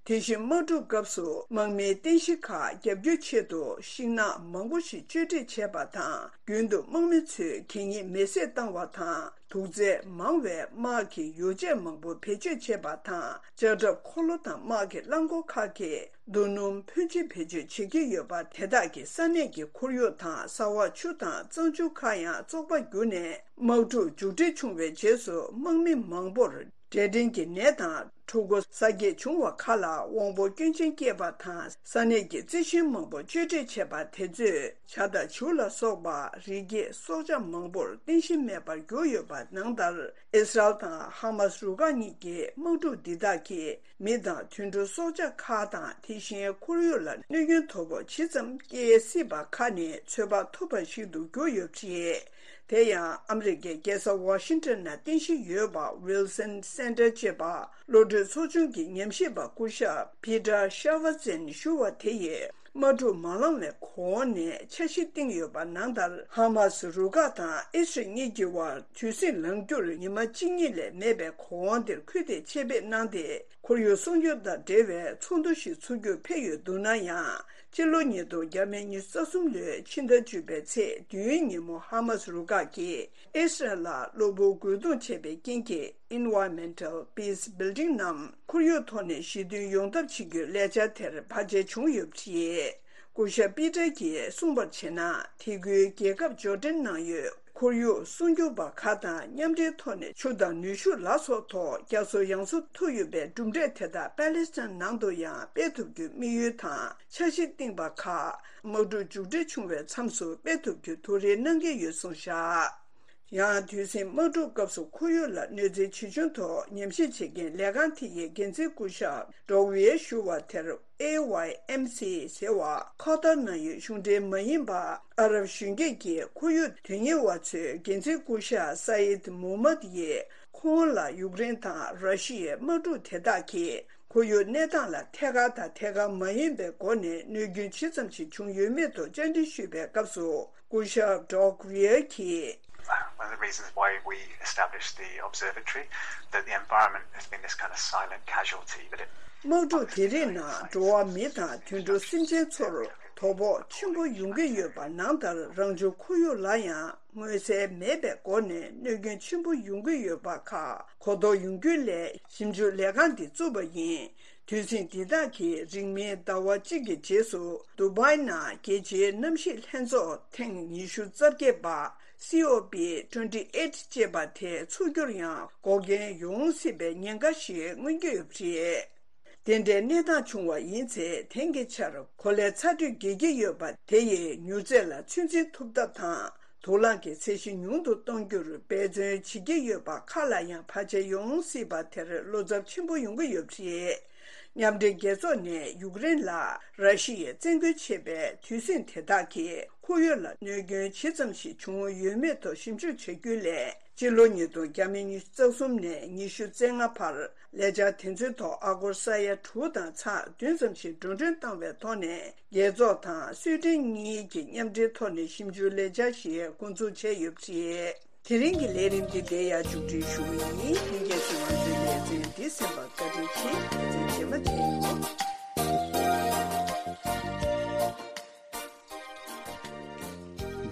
དེ་བཞིན་དམག་འཁྲུག་སྐབས་སུ་དམག་མིའི་རྟེན་གཞི་ཁག་བརྒྱབ་རྒྱུའི་ཆེད་དུ་ཤིང་ནགས་མང་པོ་ཞིག་གཅོད་འབྲེག་བྱས་པ་དང་། རྒྱུན་དུ་དམག་མི་ཚོས་གད་སྙིགས་མེ་བསྲེགས་བཏང་བ་དང་། དུག་རྫས་མང་བའི་དམག་གི་ཡོ་བྱད་མང་པོ་བེད་སྤྱོད་བྱས་པ་དང་། ལྕགས་ཁྲབ་འཁོར་ལོ་དང་དམག་གི་རླངས་འཁོར་ཁག་གིས་རྡོ་སྣུམ་ཕོན་ཆེ་བེད་སྤྱོད་བྱེད་ཀྱི་ཡོད་པ་དེ་དག་གིས་ས་གནས་ཀྱི་ཁོར་ཡུག་དང་། ས་འོག་ཆུ་དང་གཙང་ཆུ་ཁག་ཡང་བཙོག་པ་གྱུར་ནས། དམག་འཁྲུག་མཇུག་སྒྲིལ་བྱུང་བའི་རྗེས་སུ་དམག་མི་མང་པོར་ འབྲས་སྐྲན་གྱི་ནད་དང་ཕྲུ་གུ་གསར་སྐྱེས་བྱུང་བ་ཁག་ལ་དབང་པོ་སྐྱོན་ཅན་སྐྱེས་པ་དང་ས་གནས་ཀྱི་རྩི་ཤིང་མང་པོ་གཅོད་འབྲེག་བྱས་པ་དེ་ཚོས་ཇ་དང་བྱུག་ལ་སོགས་པ་རི་སྐྱེས་སྲོག་ཆགས་མང་པོར་རྟེན་གཞི་མེད་པར་གྱུར་ཡོད་པ་ནང་ལྟར། ཨི་སི་རལ་དང་ཧ་མ་སི་རུ་ཁག་གཉིས་ཀྱི་དམག་འཁྲུག་འདི་དག་གིས་མི་དང་དུད་འགྲོ་སྲོག་ཆགས་ཁག་དང་དེ་བཞིན་ཁོར་ཡུག་ལ་གནོད་སྐྱོན་དོ་ཕོག་ཇི་ཙམ་སྐྱེལ་སྲིད་པ་ཁག་ནས་ཚོད་དཔག་ཐུབ་པ་ཞིག་ཏུ་གྱུར་ཡོད་པ་རེད། དེ་ཡང་ཨ་མི་རི་ཀའི་རྒྱལ་ས་ཝ་ཤིང་ཊོན་ན་རྟེན་གཞི་ཡོད་པ་ཝིལ་སན་སེན་ཊར་ཅེས་པ་གློད་གྲོལ་ཚོགས་ཆུང་གི་ཉམས་ཞིབ་པ་སྐུ་ཞབས་པི་ཏར་ཤ་ཝ་ཙེན་ཞུ་བ་དེ་ཡིས། དམག་འཁྲུག་མ་ལངས་བའི་གོང་ནས་འཆར་གཞི་བཏིང་ཡོད་པ་ནང་ལྟར། ཧ་མ་སི་རུ་ཁག་དང་ཨི་སི་རལ་གཉིས་ཀྱི་དབར་དུས་ཟིང་ལངས་རྒྱུར་ཉི་མ་གཅིག་གཉིས་ལས་མེད་པའི་གོང་དེར་སྐུལ་འདེད་ཆེད་ཕེབས་གནང་སྟེ། ཁོར་ཡུག་སྲུང་སྐྱོབ་དང་འབྲེལ་བའི་ཚོགས་འདུ་ཞིག་ཚུགས་རྒྱུར་ཕེབས་ཡོད་འདུག་ན་ཡང་། སྤྱི་ལོ་ཉིས་སྟོང་ཉི་ཤུ་རྩ་གསུམ་ལོའི་ཕྱི་ཟླ་བཅུ་པའི་ཚེས་བདུན་ཉིན་མོ་ཧ་མ་སི་རུ་ཁག་གིས་ཨི་སི་རལ་ལ་གློ་བུར་རྒོལ་རྡུང་བྱས་པའི་རྐྱེན་གྱིས། Environmental Peace Building ནམ་ཁོར་ཡུག་ཐོག་ནས་ཞི་མཐུན་ཡོང་ཐབས་བྱེད་རྒྱུའི་ལས་འཆར་དེར་བར་ཆད་བྱུང་ཡོད་པ་རེད། སྐུ་ཞབས་པི་ཏར་གྱིས་གསུངས་པར་བྱས་ན། དེ་ཁུལ་རྒྱལ་ཁབ་ཇོར་ཌན་ནང་ཡོད་ཁོར་ཡུག་སྲུང་སྐྱོབ་པ་ཁག་དང་མཉམ་འབྲེལ་ཐོག་ནས་ཆུ་དང་ནུས་ཤུགས་ལ་སོགས་ཐོག་རྒྱ་མཚོ་ཡང་སོ་ཐུག་ཡོད་པའི་གྲུབ་འབྲས་དེ་དག་པེ་ལེ་སི་ཐན་ནང་དུ་ཡང་སྤེལ་ཐུབ་རྒྱུའི་དམིགས་ཡུལ་དང་འཆར་གཞི་བཏིང་པ་ཁག་དམག་འཁྲུག་མཇུག་སྒྲིལ་བྱུང་བའི་མཚམས་སུ་སྤེལ་ཐུབ་རྒྱུ་ཐུགས་རེ་གནང་གི་ཡོད་གསུངས་བཞག་ཡང་དུས་ཟིང་དམག་འཁྲུག་སྐབས་སུ་ཁོར་ཡུག་ལ་གནོད་འཚེ་ཇི་བྱུང་ཐོག་ཉམས་ཞིབ་བྱེད་མཁན་ལས་ཁང་དེ་ཡི་འགན་འཛིན་སྐུ་ཞབས་ཌོག་ཝི་ཡར་ཞུ་བ་དེར། ཨེ་ཝའི་ཨེམ་སི་ཟེར་བ་ཁ་ཐར་ནང་ཡོད་གཞུང་འབྲེལ་མ་ཡིན་པ་ཨ་རབ་གཞོན་སྐྱེས་ཀྱི་ཁོར་ཡུག་དོན་གཉེར་བ་ཚོའི་འགན་འཛིན་སྐུ་ཞབས་ས་ཡིད་མུ་ཧམ་མད་ཡིས། ཁོང་ལ་ཡུཀ་རེན་དང་ར་ཤི་ཡའི་དམག་འཁྲུག་དེ་དག་གིས་ཁོར་ཡུག་གནས་སྟངས་ལ་ཐད་ཀར་དང་ཐད་ཀར་མ་ཡིན་པའི་སྒོ་ནས་གནོད་སྐྱོན་ཇི་ཙམ་ཞིག་བྱུང་ཡོད་མེད་ཐོག་བཅར་འདྲི་ཞུས་པའི་སྐབས་སུ། སྐུ་ཞབས་ཌོག་ཝི་ཡར་གྱིས། One of the reasons why we established the observatory, that the environment has been this kind of silent casualty, that it དམག་འཁྲུག་དེ་རིགས་ནང་འགྲོ་བ་མི་དང་དུད་འགྲོ་སེམས་ཅན་ཚོར་དོ་ཕོག་ཆེན་པོ་ཡོང་གི་ཡོད་པ་ནང་ལྟར། རང་བྱུང་ཁོར་ཡུག་ལ་ཡང་མངོན་གསལ་མེད་པའི་སྒོ་ནས་གནོད་སྐྱོན་ཆེན་པོ་ཡོང་གི་ཡོད་པ་ཁག་གོ་རྟོགས་ཡོང་རྒྱུ་སླད་ཞིབ་འཇུག་ལས་ཁང་འདི་བཙུགས་པ་ཡིན། དུས་ཟིང་འདི་དག་གིས་རིང་མིན་ཟླ་བ་གཅིག་གི་རྗེས་སུ་ཌུ་བྷའི་ནང་རྒྱལ་སྤྱིའི་གནམ་གཤིས་ལྷན་ཚོགས་ཐེངས་ཉི་ཤུ་རྩ་བརྒྱད་པ། སི་ཨོ་པི་ཊུ་ཝེན་ཊི་ཨེ་ཊི་ཅེས་པ་དེ་ཚུགས་རྒྱུར་ཡང་འགོག་རྐྱེན་ཡོང་སྲིད་པའི་ཉེན་ཁ་ཞིག་མངོན་གྱི་ཡོད་པ་རེད། དེ་འདྲའི་གནས་སྟངས་བྱུང་བ་ཡིན་ཚེ། དེང་གི་ཆར་གོ་ལའི་ཚ་དྲོད་རྒྱས་ཀྱི་ཡོད་པ་དེ་ཡིས་མྱུར་ཚད་ལ་ཚོད་འཛིན་ཐུབ་ཐབས་དང་། དུག་རླངས་ཀྱི་ཚད་གཞི་ཉུང་དུ་གཏོང་རྒྱུར་འབད་བརྩོན་བྱེད་ཀྱི་ཡོད་པ་ཁག་ལ་ཡང་བར་ཆད་ཡོང་སྲིད་པ་དེར་བློ་འཚབ་ཆེན་པོ་ཡོང་གི་ཡོད་པ་རེད། མཉམ་འབྲེལ་རྒྱལ་ཚོགས་ནས་ཡུཀ་རེན་ལ་ར་ཤི་ཡས་བཙན་རྒོལ་བྱས་པའི་དུས་ཟིང་དེ་དག་གིས་ཁོར་ཡུག་ལ་གནོད་སྐྱོན་ཇི་ཙམ་ཞིག་བྱུང་ཡོད་མེད་ཐོག་ཞིབ་འཇུག་བྱ་རྒྱུའི་སླད། སྤྱི་ལོ་ཉིས་སྟོང་ཉི་ཤུ་རྩ་གསུམ་ནས་ཉི་ཤུ་རྩ་ལྔ་བར་ལས་འཆར་དེ་ཚོའི་ཐོག་ཨ་སྒོར་ས་ཡ་དྲུག་དང་ཚེག་བདུན་ཙམ་ཞིག་འགྲོ་གྲོན་བཏང་བའི་ཐོག་ནས། རྒྱལ་ཚོགས་དང་སུའེ་ཏེན་གཉིས་ཀྱིས་མཉམ་འབྲེལ་ཐོག་ནས་ཞིབ་འཇུག་ལས་འཆར་ཞིག་འགོ་འཛུགས་བྱས་ཡོད་པ་རེད། དེ་རིང་གི་ལས་རིམ་འདི་འདིར་ཡང་མཇུག་སྒྲིལ་ཞུ་གི་ཡིན། ལྷན་རྒྱས་ཚོས་ང་ཚོའི་ལེ་ཚན་འདི་གསན་པར་བཀའ་དྲིན་ཆེ། ལེ་ཚན་རྗེས་མ་མཇལ་ཡོང་།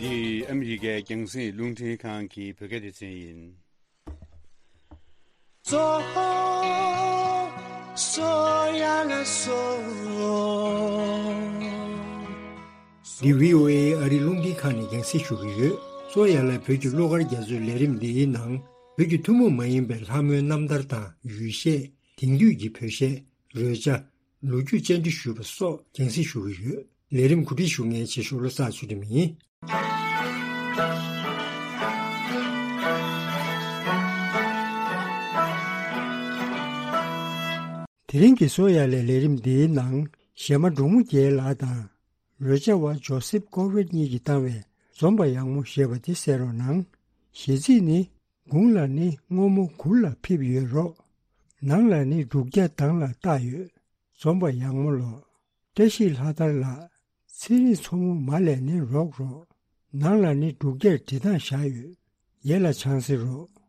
འདི་ཨ་མི་རི་ཀའི་རྒྱང་སྲིང་རླུང་འཕྲིན་ཁང་གི་བོད་སྐད་སྡེ་ཚན་ཡིན། གཙོ་བོ་སོ་ཡ་ལ་སོ། འདི་བྷི་ཨོ་ཨེ་ཨ་རིའི་རླུང་འཕྲིན་ཁང་ནས་རྒྱང་སྲིང་ཞུ་གི་ཡོད། གཙོ་བོ་སོ་ཡ་ལ་བོད་ཀྱི་གླུ་གར་རྒྱ་མཚོའི་ལས་རིམ་འདིའི་ནང་བོད་ཀྱི་ཐུན་མོང་མ་ཡིན་པའི་ལྷ་མོའི་རྣམ་ཐར་དང་ཡུལ་གཞས། དེང་དུས་ཀྱི་བོད་གཞས། རོལ་ཆ། ལོ་རྒྱུས་བཅར་འདྲི་ཞུས་པ་སོགས་རྒྱང་སྲིང་ཞུ་གི་ཡོད། ལས་རིམ་གོ་སྒྲིག་ཞུ་མཁན་ཆེ་ཤོས་བློ་བཟང་ཚུལ་ཁྲིམས་ཡིན། དེ་རིང་གི་གཙོ་བོ་སོ་ཡ་ལའི་ལས་རིམ་འདིའི་ནང་གཞས་མ་འབྲུག་མོ་རྒྱལ་ལགས་དང་། རོལ་ཆ་བ་ཇོ་སེབ་ཀོ་ཝེད་གཉིས་ཀྱིས་བཏང་བའི་འཛོམས་པ་ཡག་མོ་ཞེས་པ་དེ་གསན་རོགས་གནང་། གཞས་ཚིག་ནི། དགུང་ལ་ནི་སྔོན་མོ་གུར་ལ་ཕེབས་ཡོད་རོགས། ནང་ལ་ནི་འབྲུག་རྒྱ་དྭངས་ལ་བཏགས་ཡོད། འཛོམས་པ་ཡག་མོ་ལོ། བཀྲ་ཤིས་ལྷ་དར་ལགས། ཚེ་རིང་མཚོ་མོ་མ་ལས་ནི་རོགས་རོགས། ནང་ལ་ནི་འབྲུག་རྒྱ་འབྲི་སྟངས་བཞག་ཡོད། ཡེ་ལ་ཆང་སེ་རོགས།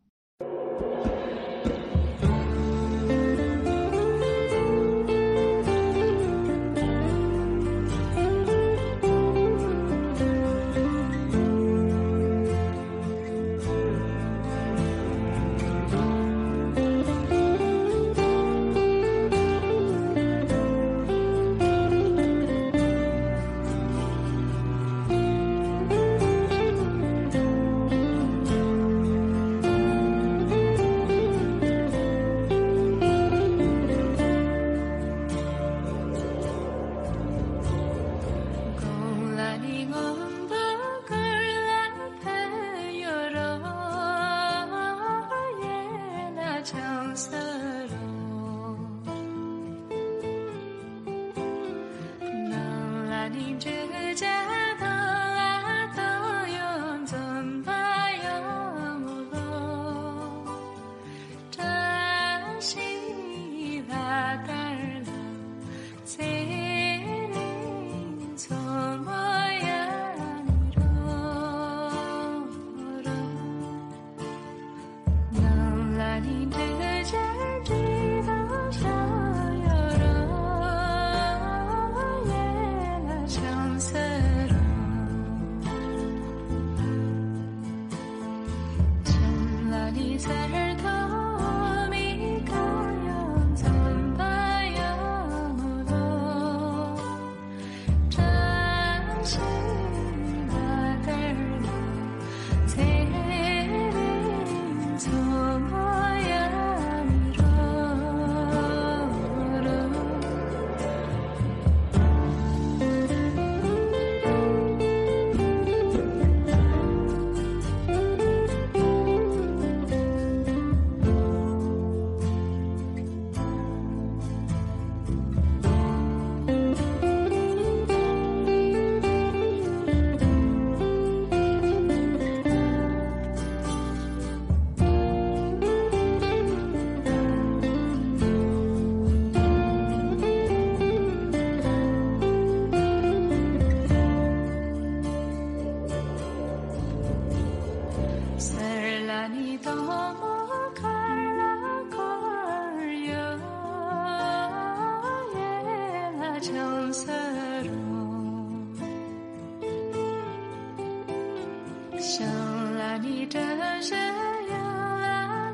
བྱང་ལ་ནི་བཀྲ་ཤིས་ཡུལ་ལ་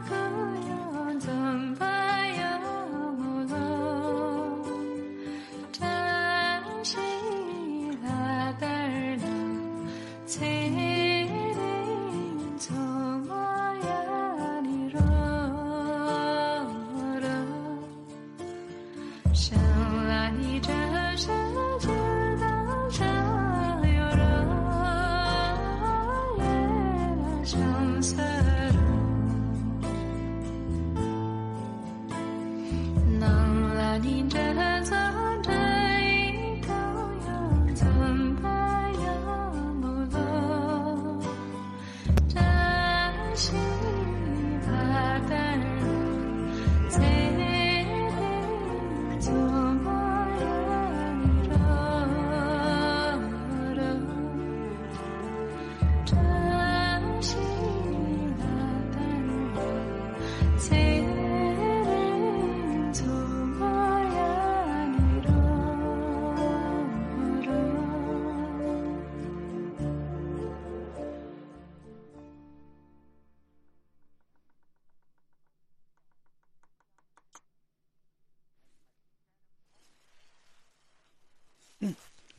ཁོ་ཡང་འཛོམས་པ་ཡོང་ངོ་ལོ། བཀྲ་ཤིས་ལྷ་དར་ལུ་ཚེ་རིང་འཚོ་བ་ཡང་ནི་རོ་རོ། བྱང་ལ་ནི་བཀྲ་ཤིས་ཆུ་དང་བྱ་ཡོ་རོ། ཡེ་ལ་བྱང་ས་རུ། ནང་ལ་ནི་འདྲ་ཚོ་འདྲ་ཡི་གང་ཡང་འཛོམས་པ་ཡང་མོ་ལོ། བཀྲ་ཤིས་ལྷ་དར་ཚེ་རིང་འཚོ་བ་ཡང་རོ་རོ། བཀྲ་ཤིས་ལྷ་དར་ཚེ་རིང་འཚོ་བ་ཡང་རོ་རོ།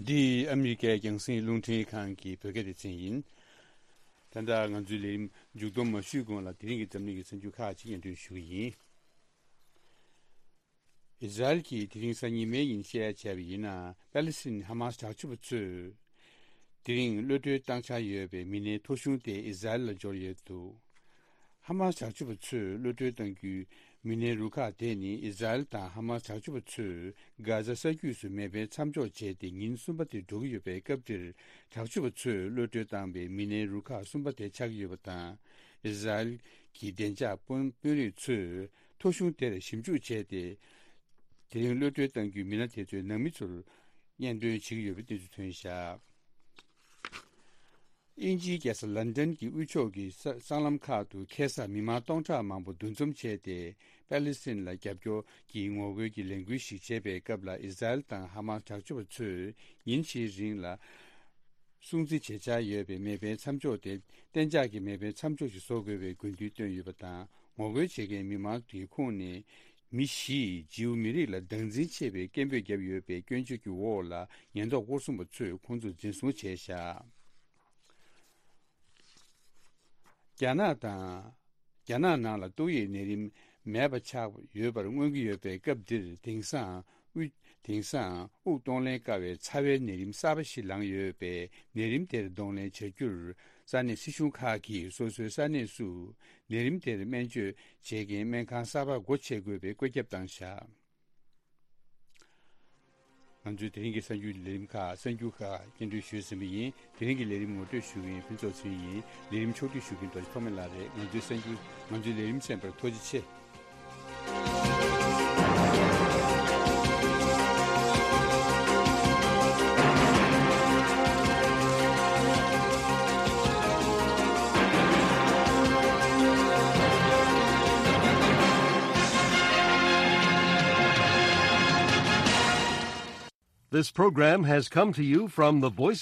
འདི་ཨ་མི་རི་ཀའི་རྒྱང་སྲིང་རླུང་འཕྲིན་ཁང་གི་བོད་སྐད་སྡེ་ཚན་ཡིན། ད་ལྟ་ང་ཚོའི་ལས་རིམ་མཇུག་སྡོམ་མ་ཞུས་གོང་ལ་དེ་རིང་གི་འཛམ་གླིང་གི་གསར་འགྱུར་ཁག་ཅིག་སྙན་སྒྲོན་ཞུ་གི་ཡིན། ཨི་ཟ་རེལ་གྱིས་དེ་རིང་གཟའ་ཉི་མའི་ཉིན་བཤད་ཡ་བྱས་པ་ཡིན་ན། པེ་ལི་སི་ཐན་ཧ་མ་སི་དྲག་སྤྱོད་པ་ཚོས་དེ་རིང་གློད་གྲོལ་བཏང་འཆར་ཡོད་པའི་མི་སྣའི་ཐོ་གཞུང་དེ་ཨི་ཟ་རེལ་ལ་འབྱོར་ཡོད་འདུག་ཧ་མ་སི་དྲག་སྤྱོད་པ་ཚོས་གློད་གྲོལ་བཏང་རྒྱུའི་མི་སྣའི་རུ་ཁག་དེ་ནི་ཨི་ཟ་རེལ་དང་ཧ་མ་སི་དྲག་སྤྱོད་པ་ཚོས་གྷ་ཛ་ས་རྒྱུད་སུ་མེ་འཕེན་མཚམས་འཇོག་བྱས་ཏེ་ཉིན་གསུམ་པ་དེ་འགྲོ་གི་ཡོད་པའི་སྐབས་འདིར། དྲག་སྤྱོད་པ་ཚོས་གློད་གྲོལ་བཏང་པའི་མི་སྣའི་རུ་ཁག་གསུམ་པ་དེ་ཆགས་ཀྱི་ཡོད་པ་དང་། ཨི་ཟ་རེལ་གྱི་བདེ་འཇགས་དཔོན་དཔོན་རིགས་ཚོས་ཐོ་གཞུང་དེར་ཞིབ་འཇུག་བྱས་ཏེ། དེ་རིང་གློད་གྲོལ་གཏང་རྒྱུའི་མི་སྣ་དེ་ཚོའི་ནང་མི་ཚོར་སྙན་སྒྲོན་བྱེད་ཀྱི་ཡོད་པའི་གནས་ཚུལ་ཐོན་བཞག་དབྱིན་ཇིའི་རྒྱལ་ས་ལན་ཌན་གྱི་དབུས་ཕྱོགས་ཀྱི་ས་སྲང་ལམ་ཁག་ཏུ་ཁ་སང་མི་མང་སྟོང་ཕྲག་མང་པོ་འདུ་འཛོམས་བྱས་ཏེ། པེ་ལི་སི་ཐན་ལ་རྒྱབ་སྐྱོར་གྱི་ངོ་རྒོལ་གྱི་ལས་འགུལ་ཞིག་བྱས་པའི་སྐབས་ལ། ཨི་ཟ་རེལ་དང་ཧ་མ་སི་དྲག་སྤྱོད་པ་ཚོས་ཉིན་བཞིའི་རིང་ལ་སྲུང་བརྩི་བྱེད་འཆར་ཡོད་པའི་མེ་འཕེན་མཚམས་འཇོག་དེ་གཏན་འཇགས་ཀྱི་མེ་འཕེན་མཚམས་འཇོག་ཞིག་བཟོ་དགོས་པའི་དགོས་འདུན་བཏོན་ཡོད་པ་དང་། ངོ་རྒོལ་བྱེད་མཁན་མི་མང་དེའི་ཁོངས་ནས་མི་བཞིས་ཇིའུ་མི་རིགས་ལ་སྡང་འཛིན་ཆེ་བའི་སྐད་འབོད་བརྒྱབ་ཡོད་པའི་སྐྱོན་བརྗོད་ཀྱི་འོག་ལ་ཉེན་རྟོག་སྐོར་སྲུང་པ་ཚོས་ཁོང་ཚོ་འཛིན་བཟུང་བྱས་བཞག་རྒྱ་ནག་དང་། རྒྱ་ནག་ནང་ལ་ཏོག་དབྱིབས་ནད་རིམས་མེད་པ་ཆགས་ཡོད་པར་མངོན་གྱི་ཡོད་པའི་སྐབས་འདིར། དེང་སང་དབུས་དེང་སང་དབུགས་གཏོང་ལེན་དཀའ་བའི་ཚ་བའི་ནད་རིམས་གསར་པ་ཞིག་ལངས་ཡོད་པས། ནད་རིམས་དེར་གདོང་ལེན་བྱ་རྒྱུར་ས་གནས་སྲིད་གཞུང་ཁག་གིས་སོ་སོའི་ས་གནས་སུ་ནད་རིམས་དེར་སྨན་བཅོས་བྱེད་མཁན་སྨན་ཁང་གསར་པ་སྒོ་ཕྱེ་དགོས་པའི་བཀོད་ཁྱབ་བཏང་བཞག་ང་ཚོའི་དེ་རིང་གི་གསར་འགྱུར་ལས་རིམ་ཁག་གསར་འགྱུར་ཁག་སྙན་སྒྲོན་ཞུས་ཟིན་པ་ཡིན། དེ་རིང་གི་ལས་རིམ་ངོ་སྤྲོད་ཞུ་མཁན་ཕུན་ཚོགས་ཚེ་རིང་ཡིན། ལས་རིམ་ཕྱོགས་བསྒྲིགས་ཞུ་མཁན་རྡོ་རྗེ་ཐོགས་མེད་ལགས་རེད། ང་ཚོའི་གསར་འགྱུར་ང་ཚོའི་ལས་རིམ་གསན་པར་ཐུགས་རྗེ་ཆེ། This program has come to you from the Voice